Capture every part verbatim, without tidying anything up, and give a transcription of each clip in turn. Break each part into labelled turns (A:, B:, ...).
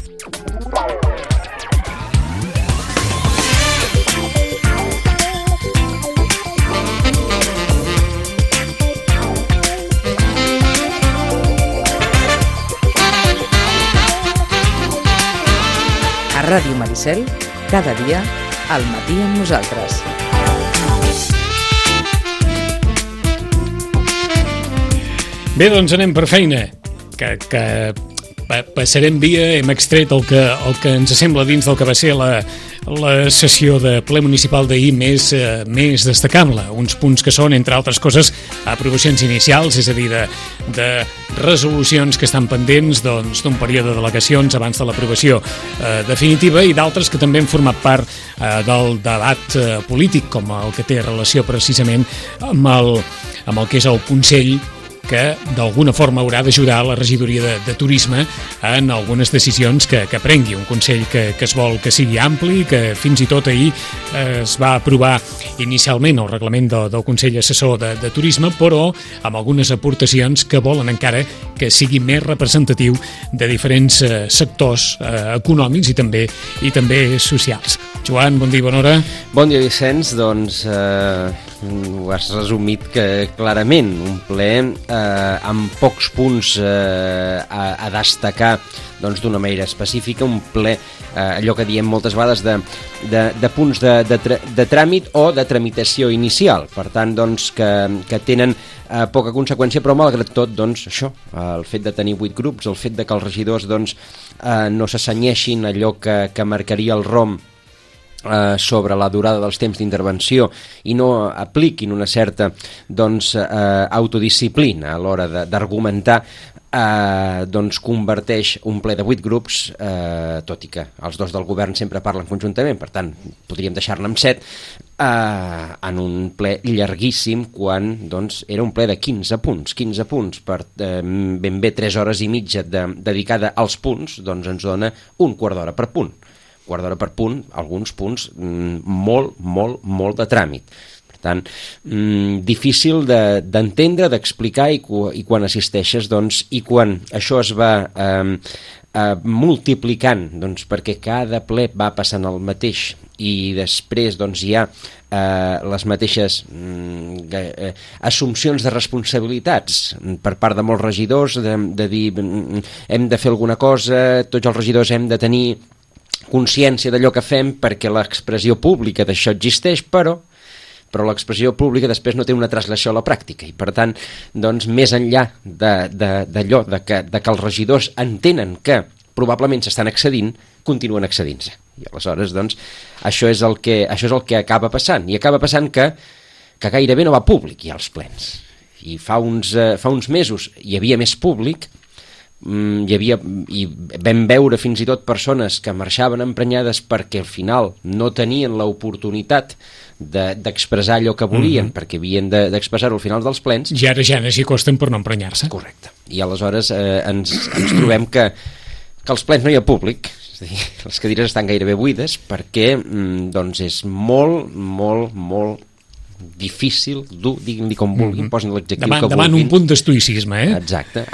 A: A Ràdio Maricel, cada dia, al matí amb nosaltres.
B: Bé, doncs anem per feina, que, que passarem via, hem extret el que, el que ens sembla dins del que va ser la, la sessió de ple municipal d'ahir més, eh, més destacable. Uns punts que són, entre altres coses, aprovacions inicials, és a dir, de, de resolucions que estan pendents doncs, d'un període d'al·legacions abans de l'aprovació eh, definitiva, i d'altres que també han format part eh, del debat eh, polític, com el que té relació precisament amb el, amb el que és el Consell, que d'alguna forma haurà d'ajudar la regidoria de, de turisme en algunes decisions que, que prengui. Un Consell que, que es vol que sigui ampli, que fins i tot ahir eh, es va aprovar inicialment el reglament del, del Consell Assessor de, de Turisme, però amb algunes aportacions que volen encara que sigui més representatiu de diferents eh, sectors eh, econòmics i també, i també socials. Joan, bon dia, bona hora.
C: Bon dia, Vicenç. Doncs eh, ho has resumit que clarament un ple eh, amb pocs punts eh, a, a destacar doncs, d'una manera específica, un ple, eh, allò que diem moltes vegades, de, de, de punts de, de, de tràmit o de tramitació inicial. Per tant, doncs, que, que tenen eh, poca conseqüència, però malgrat tot, doncs, això, el fet de tenir vuit grups, el fet de que els regidors doncs, eh, no s'assenyeixin allò que, que marcaria el rom Eh, sobre la durada dels temps d'intervenció i no apliquin una certa doncs, eh, autodisciplina a l'hora d'argumentar, eh, doncs converteix un ple de vuit grups, eh, tot i que els dos del govern sempre parlen conjuntament, per tant podríem deixar-ne amb set, eh, en un ple llarguíssim, quan doncs, era un ple de quinze punts, quinze punts per eh, ben bé tres hores i mitja de, dedicada als punts, doncs ens dona un quart d'hora per punt. quart d'hora per punt, alguns punts mm, molt, molt, molt de tràmit. Per tant, mm, difícil d'entendre, de, d'explicar, i, i quan assisteixes, doncs, i quan això es va eh, eh, multiplicant, doncs, perquè cada ple va passant el mateix, i després doncs, hi ha eh, les mateixes mm, eh, assumpcions de responsabilitats per part de molts regidors, de, de dir mm, hem de fer alguna cosa, tots els regidors hem de tenir consciència d'allò que fem perquè l'expressió pública d'això existeix, però però l'expressió pública després no té una translació a la pràctica, i per tant, doncs, més enllà d'allò de, de, de que, de que els regidors entenen que probablement s'estan excedint, continuen excedint-se. I aleshores, doncs, això és el que, això és el que acaba passant, i acaba passant que, que gairebé no va públic ja als plens. I fa uns, eh, fa uns mesos hi havia més públic, hi havia, i vam veure fins i tot persones que marxaven emprenyades perquè al final no tenien l'oportunitat d'expressar allò que volien, mm-hmm. perquè havien d'expressar-ho al final dels plens.
B: I ara ja n'hi costen per no emprenyar-se.
C: Correcte. I aleshores eh, ens, ens trobem que, que als plens no hi ha públic, és a dir, les cadires estan gairebé buides, perquè mm, doncs és molt, molt, molt difícil, dur, diguin-li com vulguin, mm-hmm. posin l'adjectiu que vulguin.
B: Davant un punt d'estoïcisme, eh?
C: Exacte.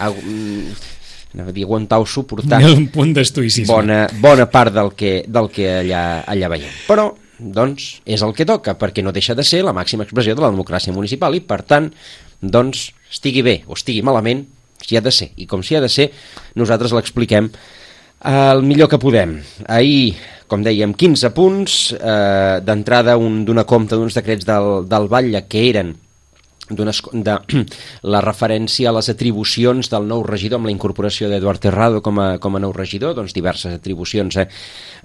C: Anava a dir aguantar o suportar
B: un punt d'estoïcisme.
C: Bona, bona part del que, del que allà, allà veiem. Però, doncs, és el que toca, perquè no deixa de ser la màxima expressió de la democràcia municipal i, per tant, doncs, estigui bé o estigui malament, si ha de ser. I com si ha de ser, nosaltres l'expliquem el millor que podem. Ahir, com dèiem, quinze punts, eh, d'entrada un donar compte d'uns decrets del, del Batlle que eren de la referència a les atribucions del nou regidor amb la incorporació d'Eduard Terrado com a, com a nou regidor, doncs diverses atribucions eh,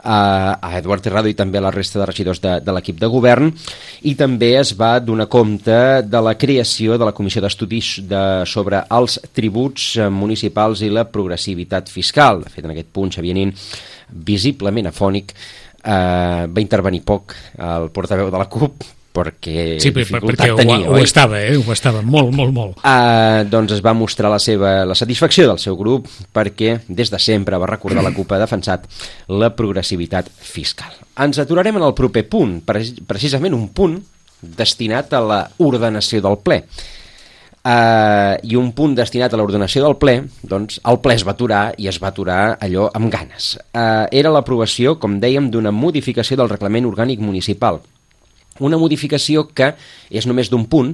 C: a, a Eduard Terrado i també a la resta de regidors de, de l'equip de govern, i també es va donar compte de la creació de la Comissió d'Estudis de, sobre els tributs municipals i la progressivitat fiscal. De fet, en aquest punt Xavier Nin, visiblement afònic, eh, va intervenir poc el portaveu de la CUP, perquè
B: sí,
C: dificultat
B: perquè
C: tenia,
B: ho, ho estava, eh? Ho estava molt, molt, molt.
C: Uh, doncs es va mostrar la seva la satisfacció del seu grup, perquè des de sempre, va recordar, la CUP ha defensat la progressivitat fiscal. Ens aturarem en el proper punt, precisament un punt destinat a la ordenació del ple. Uh, i un punt destinat a l'ordenació del ple, doncs el ple es va aturar i es va aturar allò amb ganes. Uh, era l'aprovació, com dèiem, d'una modificació del reglament orgànic municipal. Una modificació que és només d'un punt,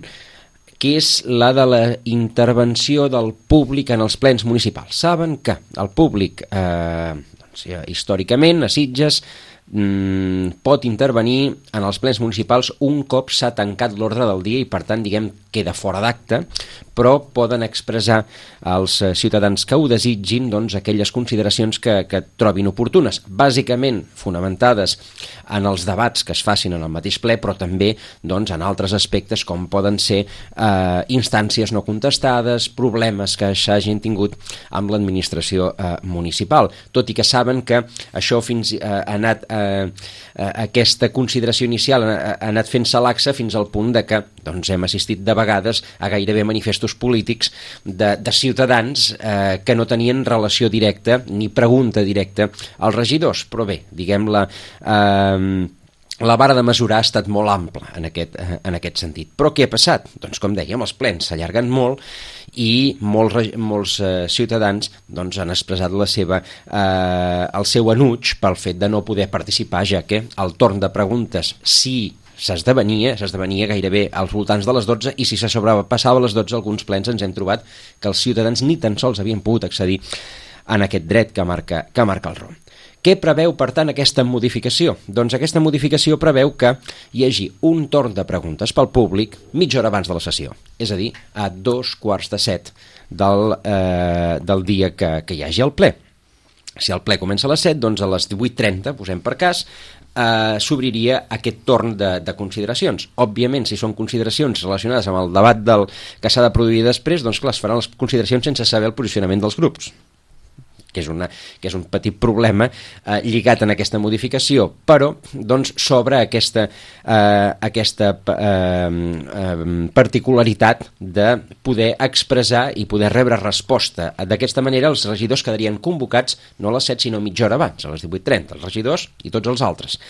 C: que és la de la intervenció del públic en els plens municipals. Saben que el públic, eh, doncs, històricament, a Sitges, mm, pot intervenir en els plens municipals un cop s'ha tancat l'ordre del dia i, per tant, diguem, queda fora d'acte, però poden expressar als ciutadans que ho desitgin doncs, aquelles consideracions que, que trobin oportunes, bàsicament fonamentades en els debats que es facin en el mateix ple, però també doncs, en altres aspectes com poden ser eh, instàncies no contestades, problemes que s'hagin tingut amb l'administració eh, municipal, tot i que saben que això fins eh, ha anat eh, eh, aquesta consideració inicial ha, ha anat fent-se laxa fins al punt de que doncs, hem assistit de vegades a gairebé manifestos polítics de, de ciutadans eh, que no tenien relació directa ni pregunta directa als regidors, però bé, diguem-la, eh, la vara de mesurar ha estat molt ampla en aquest, en aquest sentit. Però què ha passat? Doncs com dèiem, els plens s'allarguen molt i molts, molts eh, ciutadans doncs, han expressat la seva, eh, el seu enuig pel fet de no poder participar, ja que el torn de preguntes, si s'esdevenia, s'esdevenia gairebé als voltants de les dotze, i si se sobrepassava les dotze, alguns plens ens hem trobat que els ciutadans ni tan sols havien pogut accedir en aquest dret que marca, que marca el R O M. Què preveu, per tant, aquesta modificació? Doncs aquesta modificació preveu que hi hagi un torn de preguntes pel públic mitja hora abans de la sessió, és a dir, a dos quarts de set del, eh, del dia que, que hi hagi el ple. Si el ple comença a les set, doncs a les divuit trenta, posem per cas, eh, s'obriria aquest torn de, de consideracions. Òbviament, si són consideracions relacionades amb el debat del, que s'ha de produir després, doncs clar, es faran les consideracions sense saber el posicionament dels grups, que és, una, que és un petit problema eh, lligat en aquesta modificació, però doncs s'obre aquesta, eh, aquesta eh, eh, particularitat de poder expressar i poder rebre resposta. D'aquesta manera els regidors quedarien convocats no a les set sinó mitja hora abans, a les divuit trenta, els regidors i tots els altres.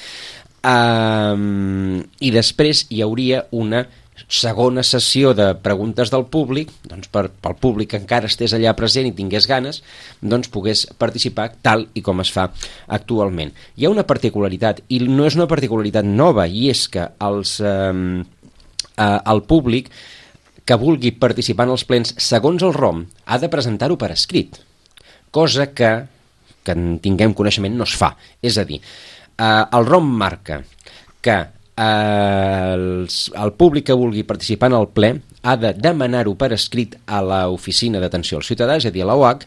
C: Um, I després hi hauria una segona sessió de preguntes del públic, doncs per, pel públic que encara estés allà present i tingués ganes, doncs pogués participar tal i com es fa actualment. Hi ha una particularitat, i no és una particularitat nova, i és que els, eh, eh, el públic que vulgui participar en els plens, segons el R O M, ha de presentar-ho per escrit, cosa que, que en tinguem coneixement, no es fa. És a dir, eh, el R O M marca que El, el públic que vulgui participar en el ple ha de demanar-ho per escrit a l'oficina d'atenció al ciutadà, és a dir, a la U H C,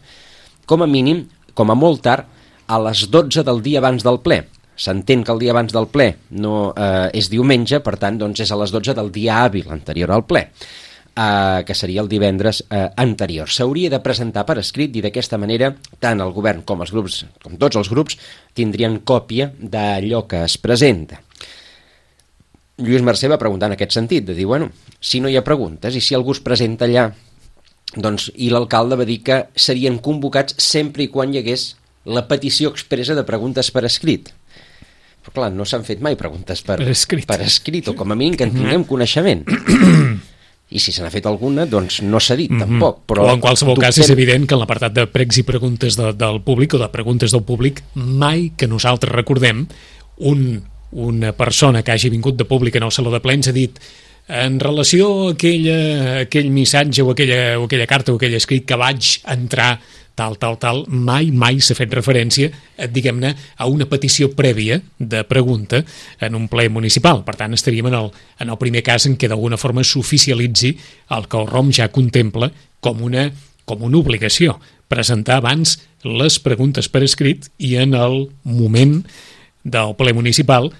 C: com a mínim, com a molt tard, a les dotze del dia abans del ple. S'entén que el dia abans del ple no eh, és diumenge, per tant, doncs és a les dotze del dia hàbil anterior al ple, eh, que seria el divendres eh, anterior. S'hauria de presentar per escrit i d'aquesta manera tant el govern com els grups, com tots els grups, tindrien còpia d'allò que es presenta. Lluís Mercè va preguntar en aquest sentit, de dir, bueno, si no hi ha preguntes i si algú es presenta allà, doncs, i l'alcalde va dir que serien convocats sempre i quan hi hagués la petició expressa de preguntes per escrit. Però clar, no s'han fet mai preguntes per,
B: per, escrit.
C: per escrit, o com a mínim que en tinguem coneixement. I si se n'ha fet alguna, doncs no s'ha dit, mm-hmm. tampoc. Però
B: o en qualsevol dubtem... cas és evident que en l'apartat de pregs i preguntes de, del públic o de preguntes del públic, mai que nosaltres recordem un... una persona que hagi vingut de públic en el saló de plens ha dit en relació a aquella, aquell missatge o aquella, o aquella carta o aquell escrit que vaig entrar tal, tal, tal, mai, mai s'ha fet referència, diguem-ne, a una petició prèvia de pregunta en un ple municipal. Per tant, estaríem en el, en el primer cas en què d'alguna forma s'oficialitzi el que el R O M ja contempla com una, com una obligació, presentar abans les preguntes per escrit i en el moment del ple municipal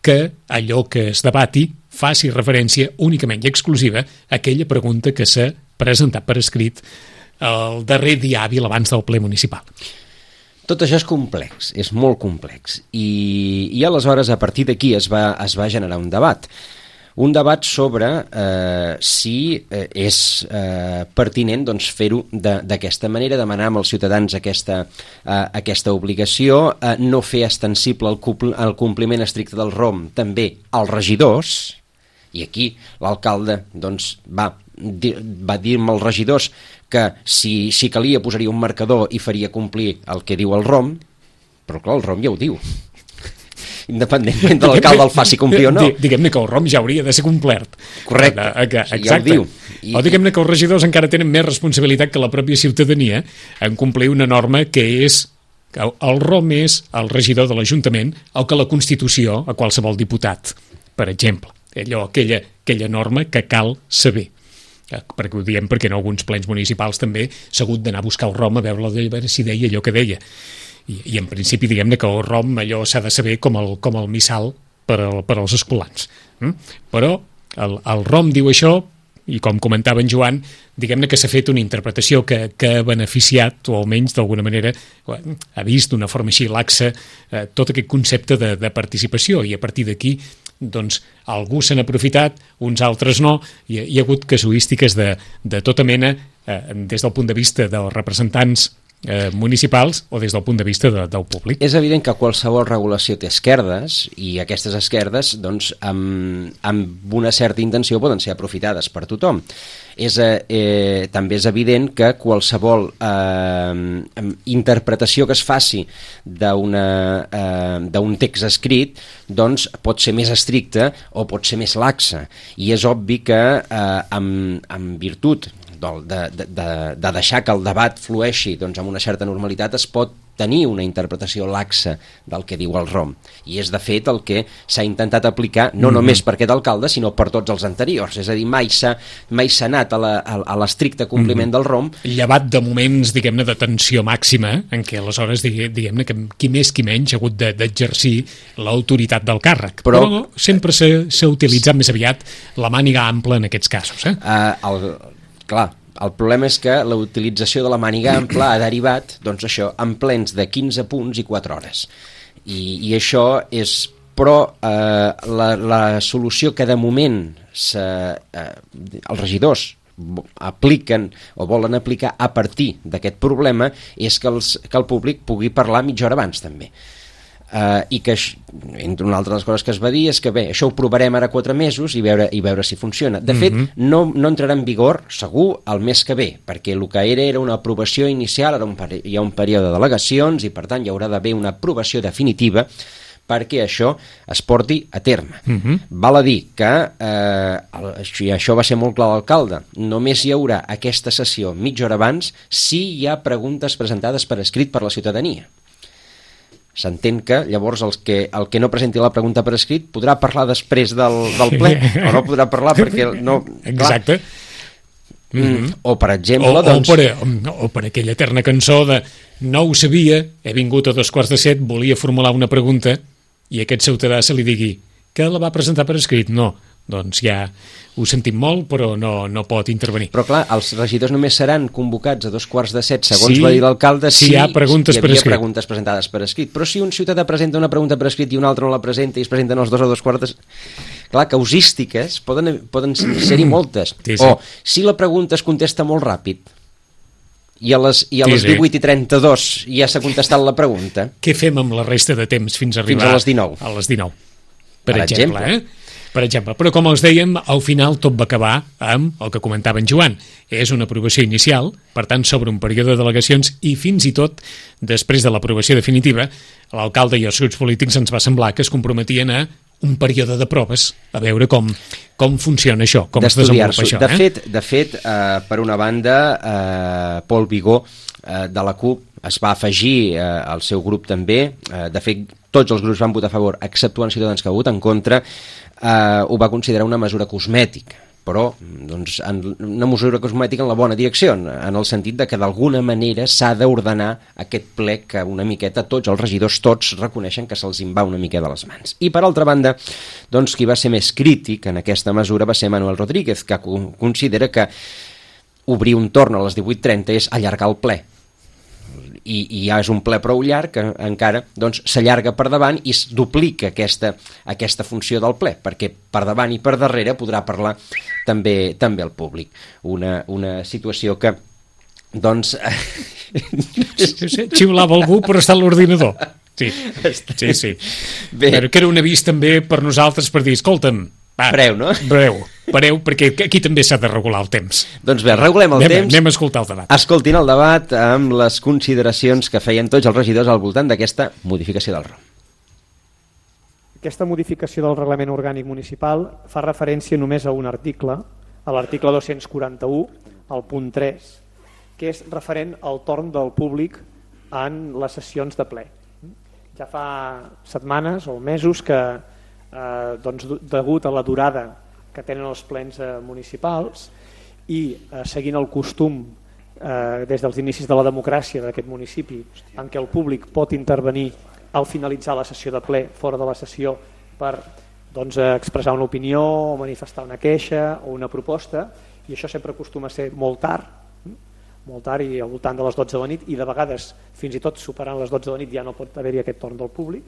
B: que allò que es debati faci referència únicament i exclusiva a aquella pregunta que s'ha presentat per escrit el darrer dia hàbil abans del ple municipal.
C: Tot això és complex, és molt complex, i, i aleshores a partir d'aquí es va, es va generar un debat. Un debat sobre eh, si eh, és eh, pertinent doncs, fer-ho d'aquesta manera, demanar als ciutadans aquesta, eh, aquesta obligació, eh, no fer extensible el, compl el compliment estricte del R O M també als regidors, i aquí l'alcalde doncs, va va dir-me als regidors que si, si calia posaria un marcador i faria complir el que diu el R O M, però clar, el R O M ja ho diu. Independentment de l'alcalde el faci complir o no.
B: Diguem-ne que el R O M ja hauria de ser complert.
C: Correcte,
B: exacte.
C: ja ho diu.
B: I... O diguem-ne que els regidors encara tenen més responsabilitat que la pròpia ciutadania en complir una norma que és que el R O M és el regidor de l'Ajuntament o que la Constitució a qualsevol diputat, per exemple. Allò, aquella, aquella norma que cal saber. Perquè ho diem perquè en alguns plens municipals també s'ha hagut d'anar a buscar el R O M a veure, a veure si deia allò que deia. I, i en principi diguem-ne que el R O M allò s'ha de saber com el, com el missal per, al, per als escolans. Mm? Però el, el R O M diu això i com comentava en Joan, diguem-ne que s'ha fet una interpretació que, que ha beneficiat o almenys d'alguna manera ha vist d'una forma així laxa eh, tot aquest concepte de, de participació i a partir d'aquí doncs algú se n'ha aprofitat, uns altres no, i hi ha hagut casuístiques de, de tota mena eh, des del punt de vista dels representants eh, municipals o des del punt de vista de, del públic.
C: És evident que qualsevol regulació té esquerdes i aquestes esquerdes doncs, amb, amb una certa intenció poden ser aprofitades per tothom. És, eh, també és evident que qualsevol eh, interpretació que es faci d'una, eh, d'un text escrit doncs, pot ser més estricta o pot ser més laxa i és obvi que eh, amb, amb virtut de, de, de, de deixar que el debat flueixi doncs, amb una certa normalitat es pot tenir una interpretació laxa del que diu el R O M i és de fet el que s'ha intentat aplicar no mm-hmm. només per aquest alcalde sinó per tots els anteriors, és a dir, mai s'ha mai s'ha anat a, la, a l'estricte compliment mm-hmm. del R O M.
B: Llevat de moments, diguem-ne, de tensió màxima en què aleshores, diguem-ne, que qui més qui menys ha hagut d'exercir l'autoritat del càrrec, però, però sempre s'ha utilitzat més aviat la màniga ampla en aquests casos. Eh?
C: Uh, el, clar, el problema és que la utilització de la màniga ampla ha derivat, doncs això, en plens de quinze punts i quatre hores. I, i això és, però eh, la, la solució que de moment se, eh, els regidors apliquen o volen aplicar a partir d'aquest problema és que, els, que el públic pugui parlar mitja hora abans també. Uh, i que, entre una altra de les coses que es va dir és que bé, això ho provarem ara quatre mesos i veure, i veure si funciona. De fet, mm-hmm. no, no entrarà en vigor segur el mes que ve, perquè el que era era una aprovació inicial, ara un peri- hi ha un període de delegacions i per tant hi haurà d'haver una aprovació definitiva perquè això es porti a terme. Mm-hmm. Val a dir que eh, el, i això va ser molt clar l'alcalde, només hi haurà aquesta sessió mitja hora abans si hi ha preguntes presentades per escrit per la ciutadania. S'entén que llavors el que, el que no presenti la pregunta per escrit podrà parlar després del, del ple o no podrà parlar perquè no...
B: Exacte.
C: Clar, mm, o per exemple
B: o,
C: doncs...
B: o, per, o per aquella eterna cançó de no ho sabia, he vingut a dos quarts de set, volia formular una pregunta i aquest ciutadà se li digui que la va presentar per escrit. No, doncs ja ho sentim molt, però no, no pot intervenir.
C: Però clar, els regidors només seran convocats a dos quarts de set, segons
B: sí,
C: va dir l'alcalde, si,
B: si hi ha preguntes
C: si hi
B: per escrit.
C: preguntes presentades per escrit. Però si un ciutadà presenta una pregunta per escrit i un altre no la presenta i es presenten els dos a dos quarts de set... Clar, causístiques poden, poden ser-hi moltes. Sí, sí. O si la pregunta es contesta molt ràpid i a les, i a les sí, sí. divuit i trenta-dos ja s'ha contestat la pregunta.
B: Què fem amb la resta de temps fins a arribar?
C: Fins a les dinou.
B: A les dinou, per, per exemple, exemple. Eh? Per exemple, però com els dèiem, al final tot va acabar amb el que comentava en Joan. És una aprovació inicial, per tant, sobre un període de delegacions i fins i tot, després de l'aprovació definitiva, l'alcalde i els grups polítics ens va semblar que es comprometien a un període de proves, a veure com, com funciona això, com es desenvolupa això.
C: De
B: eh?
C: fet, de fet eh, per una banda, eh, Pol Vigó, eh, de la CUP, es va afegir eh, al seu grup també. Eh, de fet, tots els grups van votar a favor, exceptuant Ciutadans que ha votat en contra. Uh, ho va considerar una mesura cosmètica, però doncs, en, una mesura cosmètica en la bona direcció, en el sentit de que d'alguna manera s'ha d'ordenar aquest ple que una miqueta tots els regidors tots reconeixen que se'ls en va una mica de les mans. I per altra banda, doncs, qui va ser més crític en aquesta mesura va ser Manuel Rodríguez, que considera que obrir un torn a les divuit trenta és allargar el ple. I, i ja és un ple prou llarg que encara doncs, s'allarga per davant i es duplica aquesta, aquesta funció del ple, perquè per davant i per darrere podrà parlar també també el públic. Una, una situació que doncs...
B: Xiulava algú però està a l'ordinador. Sí, sí, sí. Bé. Però que era un avís també per nosaltres per dir, escolta'm,
C: Va, breu, no?
B: Breu, breu, perquè aquí també s'ha de regular el temps.
C: Doncs bé, regulem el
B: anem,
C: temps.
B: Anem a escoltar el debat.
C: Escoltin el debat amb les consideracions que feien tots els regidors al voltant d'aquesta modificació del R O M.
D: Aquesta modificació del reglament orgànic municipal fa referència només a un article, a l'article dos-cents quaranta-u, al punt tres, que és referent al torn del públic en les sessions de ple. Ja fa setmanes o mesos que, eh, doncs, degut a la durada que tenen els plens eh, municipals i eh, seguint el costum eh, des dels inicis de la democràcia d'aquest municipi, en què el públic pot intervenir al finalitzar la sessió de ple, fora de la sessió, per doncs, expressar una opinió o manifestar una queixa o una proposta, i això sempre acostuma a ser molt tard, molt tard i al voltant de les dotze de la nit, i de vegades fins i tot superant les dotze de la nit ja no pot haver-hi aquest torn del públic.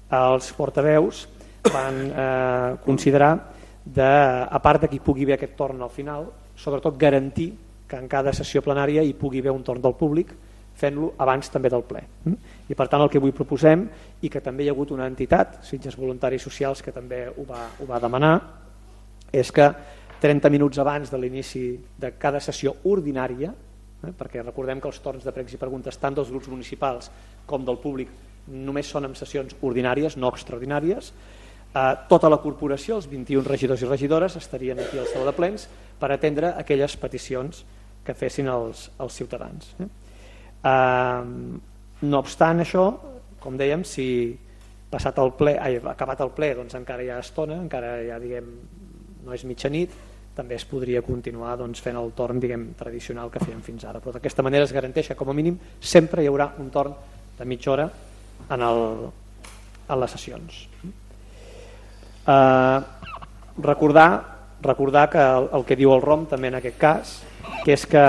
D: Els portaveus van eh, considerar, de, a part de que hi pugui haver aquest torn al final, sobretot garantir que en cada sessió plenària hi pugui haver un torn del públic, fent-lo abans també del ple. I per tant el que avui proposem, i que també hi ha hagut una entitat, Sitges Voluntaris Socials, que també ho va, ho va demanar, és que trenta minuts abans de l'inici de cada sessió ordinària, eh, perquè recordem que els torns de pregs i preguntes tant dels grups municipals com del públic només són en sessions ordinàries, no extraordinàries, eh, tota la corporació, els vint-i-un regidors i regidores, estarien aquí al saló de plens per atendre aquelles peticions que fessin els, els ciutadans. Eh? Uh, no obstant això, com dèiem, si passat el ple, ai, acabat el ple, doncs encara hi ha estona, encara ja diguem no és mitjanit, també es podria continuar doncs, fent el torn diguem tradicional que fèiem fins ara, però d'aquesta manera es garanteix que com a mínim sempre hi haurà un torn de mitja hora en, el, en les sessions. Uh, recordar, recordar que el, el que diu el R O M també en aquest cas, que és que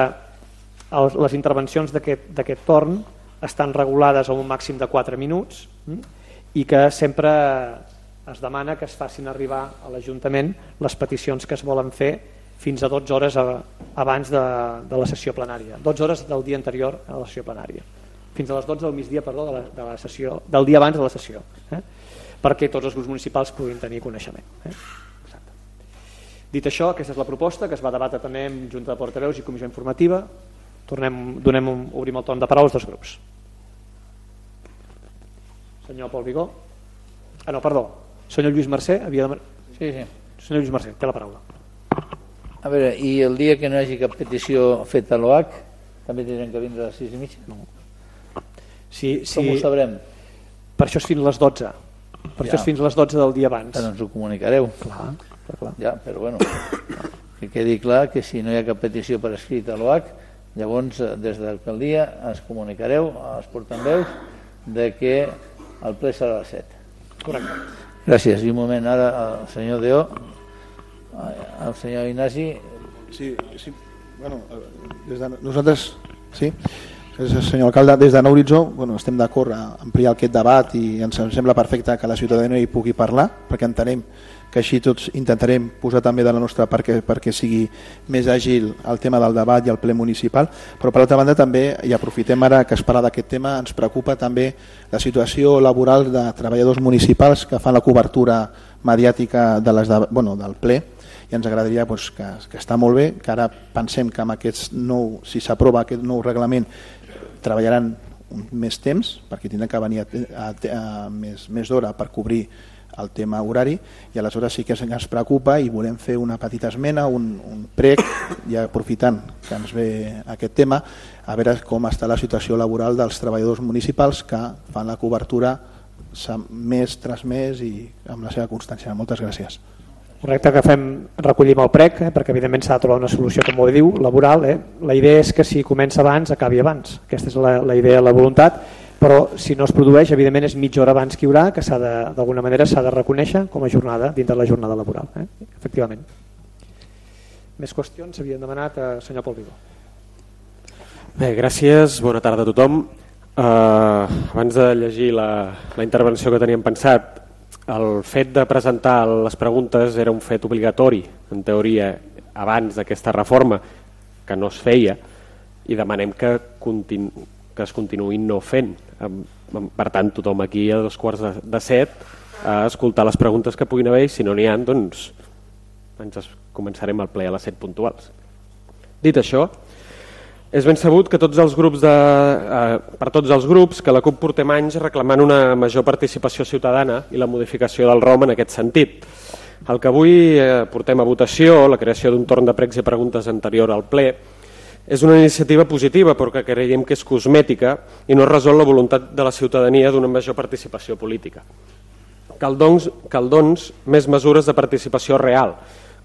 D: les intervencions d'aquest torn estan regulades a un màxim de quatre minuts i que sempre es demana que es facin arribar a l'Ajuntament les peticions que es volen fer fins a dotze hores abans de, de la sessió plenària, dotze hores del dia anterior a la sessió plenària, fins a les dotze del migdia perdó, de la, de la sessió, del dia abans de la sessió, eh? perquè tots els grups municipals puguin tenir coneixement. Eh? Exacte. Dit això, aquesta és la proposta que es va debatre també en Junta de Portaveus i Comissió Informativa. Tornem, donem un, obrim el torn de paraules dels grups. Senyor Pol Vigó. Ah, no, perdó. Senyor Lluís Mercè havia de...
E: Sí, sí.
D: Senyor Lluís Mercè, té la paraula.
E: A veure, i el dia que no hi hagi cap petició feta a l'O H, també tindrem que vindre a les sis i mitja? No.
D: Sí, sí.
E: Com ho sabrem?
D: Per això és fins a les dotze. Per ja. això és fins a les dotze del dia abans.
E: Però ens ho comunicareu.
D: Clar, clar, clar.
E: Ja, però bueno, que quedi clar que si no hi ha cap petició per escrit a l'O H, llavors, des de l'alcaldia ens comunicareu als portaveus de que el ple serà a les set.
D: Correcte.
E: Gràcies. I un moment, ara el senyor Deó, el senyor Ignasi.
F: Sí, sí. Bueno, des de nosaltres, sí, senyor alcalde, des de Nou Horitzó bueno, estem d'acord a ampliar aquest debat i ens sembla perfecte que la ciutadania hi pugui parlar, perquè entenem que així tots intentarem posar també de la nostra part perquè, perquè sigui més àgil el tema del debat i el ple municipal, però per altra banda també, i aprofitem ara que es parla d'aquest tema, ens preocupa també la situació laboral de treballadors municipals que fan la cobertura mediàtica de les de, bueno, del ple, i ens agradaria doncs, que, que està molt bé, que ara pensem que amb aquest nou, si s'aprova aquest nou reglament treballaran més temps perquè tindran que venir a, a, a, a més, més d'hora per cobrir el tema horari, i aleshores sí que ens preocupa i volem fer una petita esmena, un, un prec, ja aprofitant que ens ve aquest tema, a veure com està la situació laboral dels treballadors municipals que fan la cobertura mes tras mes i amb la seva constància. Moltes gràcies.
D: Correcte, que fem, recollim el prec, eh, perquè evidentment s'ha de trobar una solució, com ho diu, laboral. Eh? La idea és que si comença abans, acabi abans. Aquesta és la, la idea, la voluntat, però si no es produeix, evidentment és mitja hora abans que hi haurà, que s'ha de, d'alguna manera s'ha de reconèixer com a jornada dintre de la jornada laboral. Eh? Efectivament. Més qüestions s'havien demanat a senyor Pol Vigó.
G: Bé, gràcies, bona tarda a tothom. Uh, abans de llegir la, la intervenció que teníem pensat, el fet de presentar les preguntes era un fet obligatori, en teoria, abans d'aquesta reforma, que no es feia, i demanem que, continu, que es continuïn no fent. Per tant, tothom aquí a dos quarts de, de set a escoltar les preguntes que puguin haver i si no n'hi ha, doncs ens començarem el ple a les set puntuals. Dit això, és ben sabut que tots els grups de, eh, per tots els grups que la CUP portem anys reclamant una major participació ciutadana i la modificació del ROM en aquest sentit. El que avui eh, portem a votació, la creació d'un torn de pregs i preguntes anterior al ple, és una iniciativa positiva però que creiem que és cosmètica i no resol la voluntat de la ciutadania d'una major participació política. Cal doncs, cal doncs més mesures de participació real,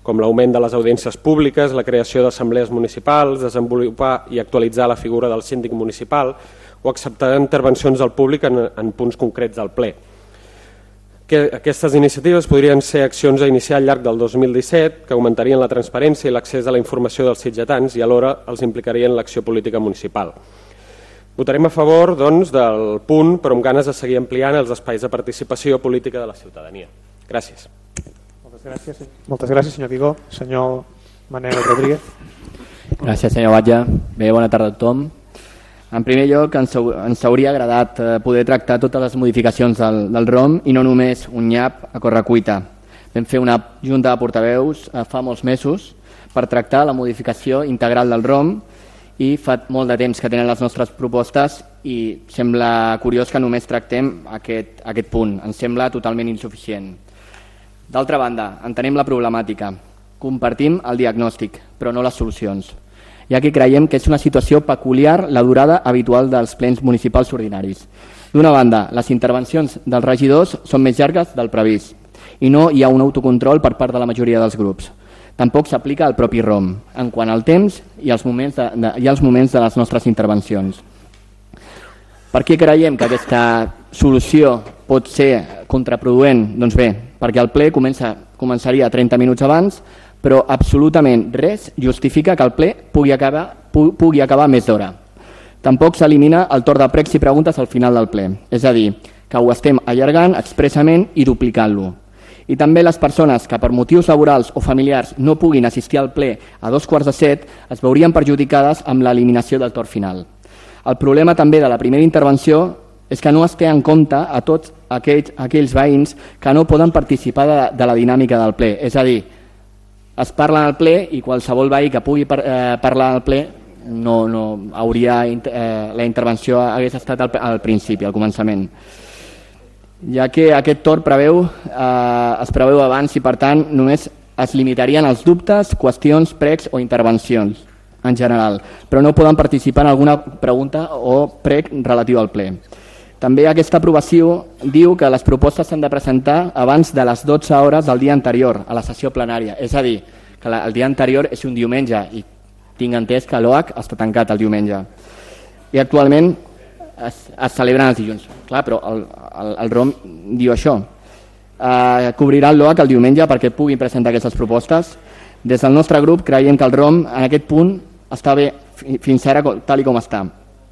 G: com l'augment de les audiències públiques, la creació d'assemblees municipals, desenvolupar i actualitzar la figura del síndic municipal o acceptar intervencions del públic en, en punts concrets del ple. Que aquestes iniciatives podrien ser accions a iniciar al llarg del dos mil disset que augmentarien la transparència i l'accés a la informació dels sitgetans i alhora els implicarien l'acció política municipal. Votarem a favor doncs, del punt, però amb ganes de seguir ampliant els espais de participació política de la ciutadania. Gràcies.
D: Moltes gràcies, Moltes gràcies senyor Vigó. Senyor Manel Rodríguez.
H: Gràcies, senyor Batlle. Bé, bona tarda a tothom. En primer lloc, ens, ens hauria agradat poder tractar totes les modificacions del, del ROM i no només un nyap a correcuita. Vam fer una junta de portaveus fa molts mesos per tractar la modificació integral del ROM i fa molt de temps que tenen les nostres propostes i sembla curiós que només tractem aquest, aquest punt. Ens sembla totalment insuficient. D'altra banda, entenem la problemàtica, compartim el diagnòstic, però no les solucions, ja que creiem que és una situació peculiar la durada habitual dels plens municipals ordinaris. D'una banda, les intervencions dels regidors són més llargues del previst i no hi ha un autocontrol per part de la majoria dels grups. Tampoc s'aplica el propi ROM, en quant al temps i als moments de, de, i als moments de les nostres intervencions. Per què creiem que aquesta solució pot ser contraproduent? Doncs bé, perquè el ple comença, començaria trenta minuts abans, però absolutament res justifica que el ple pugui acabar, pu, pugui acabar més d'hora. Tampoc s'elimina el torn de pregs i preguntes al final del ple, és a dir, que ho estem allargant expressament i duplicant-lo. I també les persones que per motius laborals o familiars no puguin assistir al ple a dos quarts de set es veurien perjudicades amb l'eliminació del torn final. El problema també de la primera intervenció és que no es té en compte a tots aquells, aquells veïns que no poden participar de, de la dinàmica del ple. És a dir, es parla al ple i qualsevol veí que pugui par, eh, parlar al ple no, no hauria, eh, la intervenció hagués estat al, al principi, al començament. Ja que aquest torn preveu, eh, es preveu abans i per tant només es limitarien els dubtes, qüestions, pregs o intervencions en general, però no poden participar en alguna pregunta o prec relatiu al ple. També aquesta aprovació diu que les propostes s'han de presentar abans de les dotze hores del dia anterior a la sessió plenària, és a dir, que el dia anterior és un diumenge i tinc entès que l'O H està tancat el diumenge. I actualment es, es celebren els dilluns. Clar, però el, el, el ROM diu això. Eh, cobrirà el l'O H el diumenge perquè puguin presentar aquestes propostes. Des del nostre grup creiem que el ROM en aquest punt està bé fins ara tal i com està.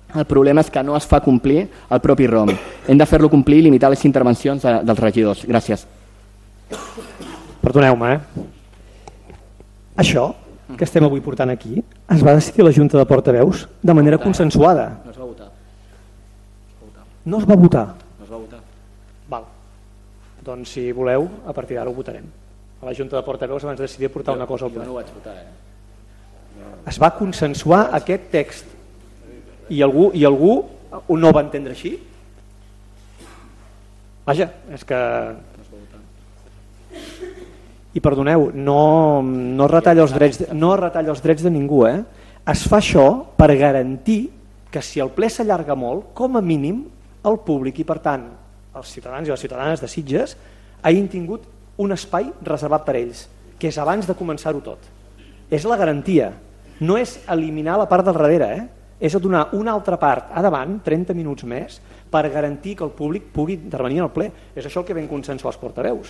H: El problema és que no es fa complir el propi ROM. Hem de fer-lo complir i limitar les intervencions de, dels regidors. Gràcies.
D: Perdoneu-me, eh? Això que estem avui portant aquí es va decidir a la Junta de Portaveus de manera consensuada.
H: No es va votar.
D: No es va votar?
H: No es va votar.
D: Val. Doncs si voleu, a partir d'ara ho votarem. A la Junta de Portaveus abans de decidir portar una cosa al ple.
H: Jo no ho vaig votar, eh?
D: Es va consensuar aquest text i algú, i algú no ho va entendre així? Vaja, és que... I perdoneu, no, no retalla els drets, no retalla els drets de ningú, eh? Es fa això per garantir que si el ple s'allarga molt, com a mínim el públic i per tant els ciutadans i les ciutadanes de Sitges hagin tingut un espai reservat per ells, que és abans de començar-ho tot. És la garantia, no és eliminar la part del darrere, eh? És donar una altra part a davant, trenta minuts més, per garantir que el públic pugui intervenir al ple. És això el que vam consensuar els portaveus.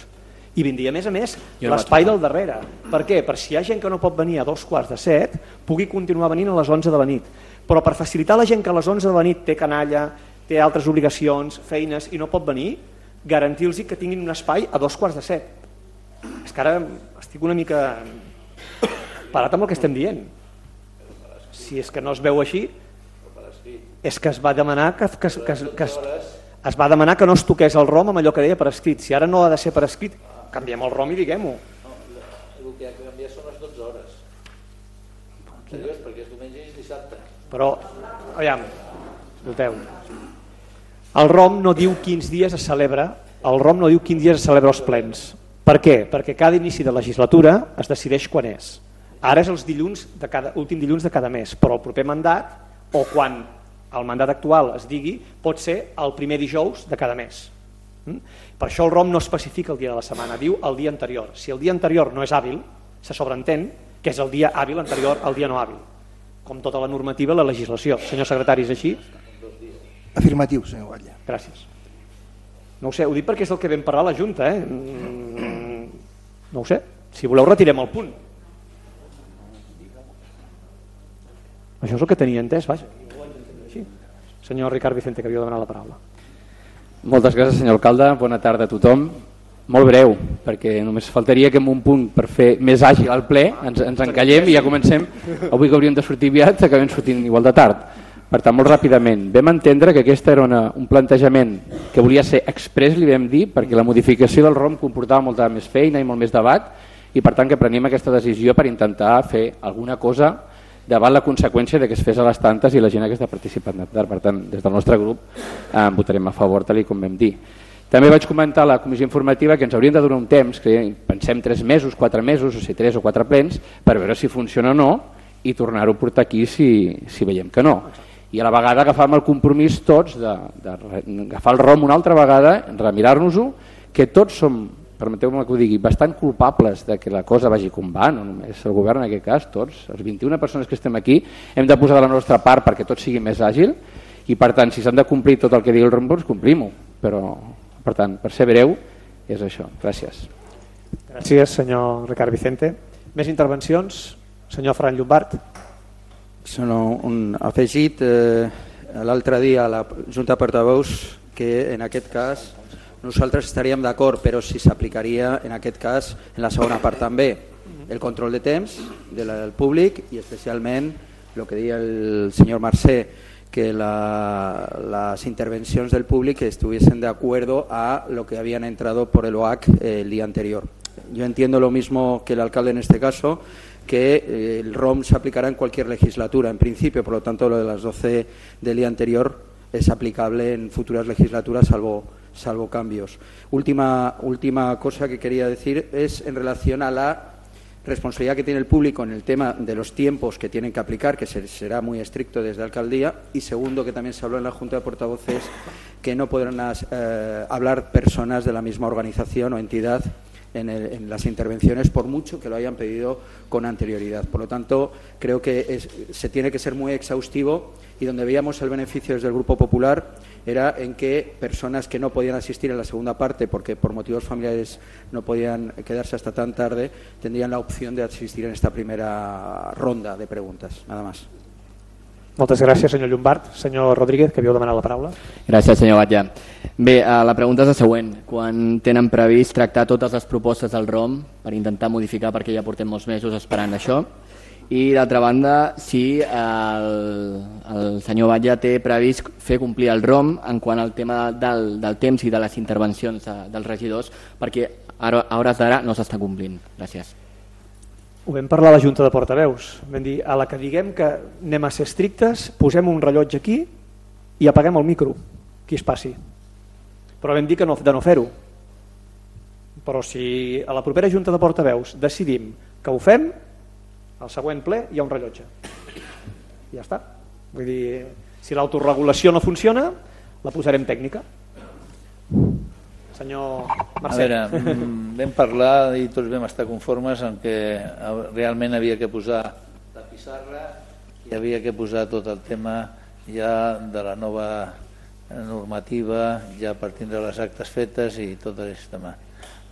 D: I vindria, a més a més, l'espai del darrere. Per què? Per si hi ha gent que no pot venir a dos quarts de set, pugui continuar venint a les onze de la nit. Però per facilitar la gent que a les onze de la nit té canalla, té altres obligacions, feines i no pot venir, garantir-los que tinguin un espai a dos quarts de set. És que ara estic una mica parat amb el que estem dient. Si és que no es veu així, és que es va demanar que, que, que, que es, es va demanar que no es toqués el ROM amb allò que deia per escrit. Si ara no ha de ser per escrit, canviem el ROM i diguem-ho.
E: No, el que ha de canviar són les dotze hores. Seriós, perquè és diumenge i és dissabte.
D: Però, aviam, escolteu, el ROM no diu quins dies es celebra, el ROM no diu quins dies es celebra els plens. Per què? Perquè cada inici de legislatura es decideix quan és. Ara és els dilluns de cada, últim dilluns de cada mes, però el proper mandat, o quan el mandat actual es digui, pot ser el primer dijous de cada mes. Per això el ROM no especifica el dia de la setmana, diu el dia anterior. Si el dia anterior no és hàbil, se sobreentén que és el dia hàbil anterior al dia no hàbil, com tota la normativa i la legislació. Senyor secretari, és així?
I: Afirmatiu, senyor Batlle.
D: Gràcies. No ho sé, ho dic perquè és el que vam parlar a la Junta, eh? No ho sé, si voleu retirem el punt. Això és el que tenia entès, vaja. Sí. Senyor Ricard Vicente, que havia demanat la paraula.
J: Moltes gràcies, senyor alcalde. Bona tarda a tothom. Molt breu, perquè només faltaria que en un punt per fer més àgil el ple ens, ens encallem i ja comencem. Avui que hauríem de sortir aviat, acabem sortint igual de tard. Per tant, molt ràpidament, vam entendre que aquest era una, un plantejament que volia ser express, li vam dir, perquè la modificació del ROM comportava molta més feina i molt més debat, i per tant que prenem aquesta decisió per intentar fer alguna cosa davant la conseqüència de que es fes a les tantes i la gent que està participant. Per tant, des del nostre grup eh, votarem a favor, tal com vam dir. També vaig comentar a la comissió informativa que ens haurien de donar un temps, que pensem tres mesos, quatre mesos, o sigui, tres o quatre plens, per veure si funciona o no i tornar-ho a portar aquí si, si veiem que no. I a la vegada agafàvem el compromís tots d'agafar el ROM una altra vegada, remirar-nos-ho, que tots som, permeteu-me que ho digui, bastant culpables de que la cosa vagi com va, no només el govern en aquest cas, tots, els vint-i-una persones que estem aquí, hem de posar de la nostra part perquè tot sigui més àgil i per tant, si s'han de complir tot el que digui el ROM, doncs complim-ho. Però, per tant, per ser breu, és això. Gràcies.
D: Gràcies, senyor Ricard Vicente. Més intervencions? Senyor Ferran Llombart.
K: Són un afegit eh, l'altre dia a la Junta de Portaveus que en aquest cas nosaltres estaríem d'acord, però si s'aplicaria en aquest cas en la segona part també el control de temps del públic i especialment el que deia el senyor Mercè, que la, las intervencions del públic estuviesen de acuerdo a lo que habían entrado por el O A C el día anterior. Yo entiendo lo mismo que el alcalde en este caso, que el ROM se aplicará en cualquier legislatura, en principio, por lo tanto lo de las doce del día anterior es aplicable en futuras legislaturas, salvo, salvo cambios. Última, última cosa que quería decir es en relación a la responsabilidad que tiene el público en el tema de los tiempos que tienen que aplicar, que será muy estricto desde la alcaldía, y segundo, que también se habló en la Junta de Portavoces, que no podrán eh, hablar personas de la misma organización o entidad En, el, en las intervenciones, por mucho que lo hayan pedido con anterioridad. Por lo tanto, creo que es, se tiene que ser muy exhaustivo y donde veíamos el beneficio desde el Grupo Popular era en que personas que no podían asistir en la segunda parte porque por motivos familiares no podían quedarse hasta tan tarde, tendrían la opción de asistir en esta primera ronda de preguntas. Nada más.
D: Moltes gràcies, senyor Llombart. Senyor Rodríguez, que havíeu demanat la paraula.
H: Gràcies, senyor Batlle. Bé, la pregunta és la següent. Quan tenen previst tractar totes les propostes del ROM per intentar modificar, perquè ja portem molts mesos esperant això? I, d'altra banda, si el, el senyor Batlle té previst fer complir el ROM en quant al tema del, del temps i de les intervencions de, dels regidors, perquè a hores d'ara no s'està complint. Gràcies.
D: Ho vam parlar a la Junta de Portaveus. Vam dir, a la que diguem que anem a ser estrictes, posem un rellotge aquí i apaguem el micro, qui es passi. Però vam dir que no, de no fer-ho. Però si a la propera Junta de Portaveus decidim que ho fem, al següent ple hi ha un rellotge. I ja està. Vull dir, si l'autoregulació no funciona, la posarem tècnica. Senyor Mercè.
E: A veure, vam parlar i tots vam estar conformes en que realment havia que posar la pissarra i havia que posar tot el tema ja de la nova normativa, ja partint de les actes fetes i tot aquest tema.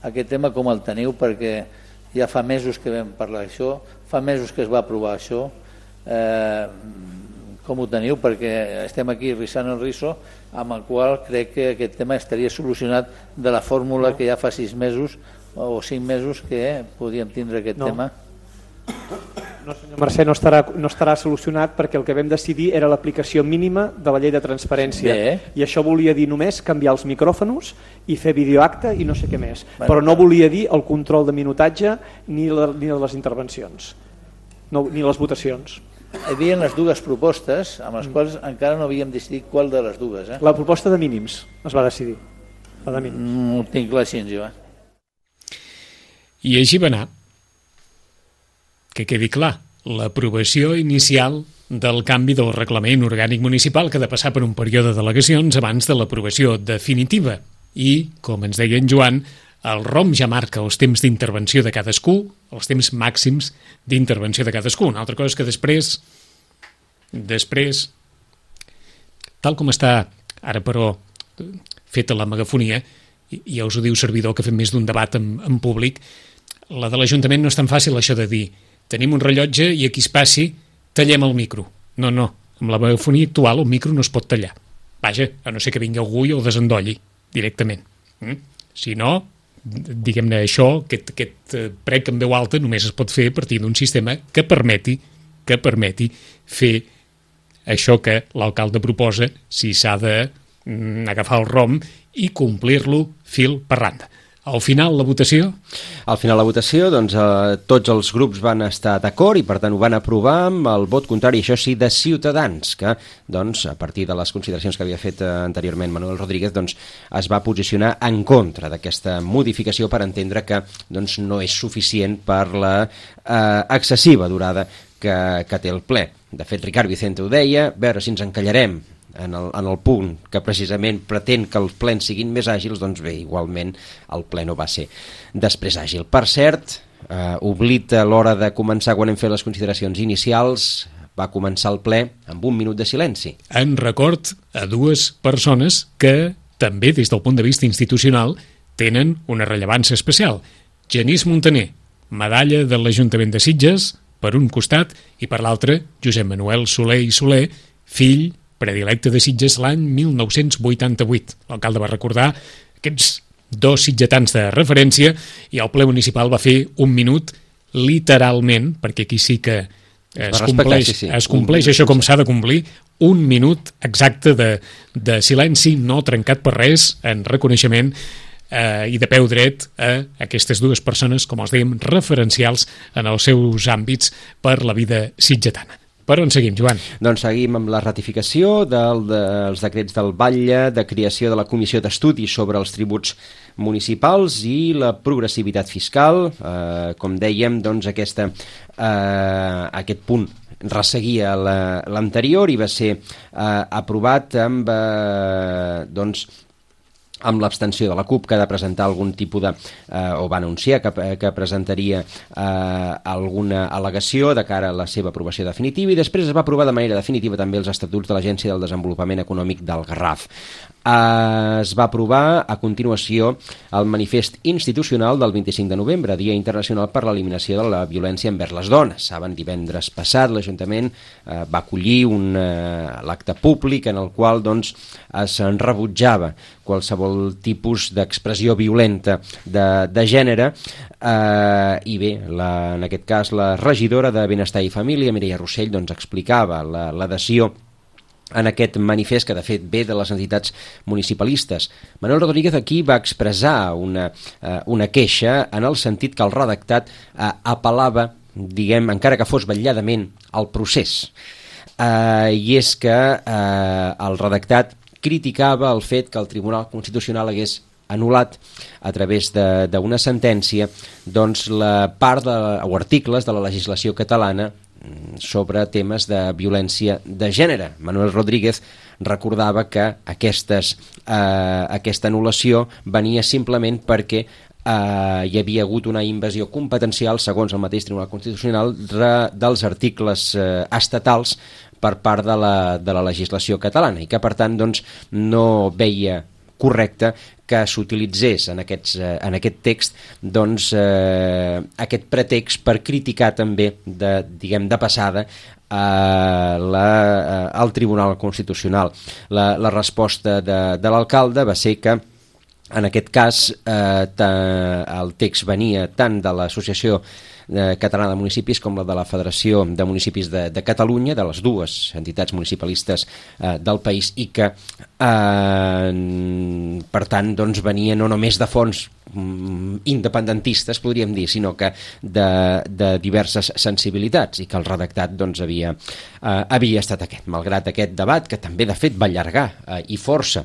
E: Aquest tema com el teniu? Perquè ja fa mesos que vam parlar d'això, fa mesos que es va aprovar això, eh, com ho teniu? Perquè estem aquí rissant el riso, amb el qual crec que aquest tema estaria solucionat de la fórmula que ja fa sis mesos o cinc mesos que podíem tindre aquest
D: no.
E: tema.
D: No, senyor Mercè, no estarà, no estarà solucionat perquè el que vam decidir era l'aplicació mínima de la llei de transparència.
E: Bé.
D: I això volia dir només canviar els micròfons i fer videoacte i no sé què més.
E: Bueno.
D: Però no volia dir el control de minutatge ni, la, ni les intervencions, no, ni les votacions.
E: Hi havia les dues propostes amb les quals encara no havíem decidit qual de les dues. Eh?
D: La proposta de mínims es va decidir. La de mínims.
E: No ho tinc clar així, jo. Eh?
B: I així va anar. Que quedi clar, l'aprovació inicial del canvi del reglament orgànic municipal que ha de passar per un període de delegacions abans de l'aprovació definitiva. I, com ens deia en Joan, el R O M ja marca els temps d'intervenció de cadascú, els temps màxims d'intervenció de cadascú. Una altra cosa és que després, després, tal com està ara però feta la megafonia, i ja us ho diu servidor que ha fet més d'un debat en, en públic, la de l'Ajuntament no és tan fàcil això de dir tenim un rellotge i aquí es passi, tallem el micro. No, no, amb la megafonia actual el micro no es pot tallar. Vaja, a no ser que vingui algú i el desendolli directament. Mm? Si no, diguem-ne això, aquest, aquest prec en veu alta només es pot fer a partir d'un sistema que permeti, que permeti fer això que l'alcalde proposa si s'ha de mm, agafar el R O M i complir-lo fil per randa. Al final, la votació?
C: Al final, la votació, doncs, eh, tots els grups van estar d'acord i, per tant, ho van aprovar amb el vot contrari, això sí, de Ciutadans, que, doncs, a partir de les consideracions que havia fet eh, anteriorment Manuel Rodríguez, doncs, es va posicionar en contra d'aquesta modificació per entendre que, doncs, no és suficient per la eh, excessiva durada que, que té el ple. De fet, Ricard Vicente ho deia, a veure si ens encallarem en el, en el punt que precisament pretén que els plens siguin més àgils, doncs bé, igualment el ple no va ser després àgil. Per cert, eh, oblit a l'hora de començar quan hem fet les consideracions inicials, va començar el ple amb un minut de silenci.
B: En record a dues persones que també des del punt de vista institucional tenen una rellevància especial. Genís Montaner, medalla de l'Ajuntament de Sitges, per un costat, i per l'altre, Josep Manuel Soler i Soler, fill predilecte de Sitges l'any mil nou-cents vuitanta-vuit. L'alcalde va recordar aquests dos sitgetans de referència i el ple municipal va fer un minut literalment, perquè aquí sí que es compleix, sí, sí. es compleix això com s'ha de complir, un minut exacte de, de silenci no trencat per res en reconeixement eh, i de peu dret a aquestes dues persones, com els dèiem, referencials en els seus àmbits per la vida sitgetana. Per on seguim, Joan?
C: Doncs seguim amb la ratificació del, dels decrets del Batlle, de creació de la Comissió d'Estudi sobre els tributs municipals i la progressivitat fiscal. Eh, com dèiem, doncs aquesta, eh, aquest punt resseguia l'anterior i va ser eh, aprovat amb, eh, doncs, amb l'abstenció de la CUP, que ha de presentar algun tipus de, eh, o va anunciar que, que presentaria eh, alguna al·legació de cara a la seva aprovació definitiva, i després es va aprovar de manera definitiva també els estatuts de l'Agència del Desenvolupament Econòmic del Garraf. Eh, es va aprovar a continuació el manifest institucional del vint-i-cinc de novembre, Dia Internacional per l'Eliminació de la Violència envers les Dones. Saben, divendres passat l'Ajuntament eh, va acollir un eh, l'acte públic en el qual doncs, es rebutjava qualsevol tipus d'expressió violenta de, de gènere eh, i bé, la, en aquest cas la regidora de Benestar i Família, Mireia Rossell, doncs explicava l'adhesió en aquest manifest que de fet ve de les entitats municipalistes. Manuel Rodríguez aquí va expressar una, eh, una queixa en el sentit que el redactat eh, apel·lava, diguem, encara que fos vetlladament, al procés. Eh, I és que eh, el redactat criticava el fet que el Tribunal Constitucional hagués anul·lat a través d'una sentència doncs, la part de, o articles de la legislació catalana sobre temes de violència de gènere. Manuel Rodríguez recordava que aquestes, eh, aquesta anul·lació venia simplement perquè eh, hi havia hagut una invasió competencial, segons el mateix Tribunal Constitucional, de, dels articles eh, estatals per part de la, de la legislació catalana i que, per tant, doncs, no veia correcte que s'utilitzés en, aquests, en aquest text doncs, eh, aquest pretext per criticar també, de, diguem, de passada eh, la, eh, al Tribunal Constitucional. La, la resposta de, de l'alcalde va ser que en aquest cas eh, ta, el text venia tant de l'associació eh, Catalana de Municipis com la de la Federació de Municipis de, de Catalunya, de les dues entitats municipalistes eh, del país, i que eh, per tant doncs, venia no només de fons independentistes, podríem dir, sinó que de, de diverses sensibilitats, i que el redactat doncs, havia, eh, havia estat aquest, malgrat aquest debat, que també de fet va allargar eh, i força.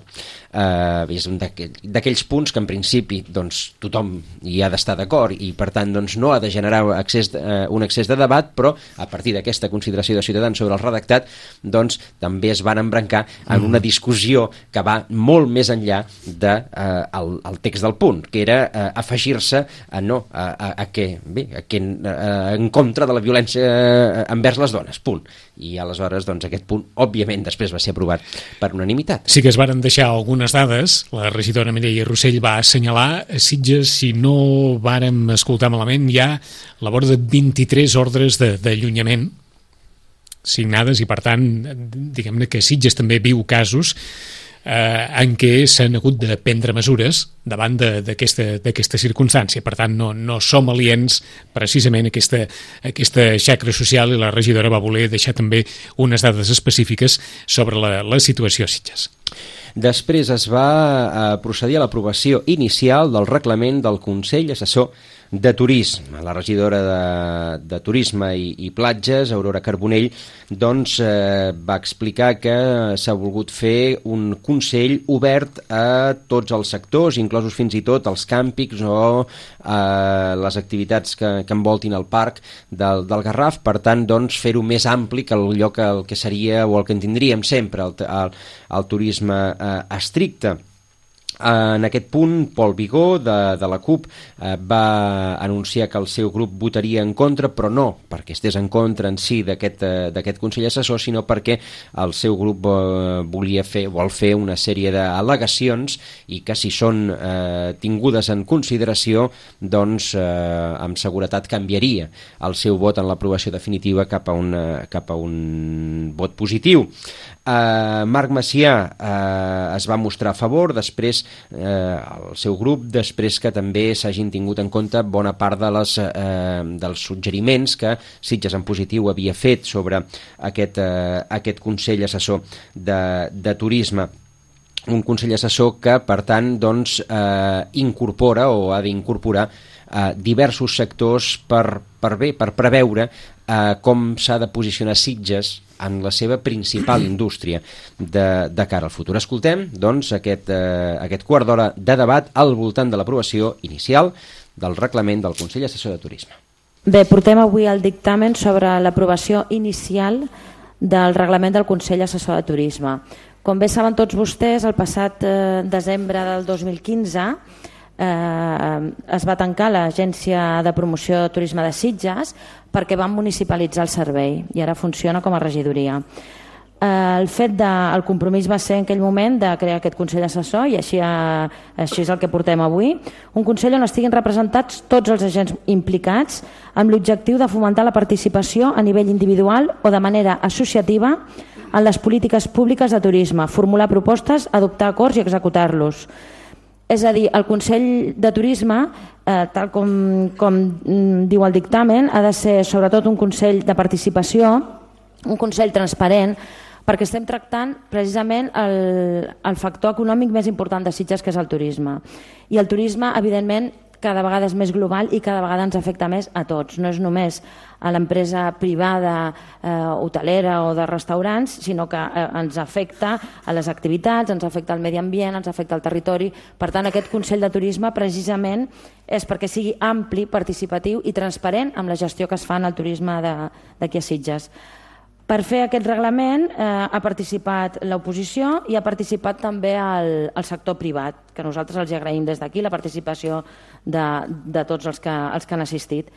C: Eh, és un d'aquells punts que en principi doncs, tothom hi ha d'estar d'acord i per tant doncs, no ha de generar accés, eh, un excés de debat, però a partir d'aquesta consideració de Ciutadans sobre el redactat doncs, també es van embrancar en una discussió que va molt més enllà del de, eh, el text del punt, que era eh, afegir-se a no, a, a, a que, bé, a que a, en contra de la violència envers les dones, punt. I aleshores doncs, aquest punt, òbviament, després va ser aprovat per unanimitat.
B: Sí que es varen deixar algunes dades. La regidora Mireia Rossell va assenyalar a Sitges, si no vàrem escoltar malament, hi ha la vora de vint-i-tres ordres d'allunyament signades i, per tant, diguem-ne que Sitges també viu casos eh, en què s'han hagut de prendre mesures davant d'aquesta circumstància. Per tant, no, no som aliens precisament a aquesta, a aquesta xacra social, i la regidora va voler deixar també unes dades específiques sobre la, la situació a Sitges.
C: Després es va eh, procedir a l'aprovació inicial del reglament del Consell Assessor de Turisme. La regidora de, de Turisme i, i Platges, Aurora Carbonell, doncs eh, va explicar que s'ha volgut fer un Consell obert a tots els sectors, inclosos fins i tot els càmpings o eh, les activitats que, que envoltin el parc del, del Garraf, per tant, doncs, fer-ho més ampli que allò que, el que seria o el que en tindríem sempre, el, el, el turisme eh, estricte. En aquest punt, Pol Vigó, de, de la CUP, eh, va anunciar que el seu grup votaria en contra, però no perquè estés en contra en si d'aquest eh, Consell Assessor, sinó perquè el seu grup eh, volia fer, vol fer una sèrie d'al·legacions i que si són eh, tingudes en consideració, doncs eh, amb seguretat canviaria el seu vot en l'aprovació definitiva cap a, una, cap a un vot positiu. Uh, Marc Macià uh, es va mostrar a favor, després uh, el seu grup, després que també s'hagin tingut en compte bona part de les, uh, dels suggeriments que Sitges en Positiu havia fet sobre aquest, uh, aquest Consell Assessor de, de Turisme. Un Consell Assessor que, per tant, doncs, uh, incorpora o ha d'incorporar uh, diversos sectors per, per bé, per preveure uh, com s'ha de posicionar Sitges en la seva principal indústria de, de cara al futur. Escoltem, doncs, aquest, eh, aquest quart d'hora de debat al voltant de l'aprovació inicial del reglament del Consell Assessor de Turisme.
L: Bé, portem avui el dictamen sobre l'aprovació inicial del reglament del Consell Assessor de Turisme. Com bé saben tots vostès, el passat eh, desembre del dos mil quinze eh, es va tancar l'Agència de Promoció de Turisme de Sitges perquè van municipalitzar el servei i ara funciona com a regidoria. Eh, el fet de, el compromís va ser en aquell moment de crear aquest Consell Assessor i així, eh, així és el que portem avui, un Consell on estiguin representats tots els agents implicats amb l'objectiu de fomentar la participació a nivell individual o de manera associativa en les polítiques públiques de turisme, formular propostes, adoptar acords i executar-los. És a dir, el Consell de Turisme, eh, tal com, com diu el dictamen, ha de ser sobretot un Consell de participació, un Consell transparent, perquè estem tractant precisament el, el factor econòmic més important de Sitges, que és el turisme. I el turisme, evidentment, cada vegada és més global i cada vegada ens afecta més a tots. No és només a l'empresa privada, eh, hotelera o de restaurants, sinó que eh, ens afecta a les activitats, ens afecta al medi ambient, ens afecta al territori. Per tant, aquest Consell de Turisme precisament és perquè sigui ampli, participatiu i transparent amb la gestió que es fa en el turisme d'aquí a Sitges. Per fer aquest reglament eh, ha participat l'oposició i ha participat també el, el sector privat, que nosaltres els agraïm des d'aquí la participació de, de tots els que, els que han assistit.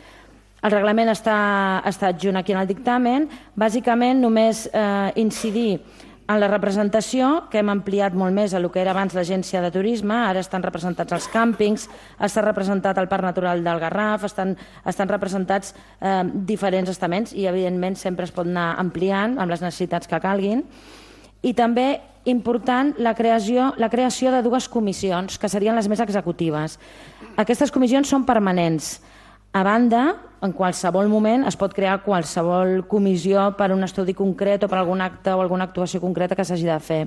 L: El reglament està, està adjunt aquí en el dictamen, bàsicament només eh, incidir en la representació, que hem ampliat molt més a el que era abans l'agència de turisme, ara estan representats els càmpings, està representat el Parc Natural del Garraf, estan, estan representats eh, diferents estaments i evidentment sempre es pot anar ampliant amb les necessitats que calguin. I també important la creació, la creació de dues comissions que serien les més executives. Aquestes comissions són permanents. A banda, en qualsevol moment es pot crear qualsevol comissió per un estudi concret o per algun acte o alguna actuació concreta que s'hagi de fer.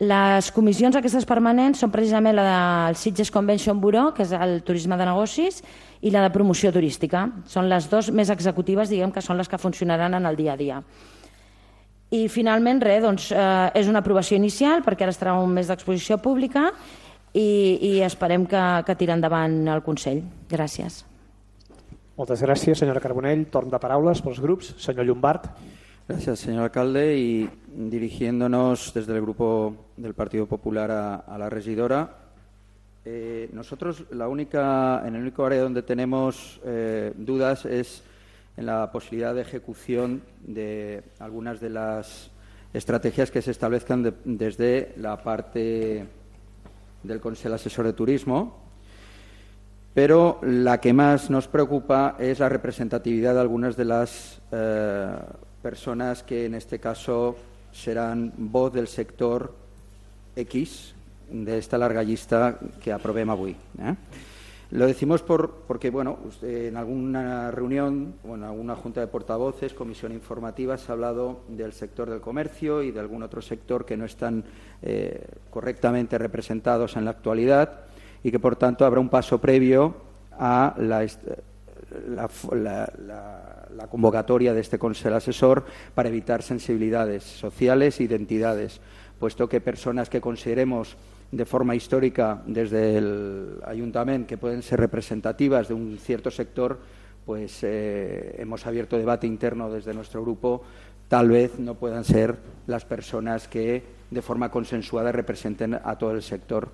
L: Les comissions aquestes permanents són precisament la del Sitges Convention Bureau, que és el turisme de negocis, i la de promoció turística. Són les dues més executives, diguem que són les que funcionaran en el dia a dia. I finalment, res, doncs, eh, és una aprovació inicial perquè ara estarà un mes d'exposició pública i, i esperem que, que tiri endavant el Consell. Gràcies.
D: Moltes gràcies, senyora Carbonell. Torn de paraules pels grups. Senyor Llombart.
K: Gracias, señor alcalde. Y dirigiéndonos desde el Grupo del Partido Popular a, a la regidora, eh, nosotros la única, en el único área donde tenemos eh, dudas es en la posibilidad de ejecución de algunas de las estrategias que se establezcan de, desde la parte del Consejo Asesor de Turismo. Pero la que más nos preocupa es la representatividad de algunas de las eh, personas que en este caso serán voz del sector X de esta larga lista que aprovem avui. ¿eh? Lo decimos por, porque, bueno, usted, en alguna reunión o en alguna junta de portavoces, comisión informativa, se ha hablado del sector del comercio y de algún otro sector que no están eh, correctamente representados en la actualidad, y que, por tanto, habrá un paso previo a la, la, la, la, la convocatoria de este Consejo Asesor para evitar sensibilidades sociales e identidades, puesto que personas que consideremos de forma histórica desde el Ayuntamiento que pueden ser representativas de un cierto sector, pues eh, hemos abierto debate interno desde nuestro grupo, tal vez no puedan ser las personas que de forma consensuada representen a todo el sector.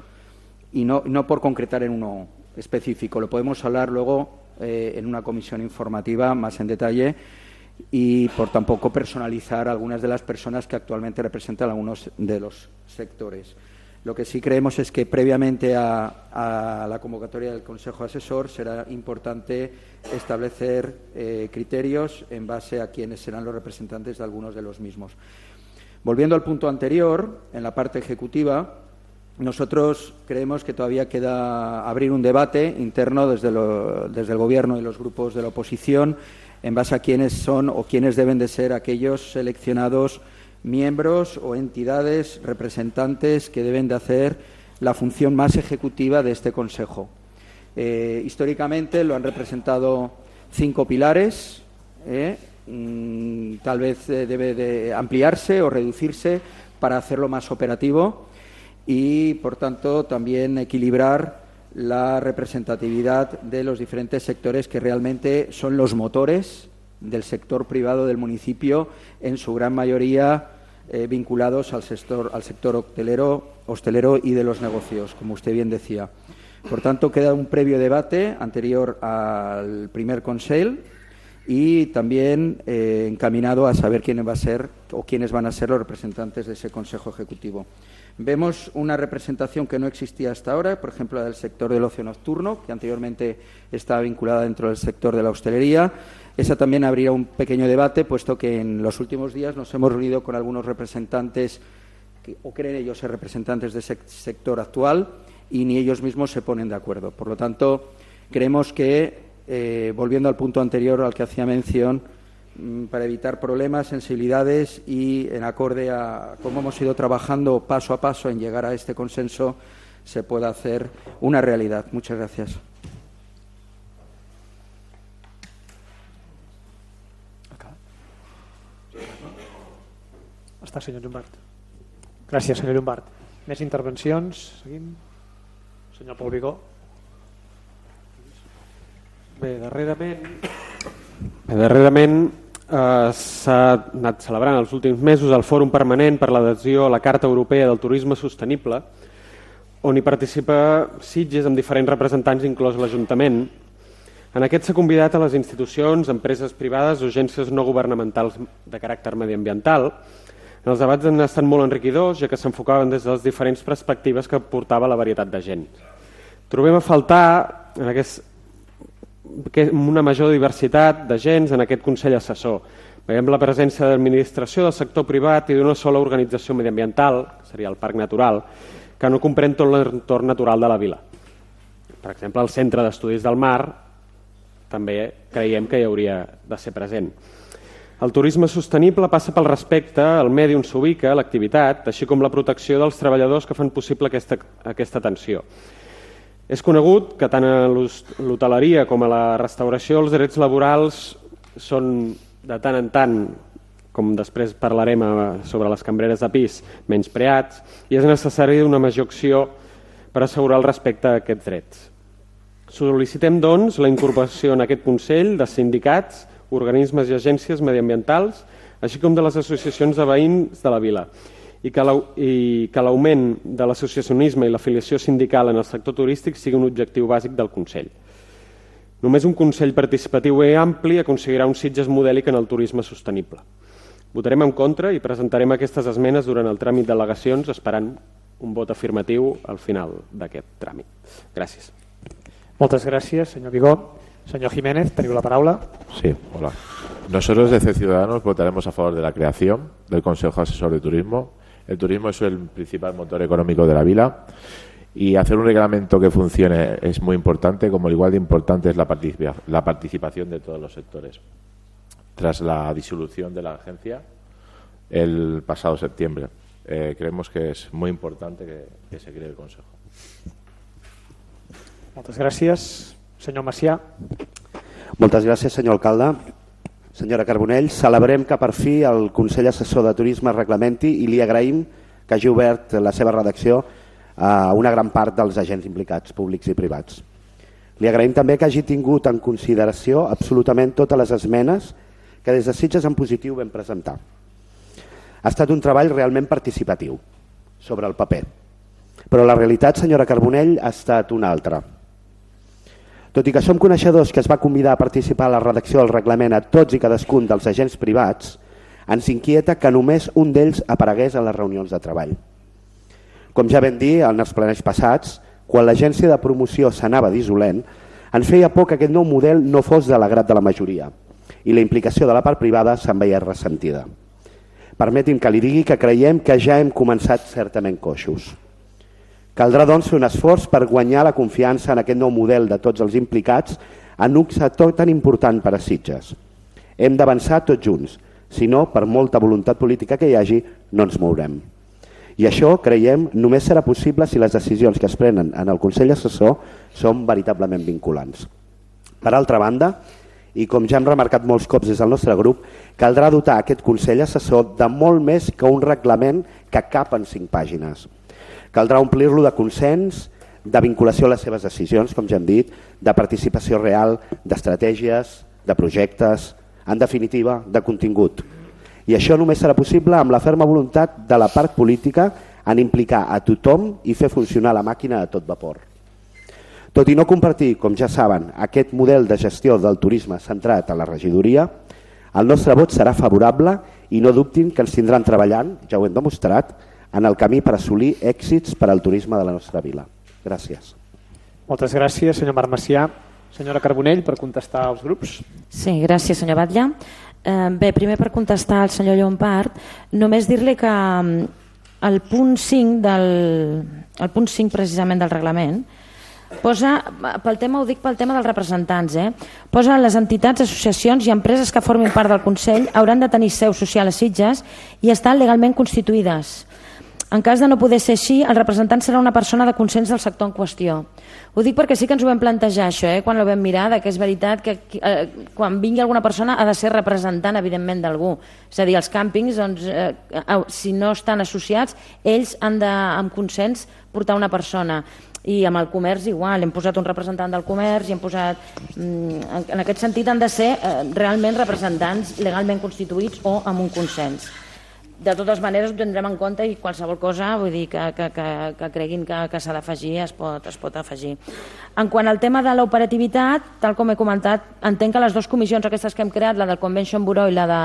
K: Y no, no por concretar en uno específico, lo podemos hablar luego eh, en una comisión informativa más en detalle, y por tampoco personalizar a algunas de las personas que actualmente representan algunos de los sectores. Lo que sí creemos es que previamente a, a la convocatoria del Consejo Asesor será importante establecer eh, criterios en base a quiénes serán los representantes de algunos de los mismos. Volviendo al punto anterior, en la parte ejecutiva, nosotros creemos que todavía queda abrir un debate interno desde, lo, desde el Gobierno y los grupos de la oposición en base a quiénes son o quiénes deben de ser aquellos seleccionados miembros o entidades representantes que deben de hacer la función más ejecutiva de este Consejo. Eh, históricamente lo han representado cinco pilares, eh, mm, tal vez eh, debe de ampliarse o reducirse para hacerlo más operativo y, por tanto, también equilibrar la representatividad de los diferentes sectores que realmente son los motores del sector privado del municipio, en su gran mayoría eh, vinculados al sector, al sector hostelero, hostelero y de los negocios, como usted bien decía. Por tanto, queda un previo debate anterior al primer Consell y también eh, encaminado a saber quién va a ser o quiénes van a ser los representantes de ese Consejo Ejecutivo. Vemos una representación que no existía hasta ahora, por ejemplo, la del sector del ocio nocturno, que anteriormente estaba vinculada dentro del sector de la hostelería. Esa también abrirá un pequeño debate, puesto que en los últimos días nos hemos reunido con algunos representantes, que, o creen ellos ser representantes de ese sector actual, y ni ellos mismos se ponen de acuerdo. Por lo tanto, creemos que, eh, volviendo al punto anterior al que hacía mención, para evitar problemas, sensibilidades y en acorde a cómo hemos ido trabajando paso a paso en llegar a este consenso, se pueda hacer una realidad. Muchas gracias.
D: Està, senyor Llombart. Gràcies, senyor Llombart. Més intervencions? Seguim. Senyor Pol Vigó.
G: Bé, darrerament... Bé, darrerament eh, s'ha anat celebrant els últims mesos el Fòrum Permanent per l'adhesió a la Carta Europea del Turisme Sostenible, on hi participa Sitges amb diferents representants, inclòs l'Ajuntament. En aquest s'ha convidat a les institucions, empreses privades o agències no governamentals de caràcter mediambiental. Els debats han estat molt enriquidors, ja que s'enfocaven des de les diferents perspectives que portava la varietat de gent. Trobem a faltar en aquest, una major diversitat d'agents en aquest Consell Assessor. Veiem la presència de l'administració, del sector privat i d'una sola organització mediambiental, que seria el Parc Natural, que no comprèn tot l'entorn natural de la vila. Per exemple, el Centre d'Estudis del Mar també creiem que hi hauria de ser present. El turisme sostenible passa pel respecte al medi on s'ubica l'activitat, així com la protecció dels treballadors que fan possible aquesta, aquesta atenció. És conegut que tant a l'hoteleria com a la restauració els drets laborals són de tant en tant, com després parlarem sobre les cambreres de pis, menyspreats, i és necessari una major acció per assegurar el respecte a aquests drets. Sol·licitem, doncs, la incorporació en aquest Consell de sindicats, organismes i agències mediambientals, així com de les associacions de veïns de la vila, i que l'augment de l'associacionisme i l'afiliació sindical en el sector turístic sigui un objectiu bàsic del Consell. Només un Consell participatiu i ampli aconseguirà un Sitges modèlic en el turisme sostenible. Votarem en contra i presentarem aquestes esmenes durant el tràmit d'al·legacions, esperant un vot afirmatiu al final d'aquest tràmit. Gràcies.
D: Moltes gràcies, senyor Vigó. Señor Jiménez, tenido la palabra.
M: Sí, hola. Nosotros desde Ciudadanos votaremos a favor de la creación del Consejo Asesor de Turismo. El turismo es el principal motor económico de la vila y hacer un reglamento que funcione es muy importante, como igual de importante es la, participa la participación de todos los sectores. Tras la disolución de la agencia el pasado septiembre, eh, creemos que es muy importante que, que se cree el Consejo.
D: Moltes gràcies. Senyor Macià.
N: Moltes gràcies, senyor alcalde. Senyora Carbonell, celebrem que per fi el Consell Assessor de Turisme es reglamenti i li agraïm que hagi obert la seva redacció a una gran part dels agents implicats, públics i privats. Li agraïm també que hagi tingut en consideració absolutament totes les esmenes que des de Sitges en positiu vam presentar. Ha estat un treball realment participatiu sobre el paper, però la realitat, senyora Carbonell, ha estat una altra. Tot i que som coneixedors que es va convidar a participar a la redacció del reglament a tots i cadascun dels agents privats, ens inquieta que només un d'ells aparegués a les reunions de treball. Com ja vam dir en els plenaris passats, quan l'agència de promoció s'anava dissolent, ens feia por que aquest nou model no fos de l'agrat de la majoria i la implicació de la part privada se'n veia ressentida. Permeti'm que li digui que creiem que ja hem començat certament coixos. Caldrà, doncs, fer un esforç per guanyar la confiança en aquest nou model de tots els implicats en un sector tan important per a Sitges. Hem d'avançar tots junts, si no, per molta voluntat política que hi hagi, no ens mourem. I això, creiem, només serà possible si les decisions que es prenen en el Consell Assessor són veritablement vinculants. Per altra banda, i com ja hem remarcat molts cops des del nostre grup, caldrà dotar aquest Consell Assessor de molt més que un reglament que cap en cinc pàgines. Caldrà omplir-lo de consens, de vinculació a les seves decisions, com ja hem dit, de participació real, d'estratègies, de projectes, en definitiva, de contingut. I això només serà possible amb la ferma voluntat de la part política en implicar a tothom i fer funcionar la màquina a tot vapor. Tot i no compartir, com ja saben, aquest model de gestió del turisme centrat a la regidoria, el nostre vot serà favorable i no dubtin que ens tindran treballant, ja ho hem demostrat, en el camí per assolir èxits per al turisme de la nostra vila. Gràcies.
D: Moltes gràcies, senyor Marc Macià. Senyora Carbonell, per contestar als grups.
L: Sí, gràcies, senyor Batlle. Eh, bé, primer per contestar al senyor Llompart, només dir-li que el punt cinc del, el punt cinc precisament del reglament posa, pel tema, ho dic pel tema dels representants, eh? Posa les entitats, associacions i empreses que formin part del Consell hauran de tenir seu social a Sitges i estan legalment constituïdes. En cas de no poder ser així, el representant serà una persona de consens del sector en qüestió. Ho dic perquè sí que ens ho vam plantejar, això, eh? Quan ho vam mirar, que és veritat que eh, quan vingui alguna persona ha de ser representant, evidentment, d'algú. És a dir, els càmpings, doncs, eh, si no estan associats, ells han de, amb consens, portar una persona. I amb el comerç igual, hem posat un representant del comerç i hem posat... En aquest sentit han de ser eh, realment representants legalment constituïts o amb un consens. De totes maneres ho tindrem en compte i qualsevol cosa, vull dir, que, que, que, que creguin que, que s'ha d'afegir es, pot, es pot afegir. En quant al tema de l'operativitat, tal com he comentat, entenc que les dues comissions aquestes que hem creat, la del Convention Bureau i la de,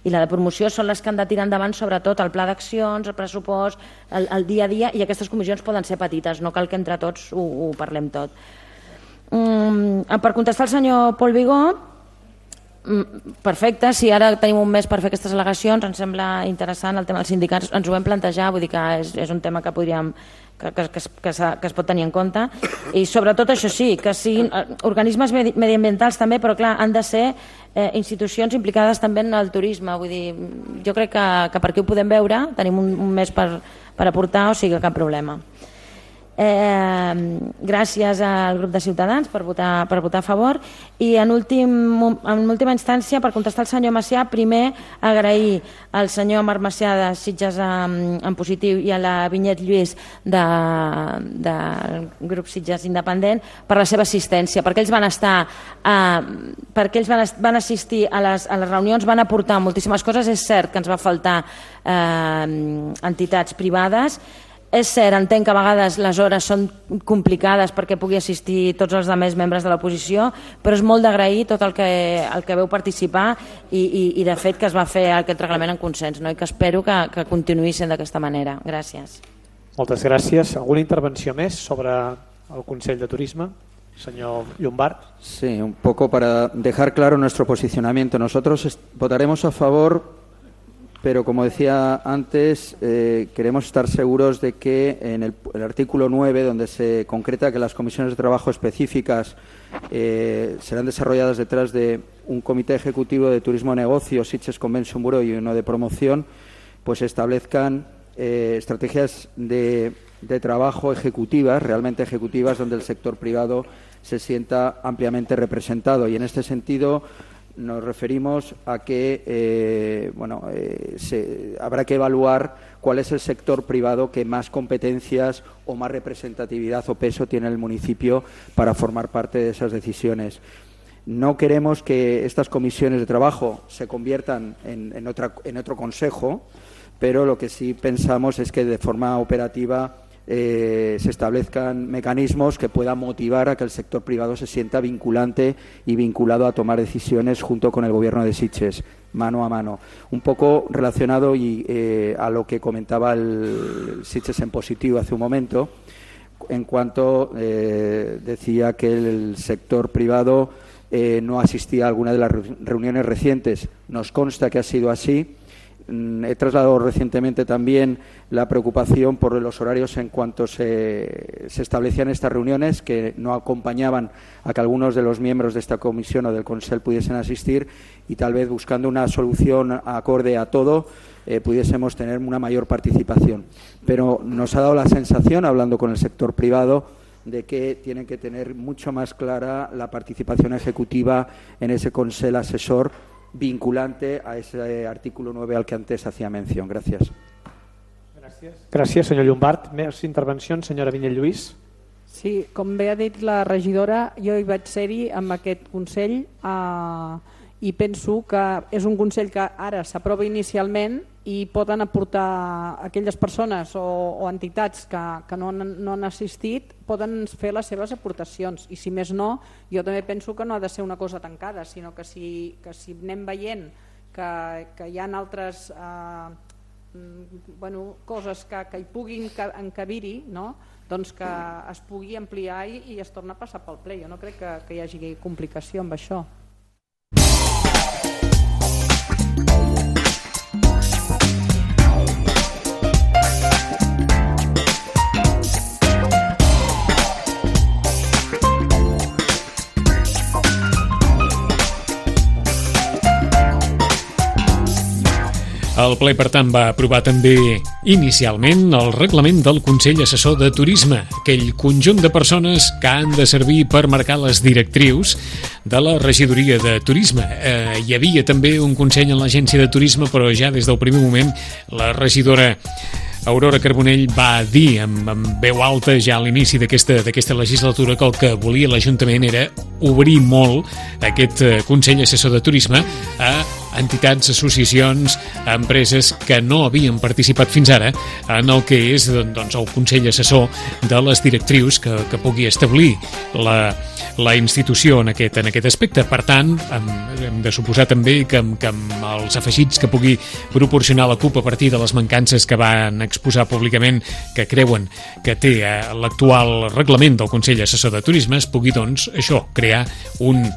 L: i la de promoció, són les que han de tirar endavant sobretot el pla d'accions, el pressupost, el, el dia a dia, i aquestes comissions poden ser petites, no cal que entre tots ho, ho parlem tot. Um, per contestar al senyor Pol Vigó, Perfecte, si ara tenim un mes per fer aquestes al·legacions, ens sembla interessant el tema dels sindicats, ens ho vam plantejar, vull dir que és, és un tema que podríem que, que, que, que, que es pot tenir en compte, i sobretot això sí, que siguin organismes mediambientals també, però clar, han de ser eh, institucions implicades també en el turisme, vull dir, jo crec que, que per aquí ho podem veure, tenim un, un mes per, per aportar, o sigui, cap problema. Eh, gràcies al grup de Ciutadans per votar, per votar a favor, i en, últim, en última instància, per contestar al senyor Macià, primer agrair al senyor Marc Macià de Sitges en, en positiu i a la Vinyet Lluís del de grup Sitges Independent per la seva assistència, perquè ells van estar eh, perquè ells van, van assistir a les, a les reunions, van aportar moltíssimes coses. És cert que ens va faltar eh, entitats privades. És cert, entenc que a vegades les hores són complicades perquè pugui assistir tots els altres membres de l'oposició, però és molt d'agrair tot el que, el que veu participar i, i, i de fet que es va fer aquest reglament en consens, no? I que espero que, que continuï sent d'aquesta manera. Gràcies.
D: Moltes gràcies. Alguna intervenció més sobre el Consell de Turisme? Señor Llombart.
K: Sí, un poco para dejar claro nuestro posicionamiento. Nosotros votaremos a favor, pero como decía antes, eh, queremos estar seguros de que en el, el artículo nueve, donde se concreta que las comisiones de trabajo específicas eh, serán desarrolladas detrás de un comité ejecutivo de turismo negocio, Sitges Convention Bureau y uno de promoción, pues establezcan eh, estrategias de, de trabajo ejecutivas, realmente ejecutivas, donde el sector privado se sienta ampliamente representado. Y en este sentido nos referimos a que eh, bueno, eh, se, habrá que evaluar cuál es el sector privado que más competencias o más representatividad o peso tiene el municipio para formar parte de esas decisiones. No queremos que estas comisiones de trabajo se conviertan en, en, otra, en otro consejo, pero lo que sí pensamos es que de forma operativa Eh, se establezcan mecanismos que puedan motivar a que el sector privado se sienta vinculante y vinculado a tomar decisiones junto con el Gobierno de Sitges, mano a mano. Un poco relacionado y, eh, a lo que comentaba el Sitges en positivo hace un momento, en cuanto eh, decía que el sector privado eh, no asistía a alguna de las reuniones recientes. Nos consta que ha sido así. He trasladado recientemente también la preocupación por los horarios en cuanto se, se establecían estas reuniones, que no acompañaban a que algunos de los miembros de esta comisión o del Consell pudiesen asistir, y tal vez buscando una solución acorde a todo eh, pudiésemos tener una mayor participación. Pero nos ha dado la sensación, hablando con el sector privado, de que tienen que tener mucho más clara la participación ejecutiva en ese Consell asesor vinculante a ese artículo nueve al que antes hacía mención. Gracias.
D: Gràcies. Gràcies, senyor Llombart. Més intervencions, senyora Vinyet Lluís.
O: Sí, com bé ha dit la regidora, jo hi vaig ser-hi amb aquest Consell eh, i penso que és un Consell que ara s'aprova inicialment i poden aportar aquelles persones o, o entitats que, que no, no han assistit, poden fer les seves aportacions, i si més no, jo també penso que no ha de ser una cosa tancada, sinó que si, que si anem veient que, que hi ha altres eh, bueno, coses que, que hi puguin encabir-hi, no? Doncs que es pugui ampliar i, i es torna a passar pel ple. Jo no crec que, que hi hagi complicació amb això.
B: El ple, per tant, va aprovar també inicialment el reglament del Consell Assessor de Turisme, aquell conjunt de persones que han de servir per marcar les directrius de la regidoria de turisme. Eh, hi havia també un consell en l'agència de turisme, però ja des del primer moment la regidora Aurora Carbonell va dir amb, amb veu alta ja a l'inici d'aquesta d'aquesta legislatura que el que volia l'Ajuntament era obrir molt aquest Consell Assessor de Turisme a entitats, associacions, a empreses que no havien participat fins ara en el que és doncs, el Consell Assessor de les directrius que, que pugui establir la, la institució en aquest, en aquest aspecte. Per tant, hem, hem de suposar també que, que amb els afegits que pugui proporcionar la CUP a partir de les mancances que van exposar públicament que creuen que té l'actual reglament del Consell Assessor de Turisme es pugui, doncs, això, crear un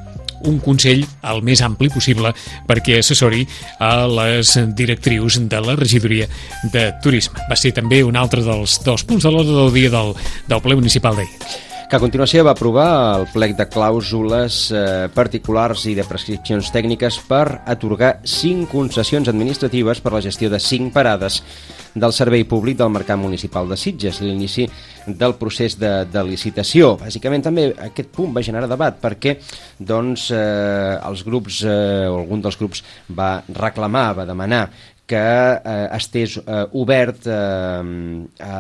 B: un Consell el més ampli possible perquè assessori a les directrius de la regidoria de Turisme. Va ser també un altre dels, dels punts de l'ordre del dia del, del ple municipal d'ahir.
C: Que a continuació va aprovar el plec de clàusules eh, particulars i de prescripcions tècniques per atorgar cinc concessions administratives per la gestió de cinc parades del servei públic del Mercat Municipal de Sitges, l'inici del procés de, de licitació. Bàsicament també aquest punt va generar debat perquè doncs, eh, els grups, eh, o algun dels grups va reclamar, va demanar que eh, estés eh, obert eh, a,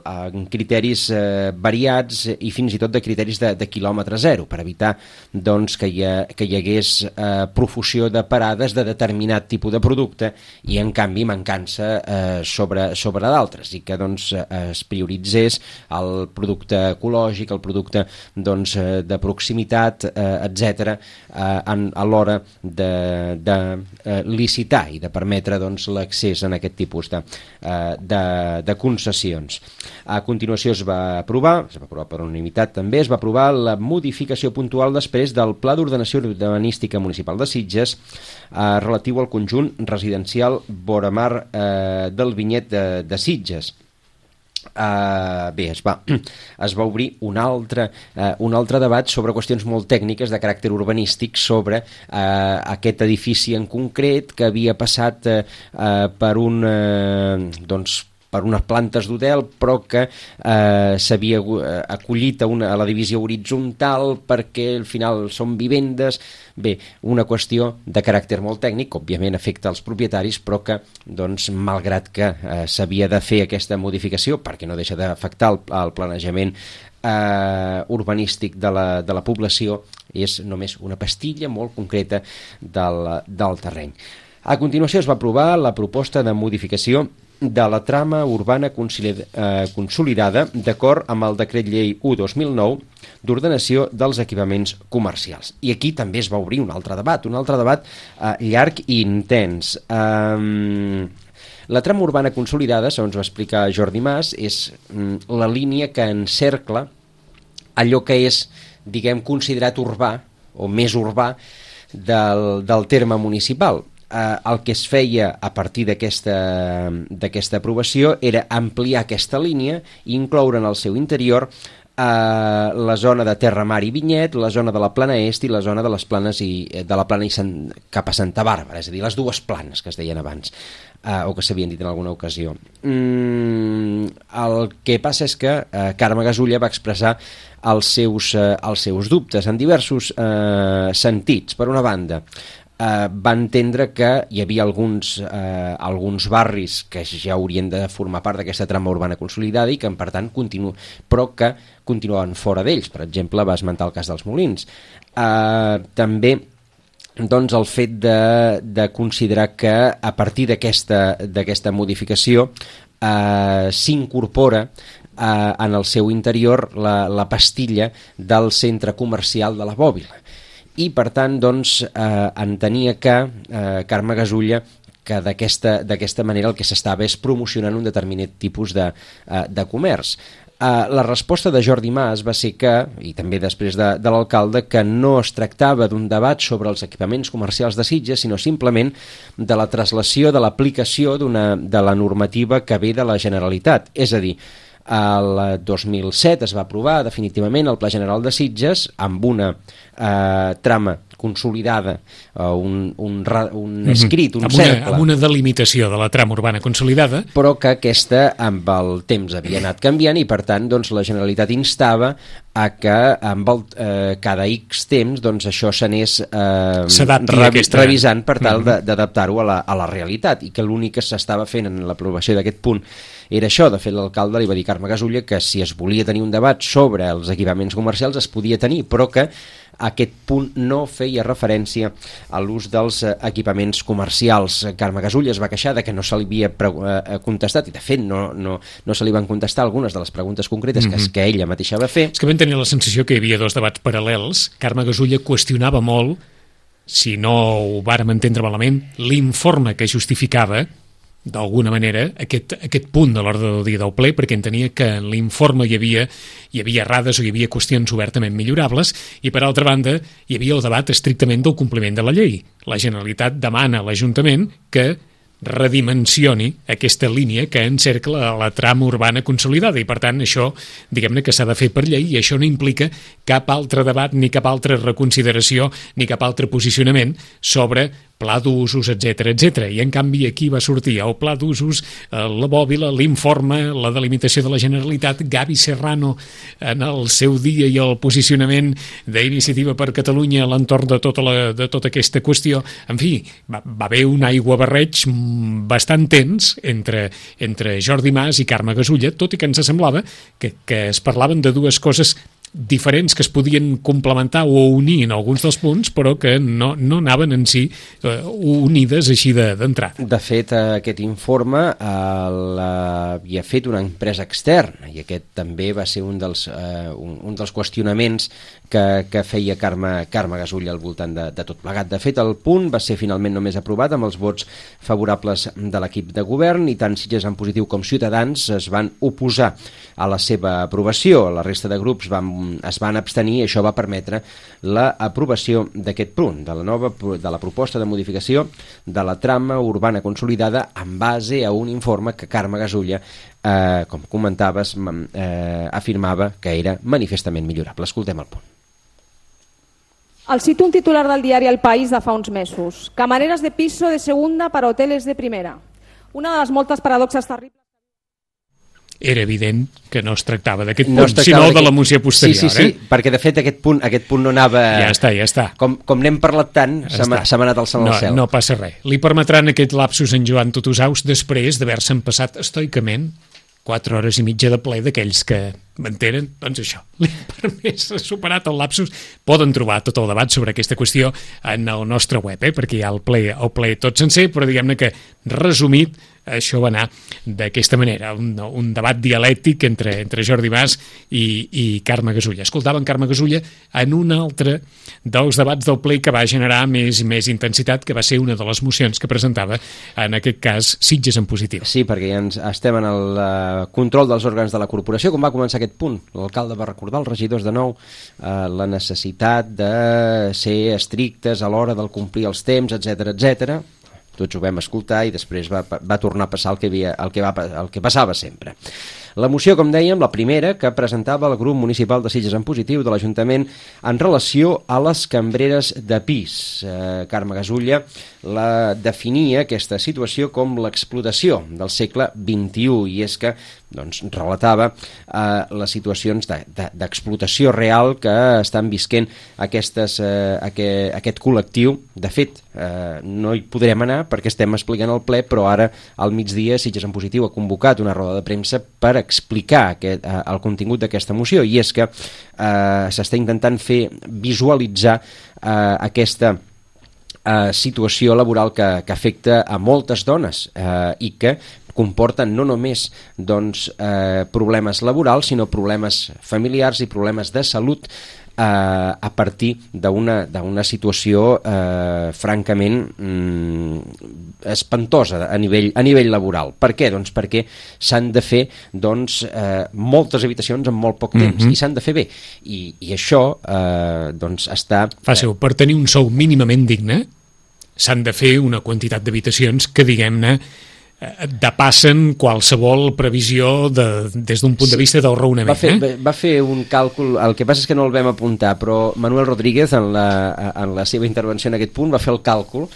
C: a criteris eh, variats i fins i tot de criteris de, de quilòmetre zero, per evitar doncs, que, hi ha, que hi hagués eh, profusió de parades de determinat tipus de producte i en canvi mancança eh, sobre, sobre d'altres, i que doncs, es prioritzés el producte ecològic, el producte doncs, de proximitat, eh, etcètera, eh, a l'hora de, de eh, licitar i de permetre doncs, l'accés en aquest tipus de, de, de concessions. A continuació es va aprovar, es va aprovar per unanimitat també, es va aprovar la modificació puntual després del Pla d'Ordenació Urbanística Municipal de Sitges eh, relatiu al conjunt residencial Voramar eh, del Vinyet de, de Sitges. Uh, bé, es va, es va obrir un altre, uh, un altre debat sobre qüestions molt tècniques de caràcter urbanístic sobre uh, aquest edifici en concret que havia passat uh, uh, per un uh, doncs per unes plantes d'hotel, però que eh, s'havia acollit a, una, a la divisió horitzontal perquè al final són vivendes. Bé, una qüestió de caràcter molt tècnic, que òbviament afecta els propietaris, però que, doncs, malgrat que eh, s'havia de fer aquesta modificació, perquè no deixa d'afectar el, el planejament eh, urbanístic de la, de la població, és només una pastilla molt concreta del, del terreny. A continuació es va aprovar la proposta de modificació de la trama urbana consolidada d'acord amb el decret llei u dos mil nou d'ordenació dels equipaments comercials. I aquí també es va obrir un altre debat, un altre debat eh, llarg i intens. Um, la trama urbana consolidada, segons va explicar Jordi Mas, és um, la línia que encercla allò que és, diguem, considerat urbà o més urbà del, del terme municipal. Eh, el que es feia a partir d'aquesta d'aquesta aprovació era ampliar aquesta línia i incloure en el seu interior eh, la zona de Terra Mar i Vinyet, la zona de la Plana Est i la zona de les planes i, de la Plana i Sant, cap a Santa Bàrbara, és a dir, les dues planes que es deien abans, eh, o que s'havien dit en alguna ocasió. Mm, el que passa és que eh, Carme Gasulla va expressar els seus, eh, els seus dubtes en diversos eh, sentits. Per una banda, Uh, va entendre que hi havia alguns, uh, alguns barris que ja haurien de formar part d'aquesta trama urbana consolidada i que, per tant, continu... però que continuaven fora d'ells. Per exemple, va esmentar el cas dels Molins. Uh, també doncs, el fet de, de considerar que a partir d'aquesta d'aquesta modificació uh, s'incorpora uh, en el seu interior la, la pastilla del centre comercial de la Bòbila. I, per tant, doncs, eh, entenia que eh, Carme Gasulla que d'aquesta d'aquesta manera el que s'estava és promocionant un determinat tipus de, eh, de comerç. Eh, la resposta de Jordi Mas va ser que, i també després de, de l'alcalde, que no es tractava d'un debat sobre els equipaments comercials de Sitges, sinó simplement de la traslació de l'aplicació d'una de la normativa que ve de la Generalitat. És a dir, el dos mil set es va aprovar definitivament el Pla General de Sitges amb una eh, trama consolidada, eh, un, un, un escrit, un
B: amb
C: cercle.
B: Una, amb una delimitació de la trama urbana consolidada.
C: Però que aquesta amb el temps havia anat canviant i, per tant, doncs, la Generalitat instava a que amb el, eh, cada X temps doncs, això s'anés eh, revi aquesta... revisant per tal uh-huh. d'adaptar-ho a, la, a la realitat, i que l'únic que s'estava fent en l'aprovació d'aquest punt era això. De fet, l'alcalde li va dir a Carme Gasulla que si es volia tenir un debat sobre els equipaments comercials es podia tenir, però que aquest punt no feia referència a l'ús dels equipaments comercials. Carme Gasulla es va queixar de que no se li havia contestat, i de fet no, no, no se li van contestar algunes de les preguntes concretes mm-hmm. que, que ella mateixa va fer.
B: És que vam tenir la sensació que hi havia dos debats paral·lels. Carme Gasulla qüestionava molt, si no ho vàrem entendre malament, l'informe que justificava d'alguna manera, aquest, aquest punt de l'ordre del dia del ple, perquè entenia que en l'informe hi havia, hi havia errades o hi havia qüestions obertament millorables, i per altra banda hi havia el debat estrictament del compliment de la llei. La Generalitat demana a l'Ajuntament que redimensioni aquesta línia que encercla la trama urbana consolidada i per tant això, diguem-ne que s'ha de fer per llei i això no implica cap altre debat ni cap altra reconsideració ni cap altre posicionament sobre pla d'usos, etcètera, etcètera. I en canvi aquí va sortir el pla d'usos, la bòbila, l'informe, la delimitació de la Generalitat, Gavi Serrano en el seu dia i el posicionament d'Iniciativa per Catalunya a l'entorn de tota, la, de tota aquesta qüestió. En fi, va, va haver un aiguabarreig bastant tens entre, entre Jordi Mas i Carme Gasulla, tot i que ens semblava que, que es parlaven de dues coses diferents que es podien complementar o unir en alguns dels punts, però que no, no anaven en si eh, unides així d'entrada.
C: De, de fet, aquest informe eh, l'havia fet una empresa externa i aquest també va ser un dels, eh, un, un dels qüestionaments que, que feia Carme, Carme Gasulla al voltant de, de tot plegat. De fet, el punt va ser finalment només aprovat amb els vots favorables de l'equip de govern i tant Sitges en positiu com Ciutadans es van oposar a la seva aprovació. La resta de grups van es van abstenir i això va permetre l'aprovació d'aquest punt, de la nova de la proposta de modificació de la trama urbana consolidada en base a un informe que Carme Gasulla, eh, com comentaves, eh, afirmava que era manifestament millorable. Escoltem el punt.
P: El cito un titular del diari El País de fa uns mesos. Camareras de piso de segunda para hoteles de primera. Una de les moltes paradoxes terribles.
B: Era evident que no es tractava d'aquest punt, no sinó de la moció posterior.
C: Sí, sí, sí, eh? perquè de fet aquest punt, aquest punt no anava...
B: Ja està, ja està.
C: Com, com n'hem parlat tant, ja s'ha anat al cel
B: no,
C: al cel.
B: No passa res. Li permetran aquest lapsus en Joan Tutusaus després d'haver-se'n passat estoicament quatre hores i mitja de ple d'aquells que m'entenen, doncs això, li ha permès superat el lapsus. Poden trobar tot el debat sobre aquesta qüestió en el nostre web, eh? perquè hi ha el ple, el ple tot sencer, però diguem-ne que resumit això va anar d'aquesta manera, un, un debat dialèctic entre, entre Jordi Mas i, i Carme Gasulla. Escoltàvem Carme Gasulla en un altre dels debats del ple que va generar més i més intensitat, que va ser una de les mocions que presentava, en aquest cas, Sitges en positiu.
C: Sí, perquè ja ens estem en el uh, control dels òrgans de la corporació, com va començar aquest punt. L'alcalde va recordar als regidors de nou uh, la necessitat de ser estrictes a l'hora del complir els temps, etcètera, etcètera. Tots ho vam escoltar i després va, va tornar a passar el que, havia, el, que va, el que passava sempre. La moció, com dèiem, la primera que presentava el grup municipal de Sitges en positiu de l'Ajuntament en relació a les cambreres de pis. Eh, Carme Gasulla la definia, aquesta situació, com l'explotació del segle vint-i-u i és que doncs, relatava eh, les situacions d'explotació de, de, real que estan visquent aquestes, eh, aquest, aquest col·lectiu. De fet, eh, no hi podrem anar perquè estem explicant el ple, però ara al migdia Sitges en positiu ha convocat una roda de premsa per explicar aquest, eh, el contingut d'aquesta moció i és que eh, s'està intentant fer visualitzar eh, aquesta eh, situació laboral que, que afecta a moltes dones eh, i que comporten no només doncs, eh, problemes laborals, sinó problemes familiars i problemes de salut eh, a partir d'una situació eh, francament mm, espantosa a nivell, a nivell laboral. Per què? Doncs perquè s'han de fer doncs, eh, moltes habitacions en molt poc temps mm-hmm. i s'han de fer bé. I, i això eh, doncs està...
B: Fàcil, per tenir un sou mínimament digne s'han de fer una quantitat d'habitacions que, diguem-ne, depassen qualsevol previsió de, des d'un punt sí, de vista del raonament.
C: Va fer,
B: eh?
C: va fer un càlcul, el que passa és que no el vam apuntar, però Manuel Rodríguez en la, en la seva intervenció en aquest punt va fer el càlcul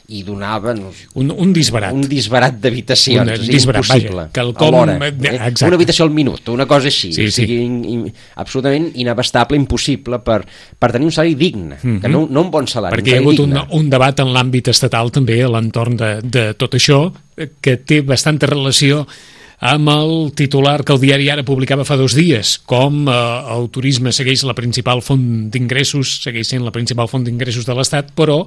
C: i donava no,
B: un, un disbarat
C: un disbarat d'habitacions, és disbarat, impossible
B: vaja, com,
C: a l'hora, eh? una habitació al minut, una cosa així sí, o sigui, sí. in, in, absolutament inabastable, impossible per, per tenir un salari digne, mm-hmm. que no, no un bon salari,
B: perquè hi ha hagut un, un debat en l'àmbit estatal també a l'entorn de, de tot això que té bastanta relació amb el titular que el diari Ara publicava fa dos dies, com eh, el turisme segueix la principal font d'ingressos, segueix sent la principal font d'ingressos de l'Estat, però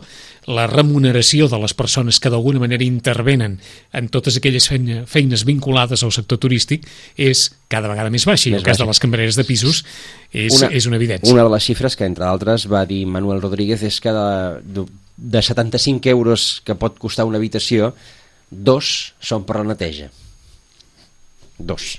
B: la remuneració de les persones que d'alguna manera intervenen en totes aquelles feina, feines vinculades al sector turístic és cada vegada més baixa, i el cas de les cambreres de pisos és una, és una evidència.
C: Una de les xifres que, entre altres, va dir Manuel Rodríguez és que de, de setanta-cinc euros que pot costar una habitació, dos són per la neteja. Dos.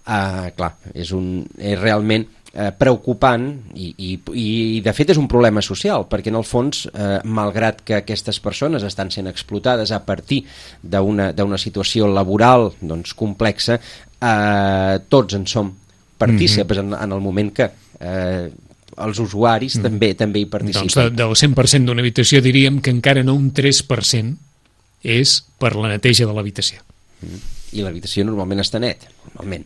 C: Uh, clar, és, un, és realment uh, preocupant i, i, i de fet és un problema social, perquè en el fons, uh, malgrat que aquestes persones estan sent explotades a partir d'una d'una situació laboral doncs, complexa, uh, tots en som partícips mm-hmm. en, en el moment que uh, els usuaris mm. també també hi participen.
B: Doncs de, del cent per cent d'una habitació diríem que encara no un tres per cent és per la neteja de l'habitació.
C: Mm. I l'habitació normalment està net, normalment.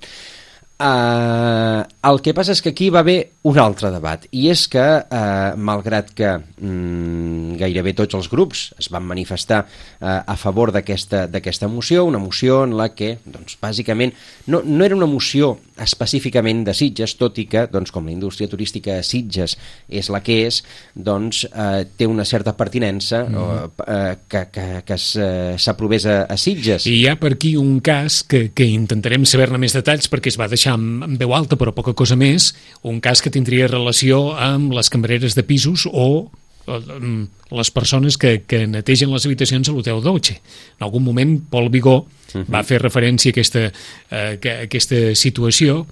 C: Uh, el que passa és que aquí va haver un altre debat, i és que, uh, malgrat que mm, gairebé tots els grups es van manifestar uh, a favor d'aquesta d'aquesta moció, una moció en la que, doncs, bàsicament, no, no era una moció específicament de Sitges, tot i que, doncs, com la indústria turística a Sitges és la que és, doncs, uh, té una certa pertinença mm. uh, que, que, que s'aprovés a, a Sitges.
B: I hi ha per aquí un cas que, que intentarem saber-ne més detalls perquè es va deixar amb, amb veu alta però poca cosa més, un cas que tindria relació amb les cambreres de pisos o les persones que, que netegen les habitacions a l'Hotel Dolce. En algun moment Pol Vigó uh-huh. va fer referència a aquesta, a aquesta situació,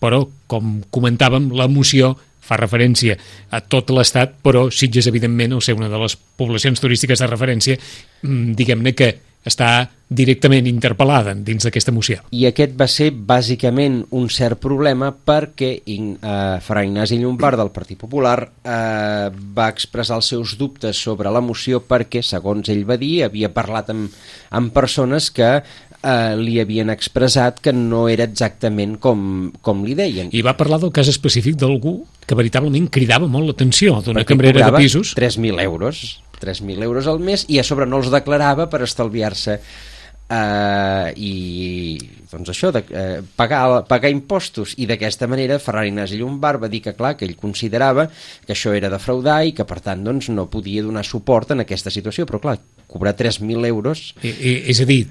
B: però com comentàvem, la moció fa referència a tot l'Estat, però Sitges, evidentment, al ser una de les poblacions turístiques de referència, diguem-ne que està directament interpel·lada dins d'aquesta moció.
C: I aquest va ser bàsicament un cert problema perquè eh, Fra Ignasi Llombart del Partit Popular eh, va expressar els seus dubtes sobre la moció perquè, segons ell va dir, havia parlat amb, amb persones que eh, li havien expressat que no era exactament com, com li deien.
B: I va parlar del cas específic d'algú que veritablement cridava molt l'atenció, d'una cambrera de pisos.
C: tres mil euros. tres mil euros al mes i a sobre no els declarava per estalviar-se eh, i doncs això, de, eh, pagar, pagar impostos, i d'aquesta manera Ferran Ignasi Llombart va dir que clar, que ell considerava que això era defraudar i que per tant doncs, no podia donar suport en aquesta situació, però clar, cobrar tres mil euros...
B: I, i, és a dir,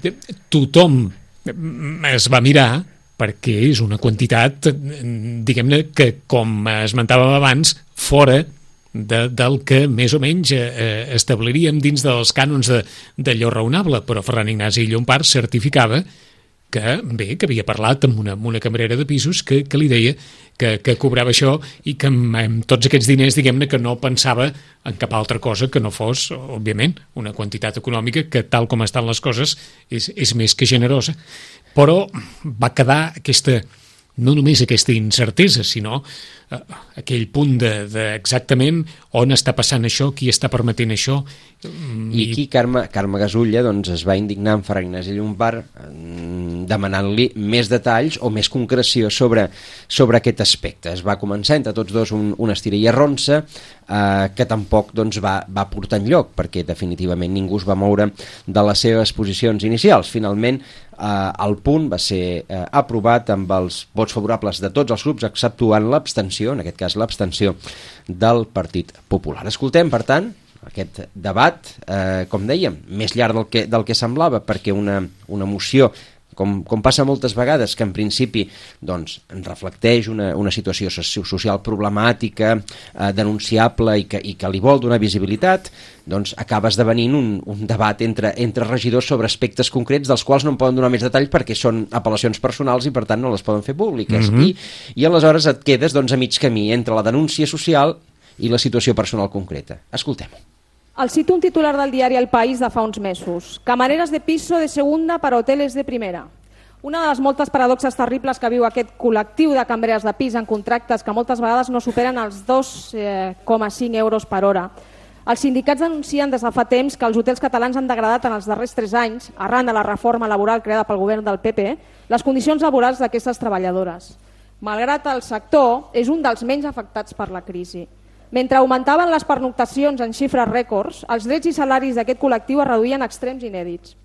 B: tothom es va mirar perquè és una quantitat, diguem-ne, que com esmentàvem abans, fora De, del que més o menys eh, establiríem dins dels cànons de, d'allò raonable, però Ferran Ignasi Llombart certificava que, bé, que havia parlat amb una, amb una cambrera de pisos que, que li deia que, que cobrava això i que amb, amb tots aquests diners, diguem-ne, que no pensava en cap altra cosa que no fos, òbviament, una quantitat econòmica que, tal com estan les coses, és, és més que generosa. Però va quedar aquesta... no només aquesta incertesa, sinó eh, aquell punt de, de exactament on està passant això, qui està permetent això.
C: I, I aquí Carme, Carme Gasulla doncs, es va indignar amb Ferran Ignasi Llombart demanant-li més detalls o més concreció sobre, sobre aquest aspecte. Es va començar entre tots dos un, una estira i arronsa eh, que tampoc doncs, va, va portar enlloc, perquè definitivament ningú es va moure de les seves posicions inicials. Finalment, Uh, el punt va ser uh, aprovat amb els vots favorables de tots els grups, exceptuant l'abstenció, en aquest cas l'abstenció del Partit Popular. Escoltem, per tant, aquest debat, eh, com dèiem, més llarg del que, del que semblava, perquè una, una moció, com, com passa moltes vegades, que en principi doncs, reflecteix una, una situació social problemàtica, eh, denunciable i que, i que li vol donar visibilitat, doncs acaba esdevenint un, un debat entre, entre regidors sobre aspectes concrets dels quals no en poden donar més detalls perquè són apel·lacions personals i per tant no les poden fer públiques. Mm-hmm. I, I aleshores et quedes doncs, a mig camí entre la denúncia social i la situació personal concreta. Escoltem-ho.
P: El cito un titular del diari El País de fa uns mesos. Camareras de piso de segunda para hoteles de primera. Una de les moltes paradoxes terribles que viu aquest col·lectiu de cambreres de pis en contractes que moltes vegades no superen els dos coma cinc euros per hora. Els sindicats denuncien des de fa temps que els hotels catalans han degradat en els darrers tres anys, arran de la reforma laboral creada pel govern del P P, les condicions laborals d'aquestes treballadores. Malgrat el sector, és un dels menys afectats per la crisi. Mentre augmentaven les pernoctacions en xifres rècords, els drets i salaris d'aquest col·lectiu es reduïen a extrems inèdits.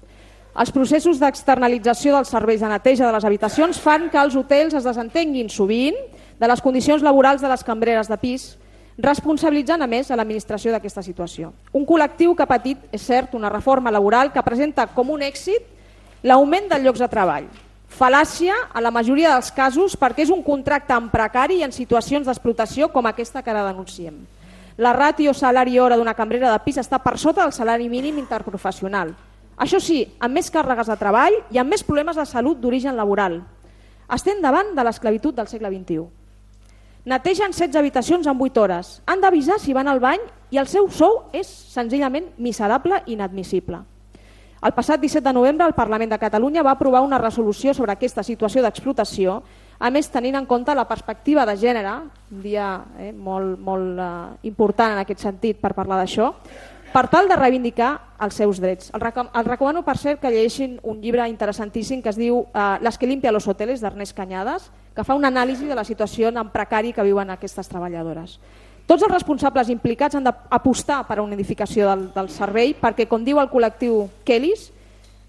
P: Els processos d'externalització dels serveis de neteja de les habitacions fan que els hotels es desentenguin sovint de les condicions laborals de les cambreres de pis, responsabilitzant a més a l'administració d'aquesta situació. Un col·lectiu que ha patit, és cert, una reforma laboral que presenta com un èxit l'augment dels llocs de treball. Fal·làcia a la majoria dels casos perquè és un contracte en precari i en situacions d'explotació com aquesta que ara denunciem. La ràtio salari-hora d'una cambrera de pis està per sota del salari mínim interprofessional. Això sí, amb més càrregues de treball i amb més problemes de salut d'origen laboral. Estem davant de l'esclavitud del segle vint-i-u. Netegen setze habitacions en vuit hores. Han d'avisar si van al bany i el seu sou és senzillament miserable i inadmissible. El passat disset de novembre el Parlament de Catalunya va aprovar una resolució sobre aquesta situació d'explotació, a més tenint en compte la perspectiva de gènere, un dia eh, molt, molt eh, important en aquest sentit per parlar d'això, per tal de reivindicar els seus drets. El, recom el recomano, per cert, que llegeixin un llibre interessantíssim que es diu eh, Las que limpia los hoteles, d'Ernest Cañadas, que fa una anàlisi de la situació en precari que viuen aquestes treballadores. Tots els responsables implicats han d'apostar per a una edificació del, del servei perquè, com diu el col·lectiu Kellys,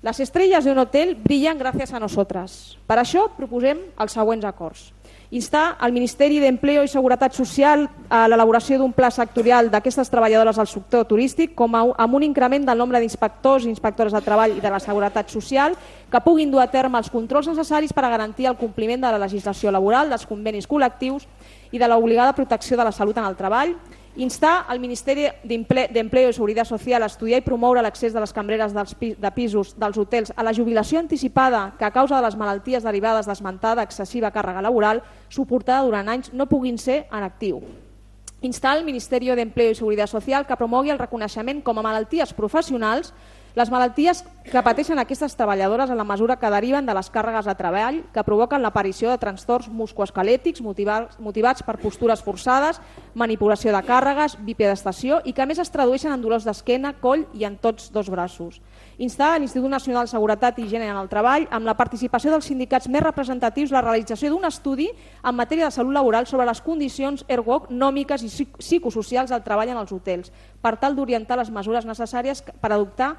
P: les estrelles d'un hotel brillen gràcies a nosaltres. Per això proposem els següents acords. Instar al Ministeri d'Empleo i Seguretat Social a l'elaboració d'un pla sectorial d'aquestes treballadores del sector turístic com a, amb un increment del nombre d'inspectors i inspectores de treball i de la seguretat social que puguin dur a terme els controls necessaris per a garantir el compliment de la legislació laboral, dels convenis col·lectius i de l'obligada protecció de la salut en el treball. Instar al Ministeri d'Empleo i Seguretat Social a estudiar i promoure l'accés de les cambreres dels de pisos dels hotels a la jubilació anticipada que a causa de les malalties derivades d'esmentada excessiva càrrega laboral suportada durant anys no puguin ser en actiu. Instar al Ministeri d'Empleo i Seguretat Social que promogui el reconeixement com a malalties professionals les malalties que pateixen aquestes treballadores en la mesura que deriven de les càrregues de treball que provoquen l'aparició de trastorns musculoesquelètics motivats per postures forçades, manipulació de càrregues, bipedestació i que a més es tradueixen en dolors d'esquena, coll i en tots dos braços. Instar a l'Institut Nacional de Seguretat i Higiene en el Treball, amb la participació dels sindicats més representatius, la realització d'un estudi en matèria de salut laboral sobre les condicions ergonòmiques i psicosocials del treball en els hotels, per tal d'orientar les mesures necessàries per adoptar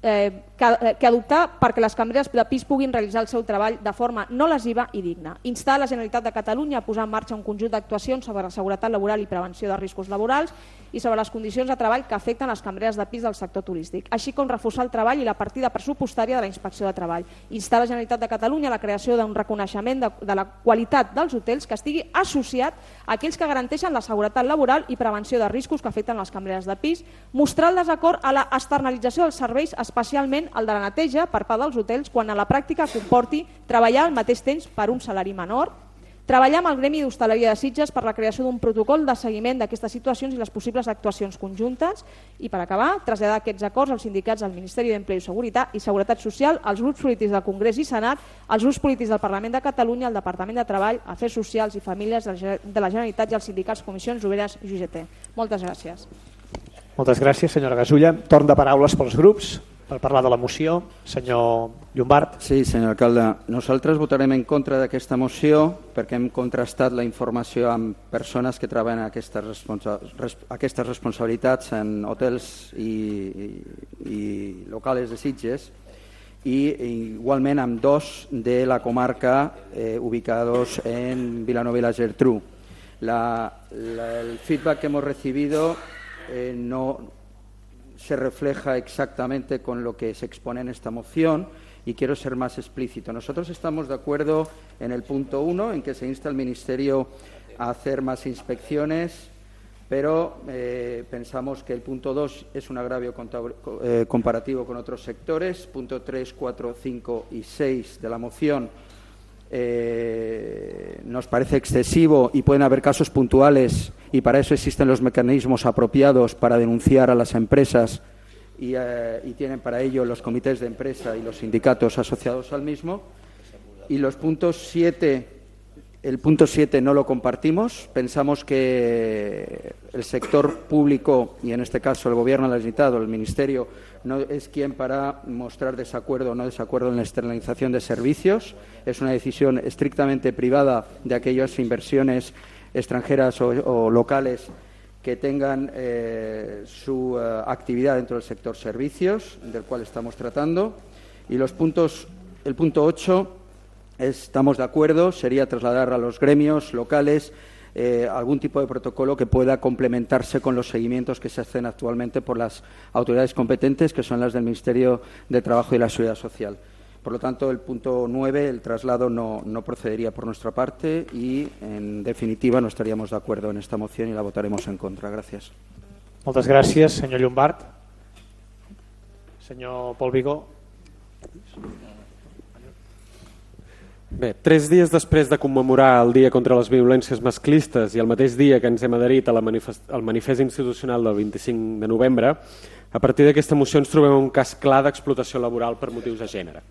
P: Eh, que, que adoptar perquè les cambreres de pis puguin realitzar el seu treball de forma no lesiva i digna. Instar la Generalitat de Catalunya a posar en marxa un conjunt d'actuacions sobre la seguretat laboral i prevenció de riscos laborals i sobre les condicions de treball que afecten les cambreres de pis del sector turístic, així com reforçar el treball i la partida pressupostària de la Inspecció de Treball. Instar la Generalitat de Catalunya a la creació d'un reconeixement de, de la qualitat dels hotels que estigui associat a aquells que garanteixen la seguretat laboral i prevenció de riscos que afecten les cambreres de pis, mostrar el desacord a la externalització dels serveis, especialment el de la neteja per part dels hotels quan a la pràctica comporti treballar al mateix temps per un salari menor, treballar amb el Gremi d'Hostaleria de Sitges per la creació d'un protocol de seguiment d'aquestes situacions i les possibles actuacions conjuntes i, per acabar, traslladar aquests acords als sindicats del Ministeri d'Empleo i Seguretat i Seguretat Social, als grups polítics del Congrés i Senat, als grups polítics del Parlament de Catalunya, al Departament de Treball, Afers Socials i Famílies de la Generalitat i als sindicats Comissions Obreres i U G T. Moltes gràcies.
D: Moltes gràcies, senyora Gasulla. Torn de paraules pels grups per parlar de la moció. Senyor Llombart.
K: Sí, senyor alcalde. Nosaltres votarem en contra d'aquesta moció perquè hem contrastat la informació amb persones que treballen aquestes, responsa res aquestes responsabilitats en hotels i, i, i locals de Sitges i igualment amb dos de la comarca eh, ubicados en Vilanova i la Geltrú. La, la, el feedback que hemos recibido eh, no se refleja exactamente con lo que se expone en esta moción y quiero ser más explícito. Nosotros estamos de acuerdo en el punto uno, en que se insta al Ministerio a hacer más inspecciones, pero eh, pensamos que el punto dos es un agravio eh, comparativo con otros sectores. Punto tres, cuatro, cinco y seis de la moción eh, nos parece excesivo y pueden haber casos puntuales y para eso existen los mecanismos apropiados para denunciar a las empresas y, eh, y tienen para ello los comités de empresa y los sindicatos asociados al mismo. Y los puntos siete, el punto siete no lo compartimos. Pensamos que el sector público, y en este caso el Gobierno de la Generalitat o el Ministerio, no es quien para mostrar desacuerdo o no desacuerdo en la externalización de servicios. Es una decisión estrictamente privada de aquellas inversiones extranjeras o, o locales que tengan eh, su uh, actividad dentro del sector servicios, del cual estamos tratando. Y los puntos, el punto ocho, estamos de acuerdo, sería trasladar a los gremios locales eh, algún tipo de protocolo que pueda complementarse con los seguimientos que se hacen actualmente por las autoridades competentes, que son las del Ministerio de Trabajo y la Seguridad Social. Por lo tanto, el punto nueve, el traslado, no, no procedería por nuestra parte y, en definitiva, no estaríamos de acuerdo en esta moción y la votaremos en contra. Gracias.
D: Moltes gràcies, senyor Llombart. Senyor Pol Vigó.
G: Bé, tres dies després de commemorar el Dia contra les Violències Masclistes i el mateix dia que ens hem adherit al manifest, manifest institucional del vint-i-cinc de novembre, a partir d'aquesta moció ens trobem un cas clar d'explotació laboral per motius de gènere.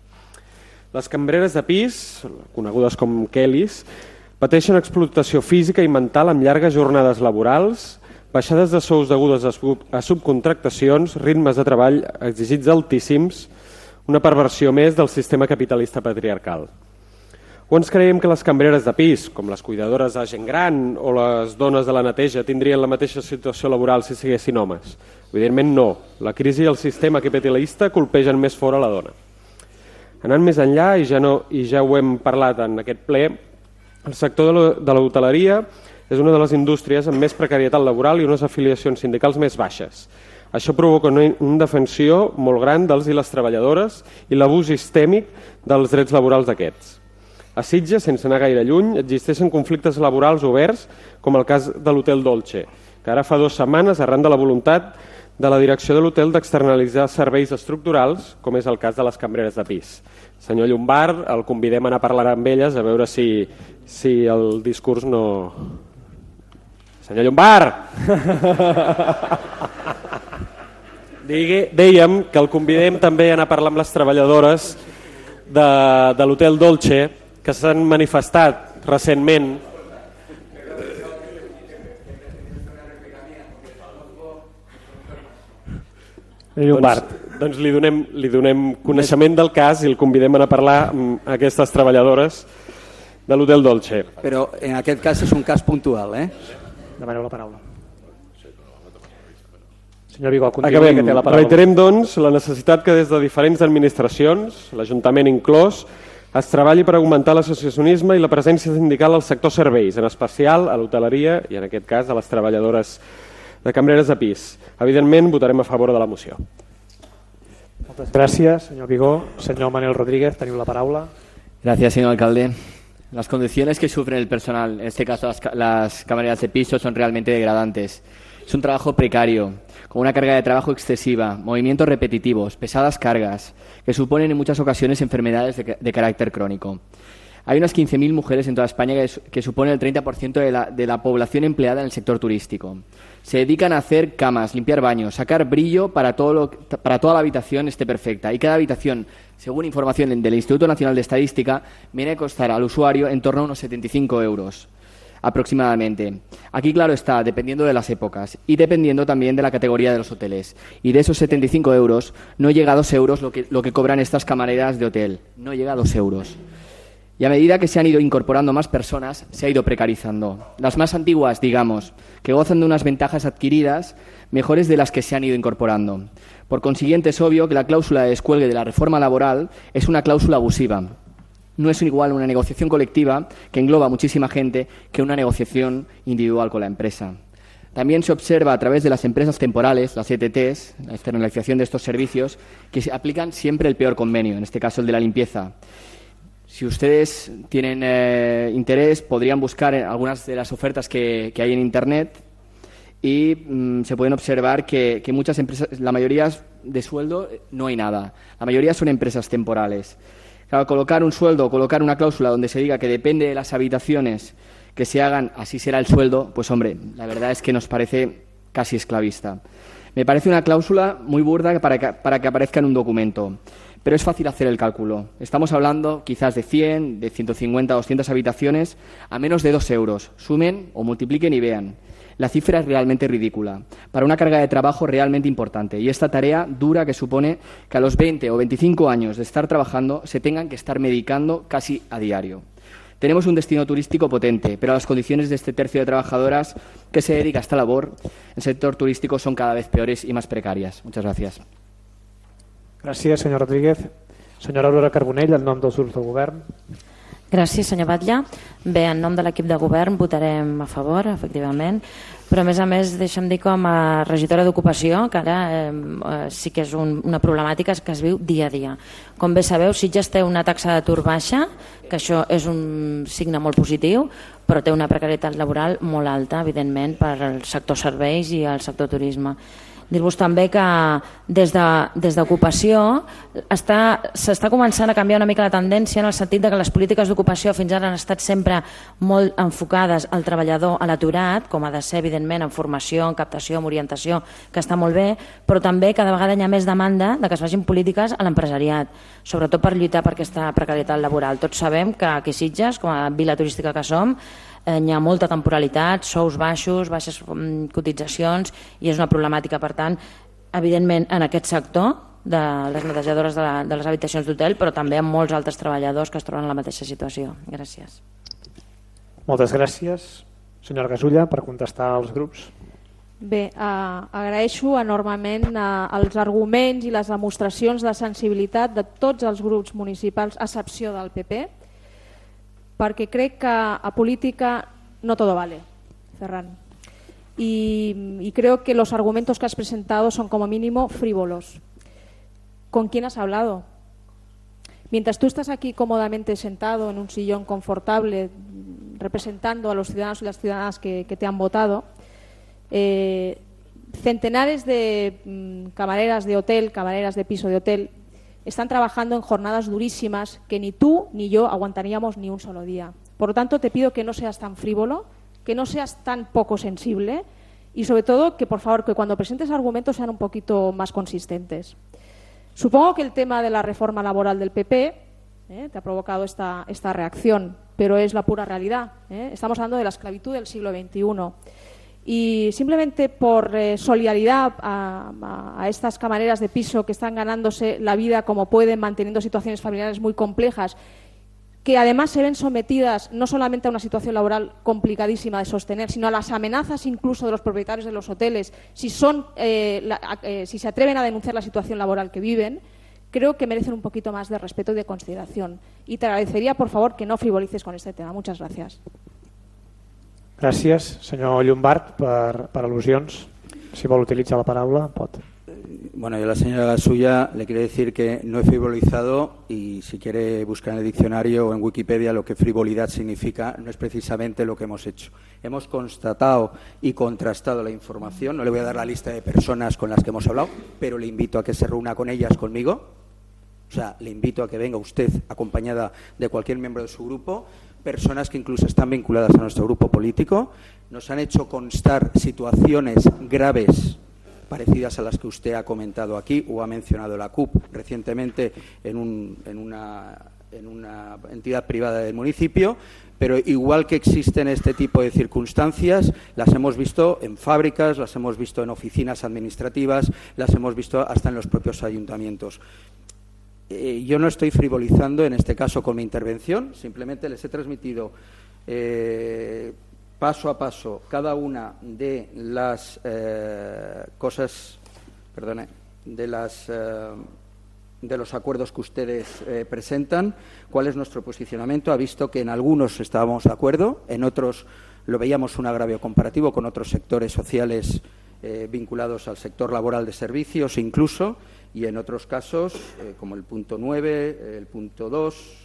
G: Les cambreres de pis, conegudes com Kellys, pateixen explotació física i mental amb llargues jornades laborals, baixades de sous degudes a subcontractacions, ritmes de treball exigits altíssims, una perversió més del sistema capitalista patriarcal. O ens creiem que les cambreres de pis, com les cuidadores de gent gran o les dones de la neteja, tindrien la mateixa situació laboral si siguessin homes? Evidentment no. La crisi i el sistema capitalista colpegen més fora la dona. Anant més enllà, i ja, no, i ja ho hem parlat en aquest ple, el sector de l'hoteleria és una de les indústries amb més precarietat laboral i unes afiliacions sindicals més baixes. Això provoca una indefensió molt gran dels i les treballadores i l'abús sistèmic dels drets laborals d'aquests. A Sitges, sense anar gaire lluny, existeixen conflictes laborals oberts, com el cas de l'Hotel Dolce, que ara fa dues setmanes, arran de la voluntat de la direcció de l'hotel d'externalitzar serveis estructurals, com és el cas de les cambreres de pis. Senyor Llombart, el convidem a anar a parlar amb elles, a veure si, si el discurs no... Senyor Llombart! Digui, dèiem que el convidem també a anar a parlar amb les treballadores de, de l'Hotel Dolce, que s'han manifestat recentment. Doncs, doncs li, donem, li donem coneixement del cas i el convidem a anar a parlar amb aquestes treballadores de l'Hotel Dolce.
K: Però en aquest cas és un cas puntual, eh?
D: Demaneu la paraula. Senyor Vigó, continuï,
G: Acabem.
D: que té la paraula.
G: Reiterem, doncs, la necessitat que des de diferents administracions, l'Ajuntament inclòs, es treballi per augmentar l'associacionisme i la presència sindical al sector serveis, en especial a l'hoteleria i, en aquest cas, a les treballadores de cambreres de pis. Evidentment, votarem a favor de la moció.
D: Moltes gràcies, senyor Vigó. Senyor Manuel Rodríguez, teniu la paraula.
H: Gracias, señor alcalde. Las condiciones que sufre el personal, en este caso las, las camareras de piso, son realmente degradantes. Es un trabajo precario, con una carga de trabajo excesiva, movimientos repetitivos, pesadas cargas, que suponen en muchas ocasiones enfermedades de, de carácter crónico. Hay unas quince mil mujeres en toda España que, que suponen el treinta por ciento de la, de la población empleada en el sector turístico. Se dedican a hacer camas, limpiar baños, sacar brillo para, todo lo, para toda la habitación esté perfecta. Y cada habitación, según información del Instituto Nacional de Estadística, viene a costar al usuario en torno a unos setenta y cinco euros. Aproximadamente. Aquí, claro está, dependiendo de las épocas y dependiendo también de la categoría de los hoteles. Y de esos setenta y cinco euros, no llega a dos euros lo que, lo que cobran estas camareras de hotel. No llega a dos euros. Y a medida que se han ido incorporando más personas, se ha ido precarizando. Las más antiguas, digamos, que gozan de unas ventajas adquiridas mejores de las que se han ido incorporando. Por consiguiente, es obvio que la cláusula de descuelgue de la reforma laboral es una cláusula abusiva. No es igual una negociación colectiva, que engloba a muchísima gente, que una negociación individual con la empresa. También se observa a través de las empresas temporales, las E T Ts, la externalización de estos servicios, que se aplican siempre el peor convenio, en este caso el de la limpieza. Si ustedes tienen eh, interés, podrían buscar algunas de las ofertas que, que hay en Internet y mmm, se pueden observar que, que muchas empresas, la mayoría de sueldo no hay nada, la mayoría son empresas temporales. Claro, colocar un sueldo, colocar una cláusula donde se diga que depende de las habitaciones que se hagan, así será el sueldo, pues hombre, la verdad es que nos parece casi esclavista. Me parece una cláusula muy burda para que, para que aparezca en un documento, pero es fácil hacer el cálculo. Estamos hablando quizás de cien, de ciento cincuenta, doscientas habitaciones a menos de dos euros. Sumen o multipliquen y vean. La cifra es realmente ridícula, para una carga de trabajo realmente importante, y esta tarea dura que supone que a los veinte o veinticinco años de estar trabajando se tengan que estar medicando casi a diario. Tenemos un destino turístico potente, pero las condiciones de este tercio de trabajadoras que se dedica a esta labor en el sector turístico son cada vez peores y más precarias. Muchas gracias.
D: Gràcies, senyor Rodríguez. Senyora Aurora Carbonell, en nom dels grups del govern.
L: Gràcies, senyor Batlle. Bé, en nom de l'equip de govern votarem a favor, efectivament, però a més a més deixa'm dir com a regidora d'ocupació que ara eh, sí que és un, una problemàtica que es viu dia a dia. Com bé sabeu, Sitges té una taxa d'atur baixa, que això és un signe molt positiu, però té una precarietat laboral molt alta, evidentment, per al sector serveis i al sector turisme. Dir-vos també que des de, des d'ocupació s'està començant a canviar una mica la tendència en el sentit de que les polítiques d'ocupació fins ara han estat sempre molt enfocades al treballador, a l'aturat, com ha de ser evidentment en formació, en captació, en orientació, que està molt bé, però també cada vegada hi ha més demanda de que es facin polítiques a l'empresariat, sobretot per lluitar per aquesta precarietat laboral. Tots sabem que aquí a Sitges, com a vila turística que som, eh, hi ha molta temporalitat, sous baixos, baixes cotitzacions, i és una problemàtica. Per tant, evidentment, en aquest sector de les netejadores de, la, de les habitacions d'hotel, però també amb molts altres treballadors que es troben en la mateixa situació. Gràcies.
D: Moltes gràcies. Senyora Gasulla, per contestar als grups.
P: Bé, eh, agraeixo enormement eh, els arguments i les demostracions de sensibilitat de tots els grups municipals, a excepció del P P, perquè crec que a política no todo vale, Ferran. Y, y creo que los argumentos que has presentado son como mínimo frívolos. ¿Con quién has hablado? Mientras tú estás aquí cómodamente sentado en un sillón confortable representando a los ciudadanos y las ciudadanas que, que te han votado, eh, centenares de mm, camareras de hotel, camareras de piso de hotel, están trabajando en jornadas durísimas que ni tú ni yo aguantaríamos ni un solo día. Por lo tanto, te pido que no seas tan frívolo, que no seas tan poco sensible y, sobre todo, que por favor, que cuando presentes argumentos sean un poquito más consistentes. Supongo que el tema de la reforma laboral del P P eh, te ha provocado esta, esta reacción, pero es la pura realidad. ¿eh? Estamos hablando de la esclavitud del siglo veintiuno. Y simplemente por eh, solidaridad a, a, a estas camareras de piso que están ganándose la vida como pueden, manteniendo situaciones familiares muy complejas, que además se ven sometidas no solamente a una situación laboral complicadísima de sostener, sino a las amenazas incluso de los propietarios de los hoteles, si, son, eh, la, eh, si se atreven a denunciar la situación laboral que viven, creo que merecen un poquito más de respeto y de consideración. Y te agradecería, por favor, que no frivolices con este tema. Muchas gracias.
D: Gràcies, senyor Llombart, per, per al·lusions. Si vol utilitzar la paraula, pot.
K: Bueno, yo a la señora Gasulla le quiero decir que no he frivolizado y si quiere buscar en el diccionario o en Wikipedia lo que frivolidad significa, no es precisamente lo que hemos hecho. Hemos constatado y contrastado la información, no le voy a dar la lista de personas con las que hemos hablado, pero le invito a que se reúna con ellas conmigo, o sea, le invito a que venga usted acompañada de cualquier miembro de su grupo, personas que incluso están vinculadas a nuestro grupo político, nos han hecho constar situaciones graves parecidas a las que usted ha comentado aquí o ha mencionado la C U P recientemente en, un, en, una, en una entidad privada del municipio, pero igual que existen este tipo de circunstancias, las hemos visto en fábricas, las hemos visto en oficinas administrativas, las hemos visto hasta en los propios ayuntamientos. Eh, yo no estoy frivolizando en este caso con mi intervención, simplemente les he transmitido eh, paso a paso cada una de las eh, cosas, perdone, de las eh, de los acuerdos que ustedes eh, presentan, cuál es nuestro posicionamiento. Ha visto que en algunos estábamos de acuerdo, en otros lo veíamos un agravio comparativo con otros sectores sociales eh, vinculados al sector laboral de servicios incluso, y en otros casos, eh, como el punto nueve, el punto dos,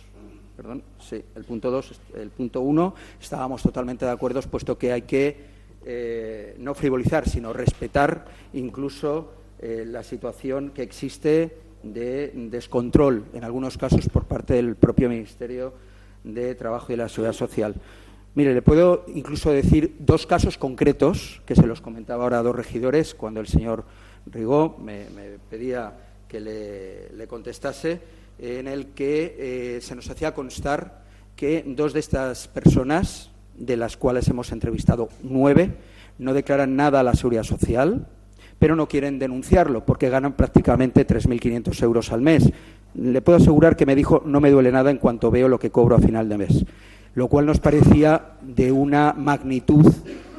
K: perdón, sí, el punto dos, el punto uno, estábamos totalmente de acuerdo, puesto que hay que eh, no frivolizar, sino respetar incluso eh, la situación que existe de descontrol, en algunos casos por parte del propio Ministerio de Trabajo y la Seguridad Social. Mire, le puedo incluso decir dos casos concretos, que se los comentaba ahora a dos regidores, cuando el señor Rigó me, me pedía que le, le contestase, en el que eh, se nos hacía constar que dos de estas personas, de las cuales hemos entrevistado nueve, no declaran nada a la Seguridad Social, pero no quieren denunciarlo porque ganan prácticamente tres mil quinientos euros al mes. Le puedo asegurar que me dijo, no me duele nada en cuanto veo lo que cobro a final de mes, lo cual nos parecía de una magnitud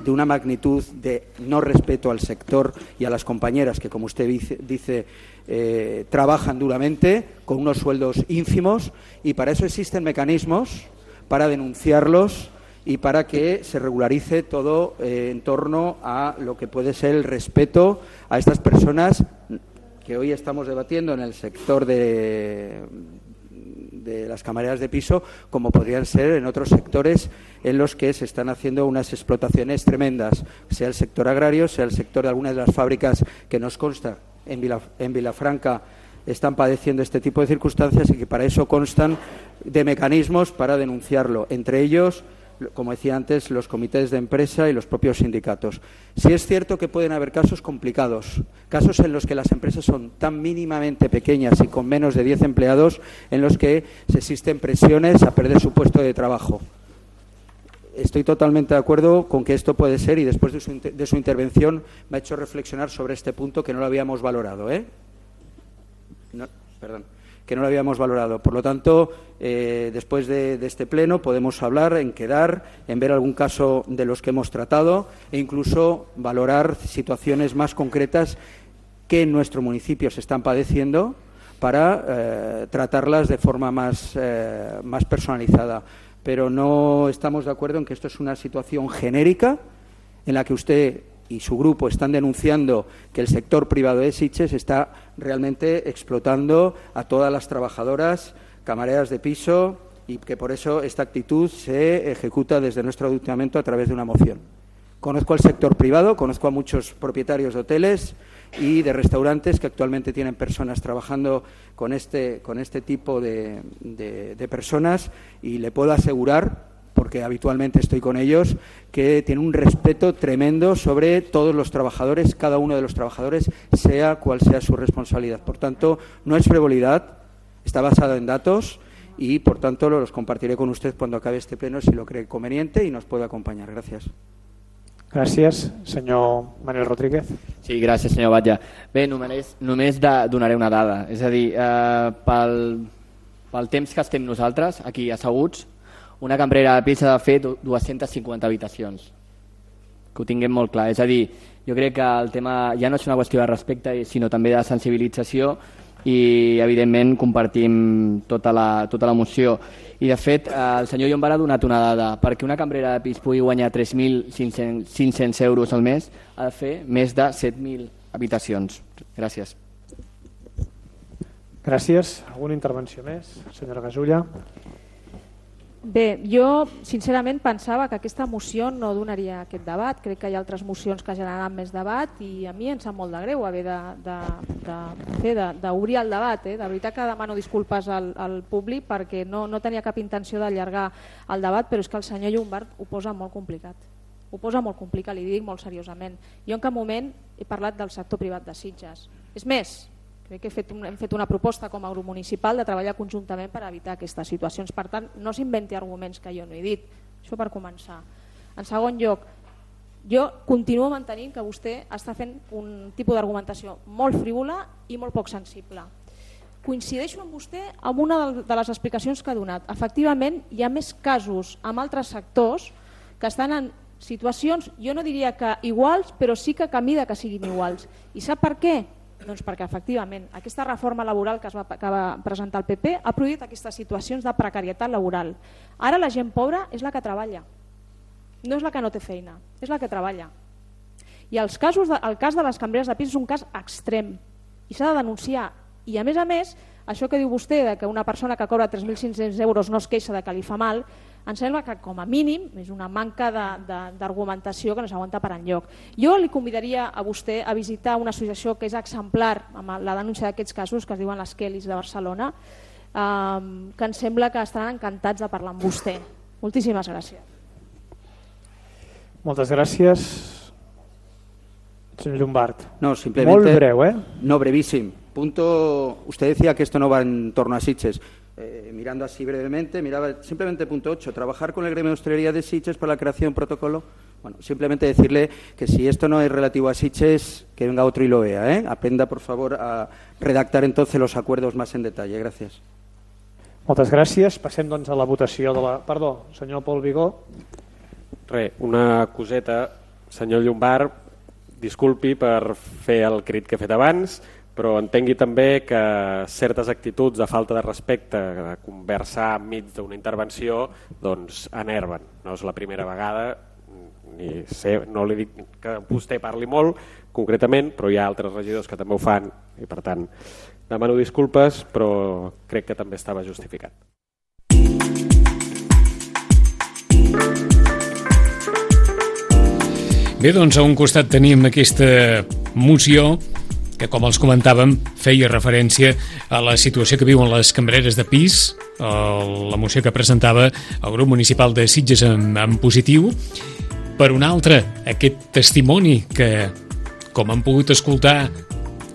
K: de una magnitud de no respeto al sector y a las compañeras que, como usted dice, dice eh, trabajan duramente con unos sueldos ínfimos, y para eso existen mecanismos para denunciarlos y para que se regularice todo eh, en torno a lo que puede ser el respeto a estas personas que hoy estamos debatiendo en el sector de de las camareras de piso, como podrían ser en otros sectores en los que se están haciendo unas explotaciones tremendas, sea el sector agrario, sea el sector de algunas de las fábricas que nos consta en, Vila, en Vilafranca están padeciendo este tipo de circunstancias y que para eso constan de mecanismos para denunciarlo, entre ellos, como decía antes, los comités de empresa y los propios sindicatos. Sí es cierto que pueden haber casos complicados, casos en los que las empresas son tan mínimamente pequeñas y con menos de diez empleados, en los que se existen presiones a perder su puesto de trabajo. Estoy totalmente de acuerdo con que esto puede ser, y después de su, de su intervención me ha hecho reflexionar sobre este punto que no lo habíamos valorado, ¿eh? No, perdón. que no lo habíamos valorado. Por lo tanto, eh, después de, de este pleno podemos hablar, en quedar, en ver algún caso de los que hemos tratado e incluso valorar situaciones más concretas que en nuestro municipio se están padeciendo para eh, tratarlas de forma más, eh, más personalizada. Pero no estamos de acuerdo en que esto es una situación genérica en la que usted y su grupo están denunciando que el sector privado de Sitges está realmente explotando a todas las trabajadoras, camareras de piso, y que por eso esta actitud se ejecuta desde nuestro ayuntamiento a través de una moción. Conozco al sector privado, conozco a muchos propietarios de hoteles y de restaurantes que actualmente tienen personas trabajando con este, con este tipo de, de, de personas, y le puedo asegurar, porque habitualmente estoy con ellos, que tiene un respeto tremendo sobre todos los trabajadores, cada uno de los trabajadores, sea cual sea su responsabilidad. Por tanto, no es frivolidad, está basado en datos y, por tanto, los compartiré con usted cuando acabe este pleno, si lo cree conveniente y nos puede acompañar. Gracias.
D: Gràcies. Senyor Manel Rodríguez.
H: Sí, gràcies, senyor Batlle. Bé, només, només de, donaré una dada. És a dir, eh, pel, pel temps que estem nosaltres aquí asseguts, una cambrera de pis ha de fer dues-centes cinquanta habitacions. Que ho tinguem molt clar. És a dir, jo crec que el tema ja no és una qüestió de respecte, sinó també de sensibilització, i evidentment compartim tota la, tota la moció. I de fet el senyor Llombart ha donat una dada: perquè una cambrera de pis pugui guanyar tres mil cinc-cents euros al mes ha de fer més de set mil habitacions. Gràcies.
D: Gràcies. Alguna intervenció més? Senyora Gasulla.
P: Bé, jo sincerament pensava que aquesta moció no donaria aquest debat. Crec que hi ha altres mocions que generaran més debat i a mi em sap molt de greu haver d'obrir el debat. Eh? De veritat que demano disculpes al, al públic perquè no, no tenia cap intenció d'allargar el debat, però és que el senyor Llombart ho posa molt complicat. Ho posa molt complicat, li dic molt seriosament. Jo en cap moment he parlat del sector privat de Sitges. És més, crec que he fet un, hem fet una proposta com a grup municipal de treballar conjuntament per evitar aquestes situacions. Per tant, no s'inventi arguments que jo no he dit. Això per començar. En segon lloc, jo continuo mantenint que vostè està fent un tipus d'argumentació molt frívola i molt poc sensible. Coincideixo amb vostè amb una de les explicacions que ha donat. Efectivament, hi ha més casos amb altres sectors que estan en situacions, jo no diria que iguals, però sí que camí de que siguin iguals. I sap per què? Doncs perquè efectivament aquesta reforma laboral que, es va, que va presentar el P P ha produït aquestes situacions de precarietat laboral. Ara la gent pobra és la que treballa, no és la que no té feina, és la que treballa. I els casos de, el cas de les cambreres de pis és un cas extrem i s'ha de denunciar. I a més a més, això que diu vostè de que una persona que cobra tres mil cinc-cents euros no es queixa de que li fa mal, em sembla que com a mínim és una manca d'argumentació que no s'aguanta per enlloc. Jo li convidaria a vostè a visitar una associació que és exemplar amb la denúncia d'aquests casos, que es diuen les Kellys de Barcelona, eh, que em sembla que estaran encantats de parlar amb vostè. Moltíssimes gràcies.
D: Moltes gràcies. Señor Llombart.
K: No, simplemente.
D: Muy breve, ¿eh?
K: No, brevísimo. Punto. Usted decía que esto no va en torno a Sitges. Eh, mirando así brevemente, miraba simplemente punto ocho. Trabajar con el gremio de hostelería de Sitges para la creación de un protocolo. Bueno, simplemente decirle que si esto no es relativo a Sitges, que venga otro y lo vea, ¿eh? Aprenda, por favor, a redactar entonces los acuerdos más en detalle. Gracias.
D: Moltes gràcies. Passem doncs a la votació de la... Perdó, senyor Pol Vigó.
G: Re, una coseta. Senyor Llombart, disculpi per fer el crit que he fet abans, però entengui també que certes actituds de falta de respecte, de conversar enmig d'una intervenció, doncs enerven. No és la primera vegada, ni sé, no li dic que vostè parli molt concretament, però hi ha altres regidors que també ho fan i per tant Demano disculpes, però crec que també estava justificat.
B: Bé, doncs a un costat tenim aquesta moció que, com els comentàvem, feia referència a la situació que viuen les cambreres de pis, la moció que presentava el grup municipal de Sitges en, en positiu. Per un altre, aquest testimoni que, com han pogut escoltar,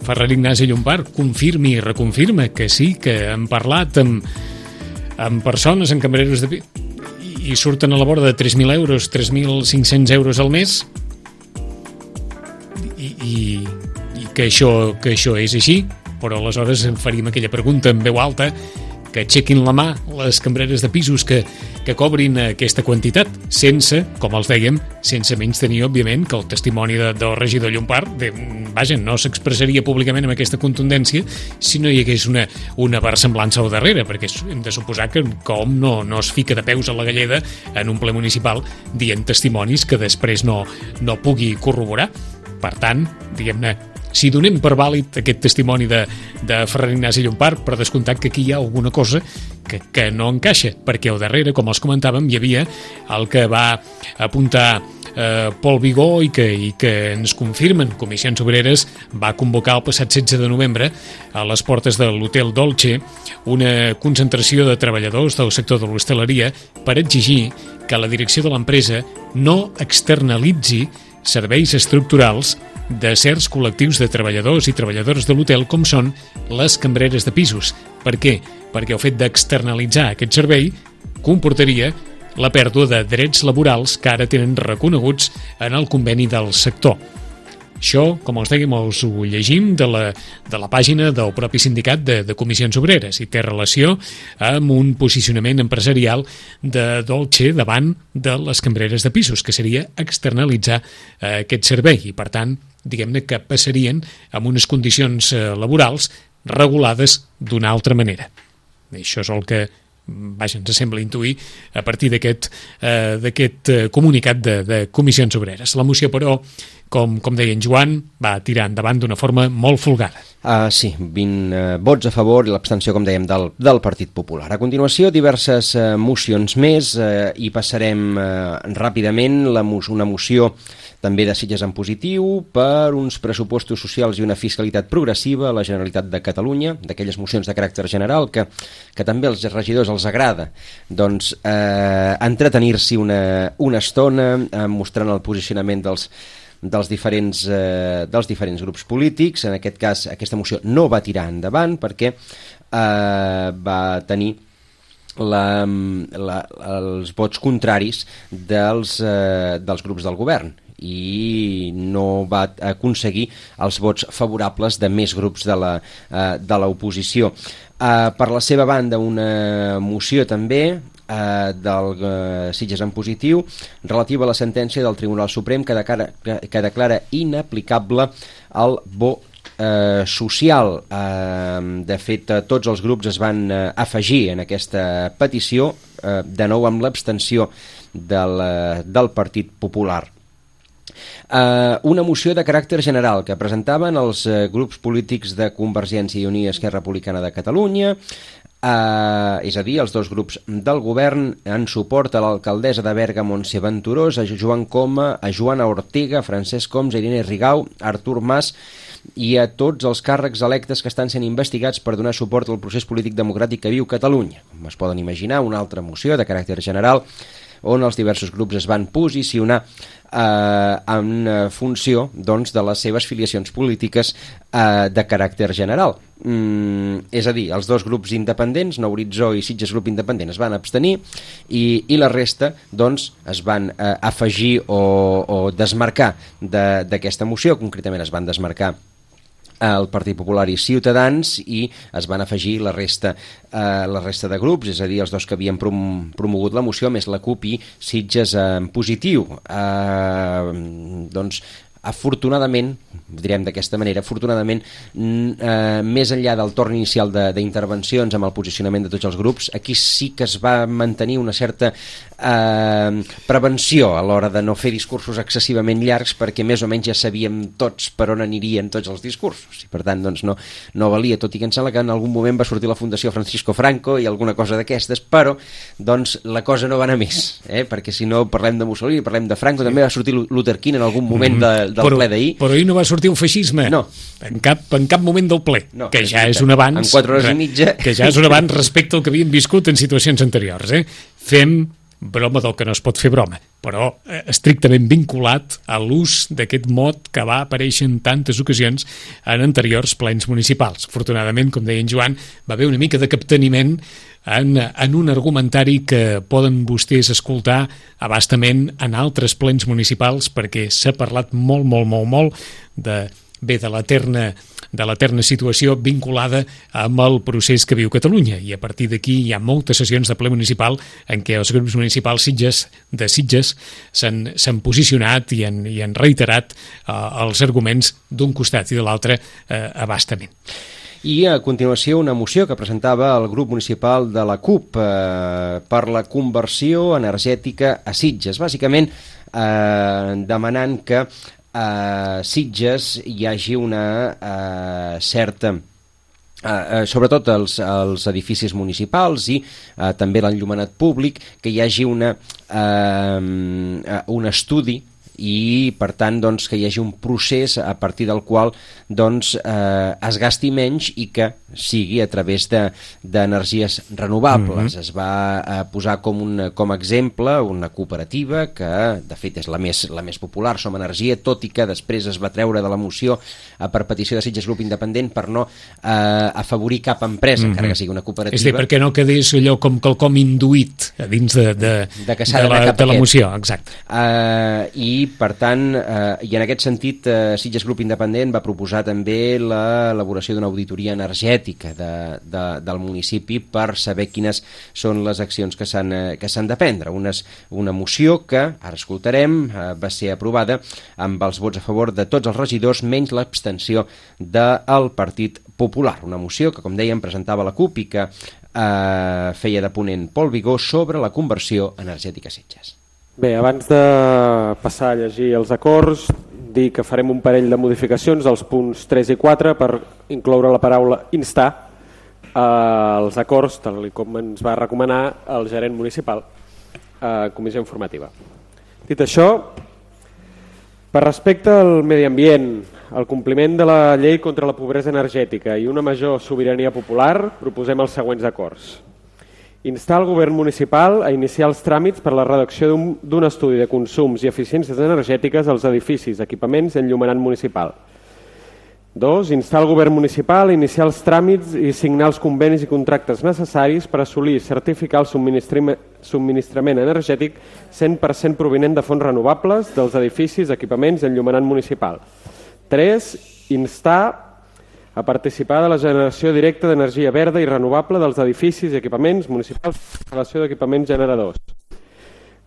B: Ferran Ignasi Llompart confirma i reconfirma que sí, que han parlat amb, amb persones, amb cambreros de pis, i, i surten a la vora de tres mil euros, tres mil cinc-cents euros al mes, i, i, i que, això, que això és així, però aleshores faríem aquella pregunta en veu alta, que aixequin la mà les cambreres de pisos que, que cobrin aquesta quantitat, sense, com els dèiem, sense menys tenir, òbviament, que el testimoni de, del regidor Llompart, de, vaja, no s'expressaria públicament amb aquesta contundència si no hi hagués una, una versemblança al darrere, perquè hem de suposar que com no, no es fica de peus a la galleda en un ple municipal dient testimonis que després no, no pugui corroborar. Per tant, diguem-ne, si donem per vàlid aquest testimoni de, de Ferran Ignasi Llompart, per descomptat que aquí hi ha alguna cosa que, que no encaixa, perquè al darrere, com els comentàvem, hi havia el que va apuntar eh, Pol Vigó i que, i que ens confirmen. Comissions Obreres va convocar el passat setze de novembre a les portes de l'Hotel Dolce una concentració de treballadors del sector de l'hostaleria per exigir que la direcció de l'empresa no externalitzi serveis estructurals de certs col·lectius de treballadors i treballadores de l'hotel com són les cambreres de pisos. Per què? Perquè el fet d'externalitzar aquest servei comportaria la pèrdua de drets laborals que ara tenen reconeguts en el conveni del sector. Això, com els dèiem, els ho llegim de la, de la pàgina del propi sindicat de, de Comissions Obreres i té relació amb un posicionament empresarial de Dolce davant de les cambreres de pisos, que seria externalitzar eh, aquest servei i, per tant, diguem-ne que passarien amb unes condicions eh, laborals regulades d'una altra manera. Això és el que, vaja, ens sembla intuir a partir d'aquest eh, d'aquest eh, comunicat de, de Comissions Obreres. La moció, però, com, com deia en Joan, va tirar endavant d'una forma molt folgada.
C: Uh, sí, vint uh, vots a favor i l'abstenció, com dèiem, del, del Partit Popular. A continuació, diverses uh, mocions més uh, i passarem uh, ràpidament la, una moció també de Sitges en positiu per uns pressupostos socials i una fiscalitat progressiva a la Generalitat de Catalunya, d'aquelles mocions de caràcter general que, que també als regidors els agrada, doncs eh, entretenir-s'hi una, una estona eh, mostrant el posicionament dels dels diferents, eh, dels diferents grups polítics. En aquest cas, aquesta moció no va tirar endavant perquè eh, va tenir la, la, els vots contraris dels, eh, dels grups del govern i no va aconseguir els vots favorables de més grups de la, eh, de l'oposició. Eh, per la seva banda, una moció també eh, del eh, Sitges en positiu relativa a la sentència del Tribunal Suprem que declara, que, que declara inaplicable el bo eh, social. Eh, de fet, tots els grups es van eh, afegir en aquesta petició, eh, de nou amb l'abstenció del, eh, del Partit Popular. Uh, una moció de caràcter general que presentaven els uh, grups polítics de Convergència i Unió i Esquerra Republicana de Catalunya, uh, és a dir, els dos grups del govern en suport a l'alcaldessa de Berga, Montse Venturós, a Joan Coma, a Joana Ortega, a Francesc Homs, a Irene Rigau, a Artur Mas i a tots els càrrecs electes que estan sent investigats per donar suport al procés polític democràtic que viu Catalunya. Com es poden imaginar, una altra moció de caràcter general on els diversos grups es van posicionar eh, en funció, doncs, de les seves filiacions polítiques eh, de caràcter general. Mm, és a dir, els dos grups independents, Nou Horitzó i Sitges Grup Independent, es van abstenir i, i la resta, doncs, es van eh, afegir o, o desmarcar d'aquesta moció. Concretament es van desmarcar el Partit Popular i Ciutadans i es van afegir la resta, eh, la resta de grups, és a dir, els dos que havien prom promogut la moció, més la CUP i Sitges en positiu. Eh, doncs, afortunadament, direm d'aquesta manera, afortunadament, eh, més enllà del torn inicial d'intervencions amb el posicionament de tots els grups, aquí sí que es va mantenir una certa eh, prevenció a l'hora de no fer discursos excessivament llargs, perquè més o menys ja sabíem tots per on anirien tots els discursos, i per tant doncs, no, no valia, tot i que em sembla que en algun moment va sortir la Fundació Francisco Franco i alguna cosa d'aquestes, però doncs, la cosa no va anar més, eh? Perquè si no parlem de Mussolini, parlem de Franco, sí. També va sortir Luther King en algun moment de, del
B: però,
C: ple d'ahir.
B: Però ahir no va sortir un feixisme,
C: no.
B: en, cap, en cap moment del ple,
C: no,
B: que ja és un avanç,
C: en quatre hores i mitja,
B: que ja és un avanç respecte al que havíem viscut en situacions anteriors. Eh? Fem broma del que no es pot fer broma, però eh, estrictament vinculat a l'ús d'aquest mot que va aparèixer en tantes ocasions en anteriors plens municipals. Afortunadament, com deia en Joan, va haver una mica de capteniment en, en un argumentari que poden vostès escoltar abastament en altres plens municipals, perquè s'ha parlat molt, molt, molt, molt de, bé, de l'eterna de l'eterna situació vinculada amb el procés que viu Catalunya, i a partir d'aquí hi ha moltes sessions de ple municipal en què els grups municipals Sitges, de Sitges s'han, s'han posicionat i han, i han reiterat eh, els arguments d'un costat i de l'altre eh, abastament.
C: I a continuació una moció que presentava el grup municipal de la CUP eh, per la conversió energètica a Sitges, bàsicament eh, demanant que a Sitges hi hagi una uh, certa, uh, uh, sobretot els, els edificis municipals i uh, també l'enllumenat públic, que hi hagi una, uh, un estudi i per tant doncs, que hi hagi un procés a partir del qual doncs, eh, es gasti menys i que sigui a través d'energies de, renovables. Mm-hmm. Es va eh, posar com, un, com a exemple una cooperativa que de fet és la més, la més popular, Som Energia, tot i que després es va treure de la moció eh, per petició de Sitges Grup Independent per no eh, afavorir cap empresa, mm-hmm. encara que sigui una cooperativa.
B: És a dir, perquè no quedés allò com quelcom induït a dins de, de,
C: de,
B: de, la, de la moció. Exacte.
C: Uh, I per tant, eh, i en aquest sentit, eh, Sitges Grup Independent va proposar també l'elaboració d'una auditoria energètica de, de, del municipi per saber quines són les accions que s'han eh, que s'han de prendre. Unes, una moció que, ara escoltarem, eh, va ser aprovada amb els vots a favor de tots els regidors, menys l'abstenció del Partit Popular. Una moció que, com dèiem, presentava la CUP i que eh, feia de ponent Pol Vigó sobre la conversió energètica a Sitges.
G: Bé, abans de passar a llegir els acords, dir que farem un parell de modificacions als punts tres i quatre per incloure la paraula instar als acords, tal com ens va recomanar el gerent municipal a comissió informativa. Dit això, per respecte al medi ambient, el compliment de la llei contra la pobresa energètica i una major sobirania popular, proposem els següents acords. Instar el govern municipal a iniciar els tràmits per la redacció d'un estudi de consums i eficiències energètiques als edificis, equipaments i enllumenat municipal. Dos, instar el govern municipal a iniciar els tràmits i signar els convenis i contractes necessaris per assolir i certificar el subministrament energètic cent per cent provinent de fonts renovables dels edificis, equipaments i enllumenat municipal. Tres, instar a participar de la generació directa d'energia verda i renovable dels edificis i equipaments municipals i instal·lació d'equipaments generadors.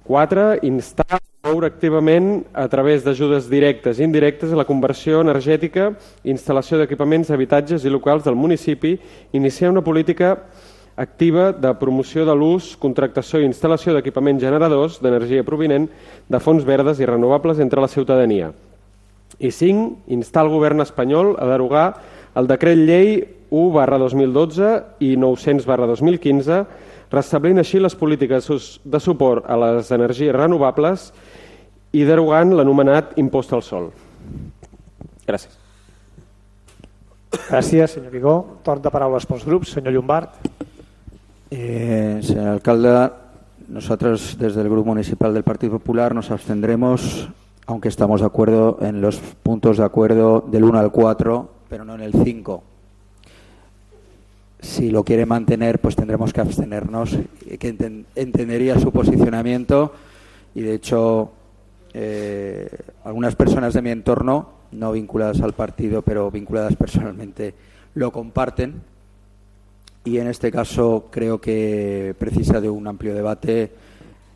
G: quatre. Instar a promoure activament a través d'ajudes directes i indirectes a la conversió energètica i instal·lació d'equipaments, habitatges i locals del municipi, iniciar una política activa de promoció de l'ús, contractació i instal·lació d'equipaments generadors d'energia provinent de fonts verdes i renovables entre la ciutadania. I cinc. Instar el govern espanyol a derogar el decret llei u barra dos mil dotze i nou-cents barra dos mil quinze, restablint així les polítiques de suport a les energies renovables i derogant l'anomenat impost al sol. Gràcies.
D: Gràcies, senyor Vigó. Torn de paraules pels grups. Senyor Llombart.
K: Eh, señor alcalde, nosotros desde el Grupo Municipal del Partido Popular nos abstendremos, aunque estamos de acuerdo en los puntos de acuerdo del uno al cuatro, pero no en el cinco. Si lo quiere mantener, pues tendremos que abstenernos, que enten- entendería su posicionamiento y de hecho eh, algunas personas de mi entorno, no vinculadas al partido, pero vinculadas personalmente, lo comparten y en este caso creo que precisa de un amplio debate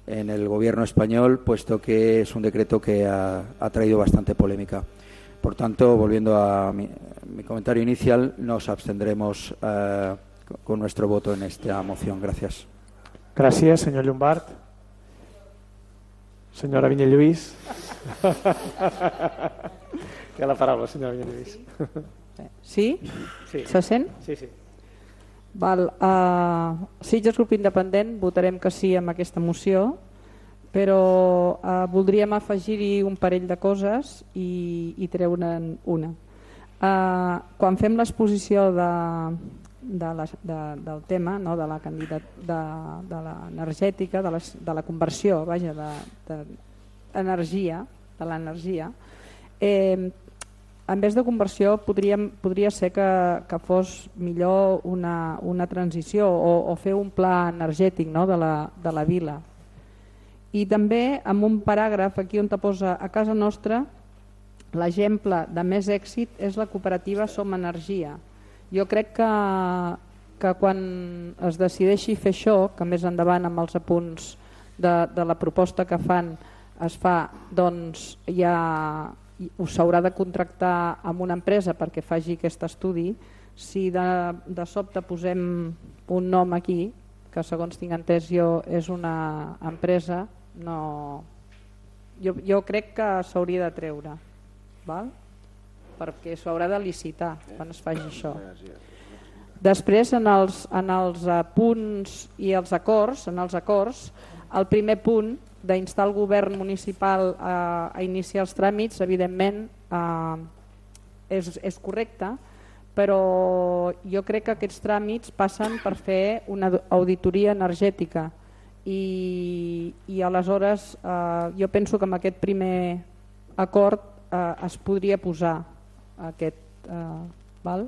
K: en el gobierno español, puesto que es un decreto que ha, ha traído bastante polémica. Por tanto, volviendo a mi, mi comentario inicial, nos abstendremos eh, con nuestro voto en esta moción. Gracias.
D: Gràcies, senyor Llombart. Senyora Vinyalluís. Té la paraula, senyora Vinyalluís.
O: Sí?
D: Sí.
O: Se sent?
D: Sí, sí.
O: Val, uh, Sitges Grup Independent votarem que sí amb aquesta moció, però uh, voldríem afegir-hi un parell de coses i, i treure'n una. Uh, quan fem l'exposició de, de la, de, del tema, no, de la candidat, de, de l'energètica, de, les, de la conversió, vaja, de, de energia, de l'energia, eh, en vez de conversió podríem, podria ser que, que fos millor una, una transició o, o fer un pla energètic, no, de, la, de la vila. I també amb un paràgraf aquí on te posa a casa nostra l'exemple de més èxit és la cooperativa Som Energia. Jo crec que, que quan es decideixi fer això, que més endavant amb els apunts de, de la proposta que fan es fa, doncs ja us s'haurà de contractar amb una empresa perquè faci aquest estudi. Si de, de sobte posem un nom aquí, que segons tinc entès jo és una empresa, no... jo, jo crec que s'hauria de treure, val? Perquè s'ho haurà de licitar quan es faci això. Després, en els, en els punts i els acords, en els acords, el primer punt d'instar el govern municipal a, a iniciar els tràmits, evidentment eh, és, és correcte, però jo crec que aquests tràmits passen per fer una auditoria energètica i, i aleshores eh, jo penso que amb aquest primer acord eh, es podria posar aquest, eh, val?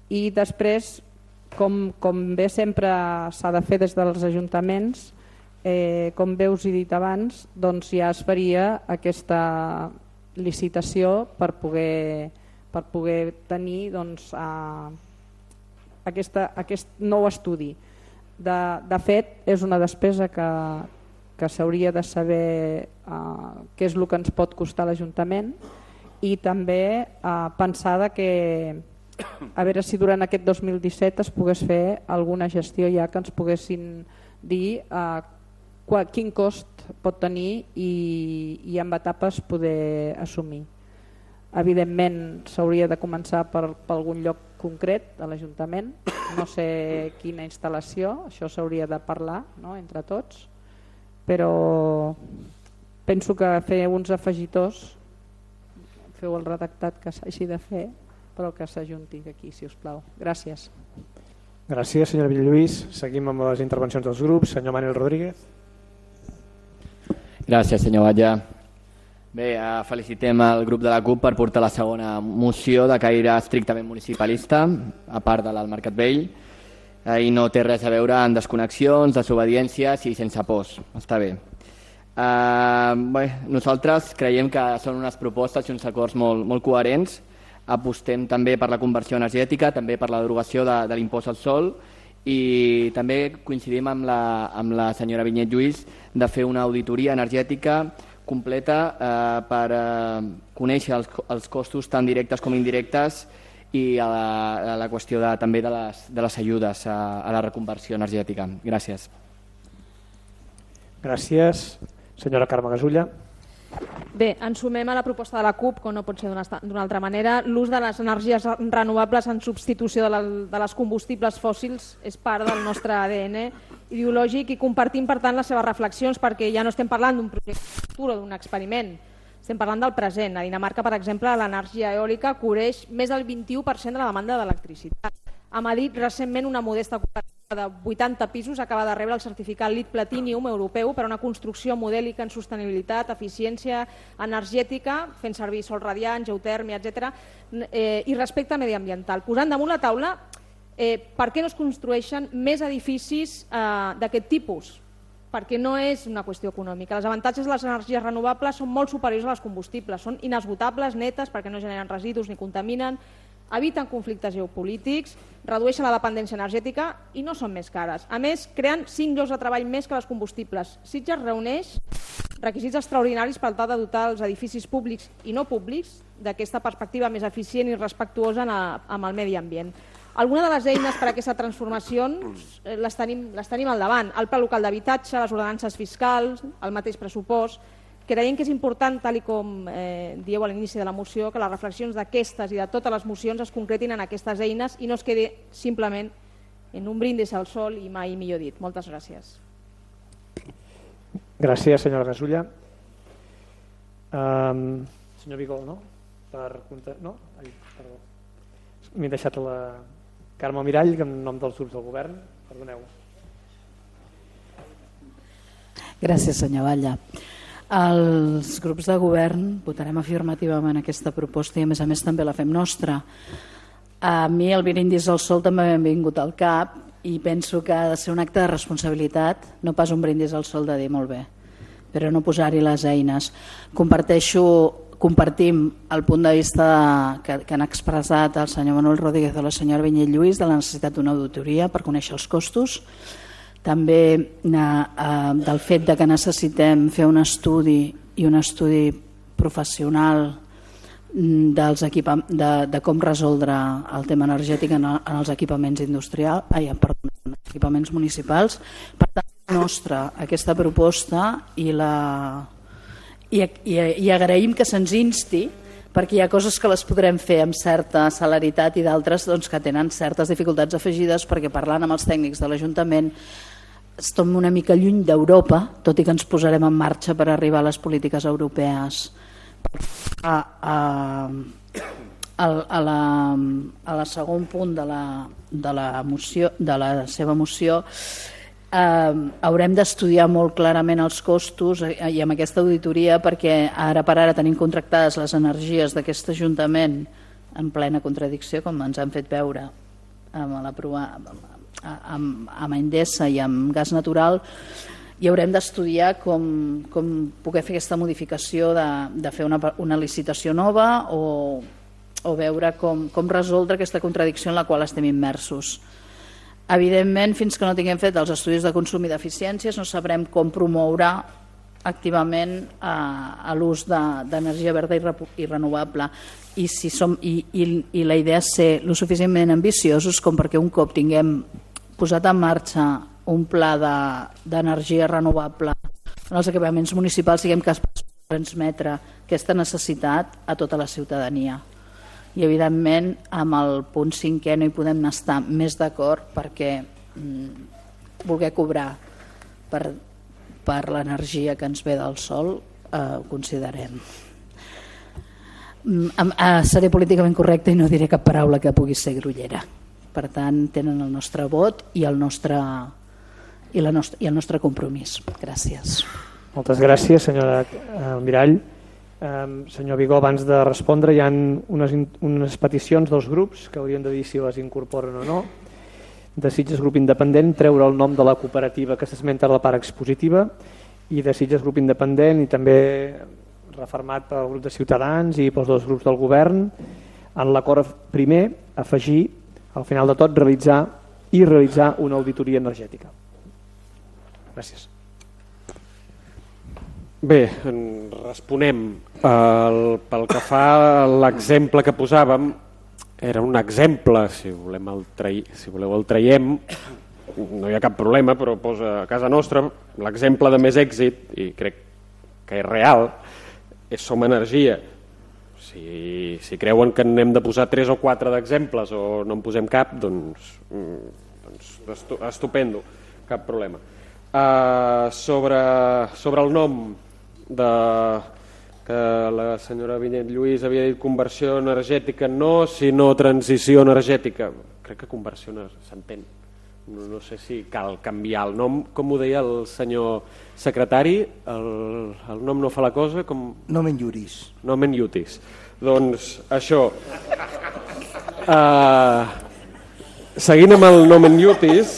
O: I després, com, com bé sempre s'ha de fer des dels ajuntaments, Eh, com bé us he dit abans, doncs ja es faria aquesta licitació per poder, per poder tenir doncs, a, aquesta, aquest nou estudi. De, de fet, és una despesa que, que s'hauria de saber eh, què és el que ens pot costar l'Ajuntament i també eh, pensar que a veure si durant aquest dos mil disset es pogués fer alguna gestió ja que ens poguessin dir eh, quin cost pot tenir i, i amb etapes poder assumir. Evidentment s'hauria de començar per, per algun lloc concret de l'Ajuntament, no sé quina instal·lació, això s'hauria de parlar, no, entre tots, però penso que fer uns afegitors, feu el redactat que s'hagi de fer, però que s'ajunti aquí, si us plau. Gràcies.
D: Gràcies, senyora Villalluís. Seguim amb les intervencions dels grups. Senyor Manuel Rodríguez.
H: Gràcies, senyor Batlle. Bé, felicitem el grup de la CUP per portar la segona moció de caire estrictament municipalista, a part de la del Mercat Vell, i no té res a veure amb desconnexions, desobediències i sense pors. Està bé. Uh, bé, nosaltres creiem que són unes propostes i uns acords molt, molt coherents. Apostem també per la conversió energètica, també per la derogació de, de l'impost al sol, i també coincidim amb la, amb la senyora Vinyet Lluís de fer una auditoria energètica completa eh, per eh, conèixer els, els costos tan directes com indirectes i a la, a la qüestió de, també de les, de les ajudes a, a la reconversió energètica. Gràcies.
D: Gràcies. Senyora Carme Gasulla.
P: Bé, ens sumem a la proposta de la CUP, com no pot ser d'una altra manera. L'ús de les energies renovables en substitució de, la, de les combustibles fòssils és part del nostre A D N ideològic i compartim, per tant, les seves reflexions perquè ja no estem parlant d'un projecte futur o d'un experiment, estem parlant del present. A Dinamarca, per exemple, l'energia eòlica cobreix més del vint-i-u per cent de la demanda d'electricitat. A Madrid, recentment, una modesta cooperativa de vuitanta pisos acaba de rebre el certificat LEED Platinum europeu per a una construcció modèlica en sostenibilitat, eficiència energètica, fent servir sol radiant, geotèrmia, etcètera, eh, i respecte mediambiental. Posant damunt la taula eh, per què no es construeixen més edificis eh, d'aquest tipus? Perquè no és una qüestió econòmica. Els avantatges de les energies renovables són molt superiors a les combustibles, són inesgotables, netes, perquè no generen residus ni contaminen, eviten conflictes geopolítics, redueixen la dependència energètica i no són més cares. A més, creen cinc llocs de treball més que les combustibles. Sitges reuneix requisits extraordinaris per tal de dotar els edificis públics i no públics d'aquesta perspectiva més eficient i respectuosa amb el medi ambient. Alguna de les eines per a aquesta transformació les tenim, les tenim al davant. El Pla Local d'Habitatge, les ordenances fiscals, el mateix pressupost. creiem que és important, tal com eh, dieu a l'inici de la moció, que les reflexions d'aquestes i de totes les mocions es concretin en aquestes eines i no es quedi simplement en un brindis al sol i mai millor dit. Moltes gràcies.
D: Gràcies, senyora Gasulla. Um, senyor Vigó, no? Per... No? Ai, perdó. M'he deixat la Carme Mirall, en nom dels grups del govern. Perdoneu.
Q: Gràcies, senyor Batlle. Els grups de govern votarem afirmativament aquesta proposta i a més a més també la fem nostra. A mi el brindis al sol també m'ha vingut al cap i penso que ha de ser un acte de responsabilitat, no pas un brindis al sol de dir molt bé, però no posar-hi les eines. Comparteixo, compartim el punt de vista que, que han expressat el senyor Manuel Rodríguez o la senyora Vinyet Lluís de la necessitat d'una auditoria per conèixer els costos, també eh, del fet de que necessitem fer un estudi i un estudi professional dels equipa de, de com resoldre el tema energètic en, en els equipaments industrials, ai, perdó, en els equipaments municipals. Per tant, nostra aquesta proposta i, la, i, i, i agraïm que se'ns insti perquè hi ha coses que les podrem fer amb certa celeritat i d'altres doncs, que tenen certes dificultats afegides perquè parlant amb els tècnics de l'Ajuntament estem una mica lluny d'Europa, tot i que ens posarem en marxa per arribar a les polítiques europees. A, a, a, a, la, a la segon punt de la, de la, moció, de la seva moció eh, haurem d'estudiar molt clarament els costos i amb aquesta auditoria perquè ara per ara tenim contractades les energies d'aquest Ajuntament en plena contradicció, com ens han fet veure amb l'aprovar amb, amb Endesa i amb gas natural, i haurem d'estudiar com, com poder fer aquesta modificació de, de fer una, una licitació nova o, o veure com, com resoldre aquesta contradicció en la qual estem immersos. Evidentment, fins que no tinguem fet els estudis de consum i d'eficiències no sabrem com promoure activament a, a l'ús d'energia de, verda i, re, i renovable. I, si som, i, i, i la idea és ser lo suficientment ambiciosos com perquè un cop tinguem posat en marxa un pla d'energia de, renovable en els equipaments municipals siguem capaços de transmetre aquesta necessitat a tota la ciutadania. I evidentment amb el punt cinquè no hi podem estar més d'acord perquè mm, voler cobrar per, per l'energia que ens ve del sol eh, ho considerem. Mm, eh, seré políticament correcta i no diré cap paraula que pugui ser grollera. Per tant, tenen el nostre vot i el nostre, i la nostra, i el nostre compromís. Gràcies.
D: Moltes gràcies, senyora Mirall. Um, senyor Vigó, abans de respondre, hi ha unes, unes peticions dels grups que haurien de dir si les incorporen o no. De Sitges Grup Independent, treure el nom de la cooperativa que s'esmenta a la part expositiva, i de Sitges Grup Independent, i també refermat pel grup de Ciutadans i pels dos grups del govern, en l'acord primer, afegir al final de tot realitzar i realitzar una auditoria energètica. Gràcies.
G: Bé, responem. El, pel que fa a l'exemple que posàvem, era un exemple, si, volem el trai, si voleu el traiem, no hi ha cap problema, però posa a casa nostra l'exemple de més èxit, i crec que és real, és Som Energia. Si, si creuen que n'hem de posar tres o quatre d'exemples o no en posem cap, doncs, doncs estupendo, cap problema. Uh, sobre, sobre el nom de, que la senyora Vinyet Lluís havia dit conversió energètica, no, sinó transició energètica. Crec que conversió s'entén. No, no sé si cal canviar el nom, com ho deia el senyor secretari, el, el nom no fa la cosa com...
I: Nomen iuris.
G: Nomen iuris. Doncs això, uh, seguint amb el nomen iuris,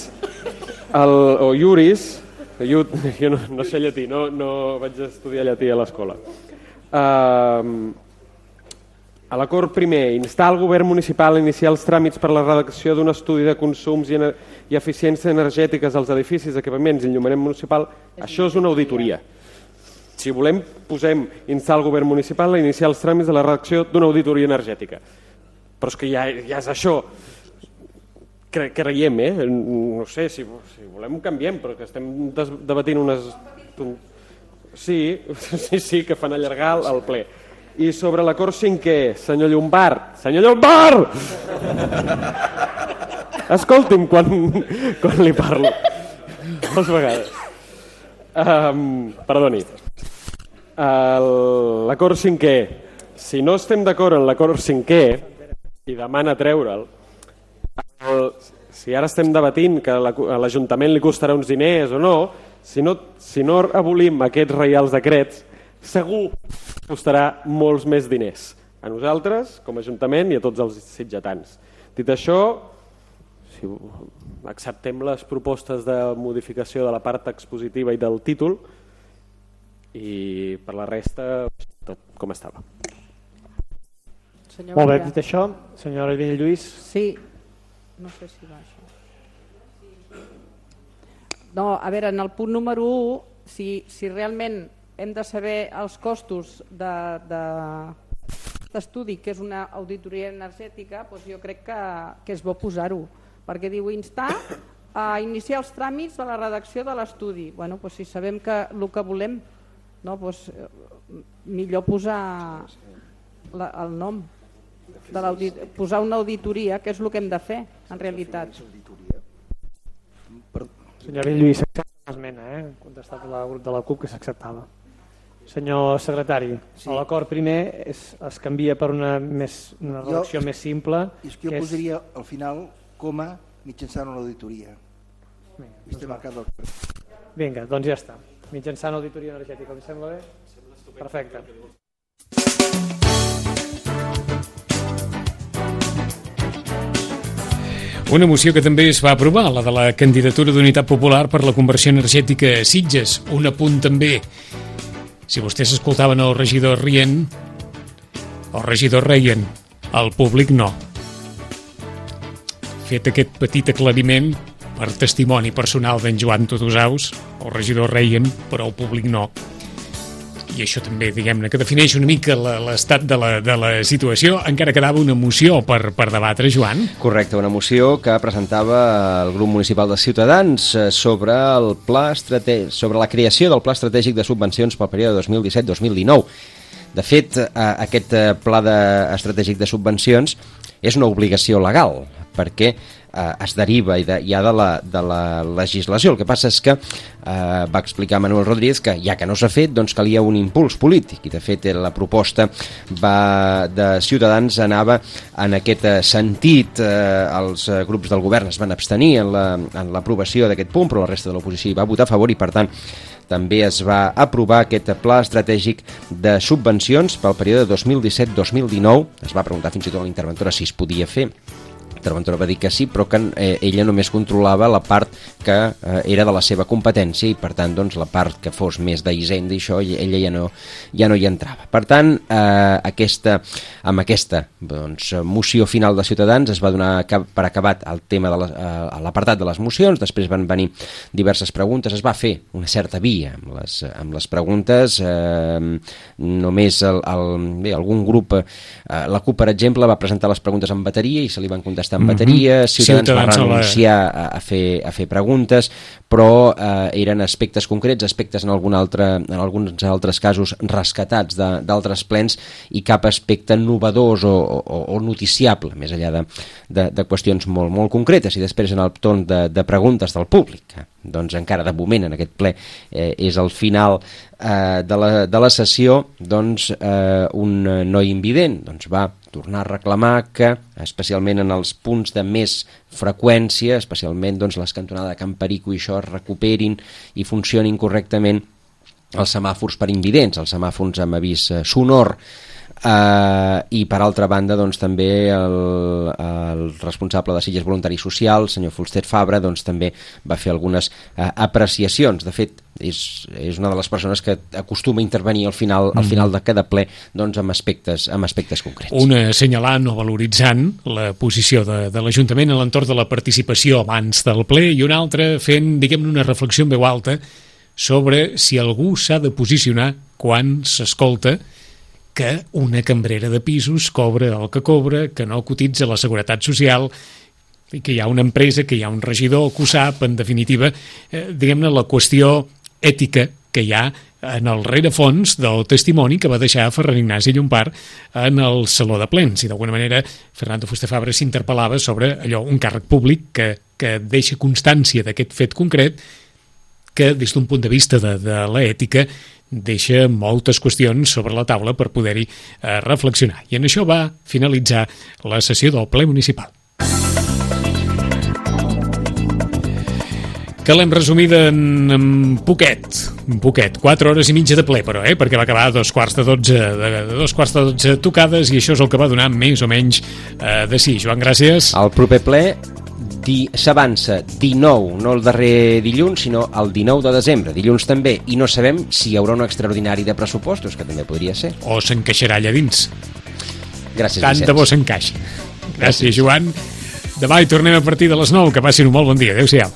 G: el, o iuris, iut, jo no, no sé llatí, no, no vaig estudiar llatí a l'escola. Uh, A l'acord primer, instar el govern municipal a iniciar els tràmits per la redacció d'un estudi de consums i, i eficiències energètiques als edificis, equipaments i enllumament municipal, això és una auditoria. Si volem, posem instar el govern municipal a iniciar els tràmits de la redacció d'una auditoria energètica. Però és que ja, ja és això. Cre creiem, eh? No sé, si, si volem ho canviem, però que estem debatint unes... Sí, sí, sí, que fan allargar el ple. I sobre l'acord cinquè, senyor Llombard, senyor Llombard! Escolti'm quan, quan li parlo. Moltes vegades. Um, perdoni. El- L'acord cinquè. Si no estem d'acord en l'acord cinquè i demana treure'l, el, si ara estem debatint que la- a l'Ajuntament li costarà uns diners o no, si no, si no abolim aquests reials decrets, segur que costarà molts més diners a nosaltres, com a Ajuntament, i a tots els sitgetans. Dit això, si acceptem les propostes de modificació de la part expositiva i del títol, i per la resta, tot com estava.
O: Senyor
D: Molt bé,
O: Batlle.
D: dit això, senyora Albini Lluís.
O: Sí, no sé si va això. No, a veure, en el punt número u, si, si realment hem de saber els costos d'estudi, de, de, que és una auditoria energètica, doncs jo crec que, que és bo posar-ho, perquè diu instar a iniciar els tràmits de la redacció de l'estudi. Bueno, doncs si sabem que el que volem, no, doncs, millor posar la, el nom, de posar una auditoria, que és el que hem de fer, en realitat.
D: Senyor Lluís, s'accepta l'esmena, eh? Ha contestat el grup de la CUP que s'acceptava. Senyor secretari, sí. L'acord primer es, es canvia per una, més, una redacció jo, més simple.
I: És que jo que posaria és... al final coma mitjançant una auditoria.
D: Vinga, doncs, Vinga, doncs ja està. Mitjançant auditoria energètica, li sembla bé? Perfecte.
B: Una moció que també es va aprovar, la de la candidatura d'Unitat Popular per la conversió energètica a Sitges. Un apunt també. Si vostès escoltaven el regidor rient, el regidor reien, el públic no. Fet aquest petit aclariment per testimoni personal d'en Joan Tudusaus, el regidor reien, però el públic no. I això també, diguem-ne, que defineix una mica l'estat de, la, de la situació. Encara quedava una moció per, per debatre, Joan.
C: Correcte, una moció que presentava el grup municipal de Ciutadans sobre, el pla estratègic, sobre la creació del Pla Estratègic de Subvencions pel període dos mil disset dos mil dinou. De fet, aquest pla de, estratègic de subvencions és una obligació legal, perquè eh, es deriva ja de, de, la, de la legislació. El que passa és que eh, va explicar Manuel Rodríguez que ja que no s'ha fet, doncs calia un impuls polític, i de fet la proposta va, de Ciutadans anava en aquest sentit. Eh, els grups del govern es van abstenir en l'aprovació la, d'aquest punt, però la resta de l'oposició hi va votar a favor, i per tant també es va aprovar aquest pla estratègic de subvencions pel període dos mil disset dos mil dinou. Es va preguntar fins i tot a la interventora si es podia fer. Interventora va dir que sí, però que eh, ella només controlava la part que eh, era de la seva competència, i per tant doncs, la part que fos més d'Hisenda i això, ella ja no, ja no hi entrava. Per tant, eh, aquesta, amb aquesta doncs, moció final de Ciutadans es va donar per acabat el tema de la, eh, l'apartat de les mocions. Després van venir diverses preguntes, es va fer una certa via amb les, amb les preguntes. Eh, només el, el, bé, algun grup, eh, la CUP per exemple, va presentar les preguntes en bateria i se li van contestar en bateria. Ciutadans, Ciutadans va renunciar a, a, fer, a fer preguntes, però eh, eren aspectes concrets, aspectes en, algun altre, en alguns altres casos rescatats d'altres plens, i cap aspecte novedós o, o, o noticiable, més enllà de, de, de qüestions molt, molt concretes. I després en el torn de, de preguntes del públic, doncs encara de moment en aquest ple eh, és el final eh, de, la, de la sessió, doncs eh, un noi invident doncs va tornar a reclamar que, especialment en els punts de més freqüència, especialment doncs, les cantonades de Can Perico i això, es recuperin i funcionin correctament els semàfors per invidents, els semàfors amb avís sonor. Uh, i per altra banda doncs, també el, el responsable de Sitges Voluntari Social, el senyor Fulster Fabra, doncs, també va fer algunes uh, apreciacions. De fet, és, és una de les persones que acostuma a intervenir al final, al final de cada ple, doncs, amb, aspectes, amb aspectes concrets.
B: Una assenyalant o valoritzant la posició de, de l'Ajuntament a l'entorn de la participació abans del ple, i una altra fent, diguem-ne, una reflexió en veu alta sobre si algú s'ha de posicionar quan s'escolta que una cambrera de pisos cobra el que cobra, que no cotitza la Seguretat Social, i que hi ha una empresa, que hi ha un regidor que ho sap. En definitiva, eh, diguem-ne, la qüestió ètica que hi ha en el rerefons del testimoni que va deixar Ferran Ignasi Llompart en el Saló de Plens. I d'alguna manera Fernando Fuster Fabra s'interpel·lava sobre allò, un càrrec públic que, que deixa constància d'aquest fet concret que des d'un punt de vista de, de l'ètica deixa moltes qüestions sobre la taula per poder-hi eh, reflexionar. I en això va finalitzar la sessió del ple municipal. Que l'hem resumida en, en poquet, un poquet, quatre hores i mitja de ple, però, eh? perquè va acabar a dos quarts de dotze, de, de dos quarts de dotze tocades, i això és el que va donar més o menys eh, de sí. Joan, gràcies.
C: El proper ple di, s'avança dinou, no el darrer dilluns, sinó el dinou de desembre, dilluns també, i no sabem si hi haurà un extraordinari de pressupostos, que també podria ser.
B: O s'encaixarà allà dins.
C: Gràcies,
B: Tant
C: Vicenç.
B: de bo s'encaixi. Gràcies, Joan. Demà hi tornem a partir de les nou. Que passin un molt bon dia. Adéu-siau.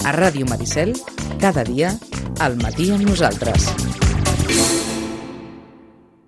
A: A Ràdio Maricel, cada dia, al matí amb nosaltres.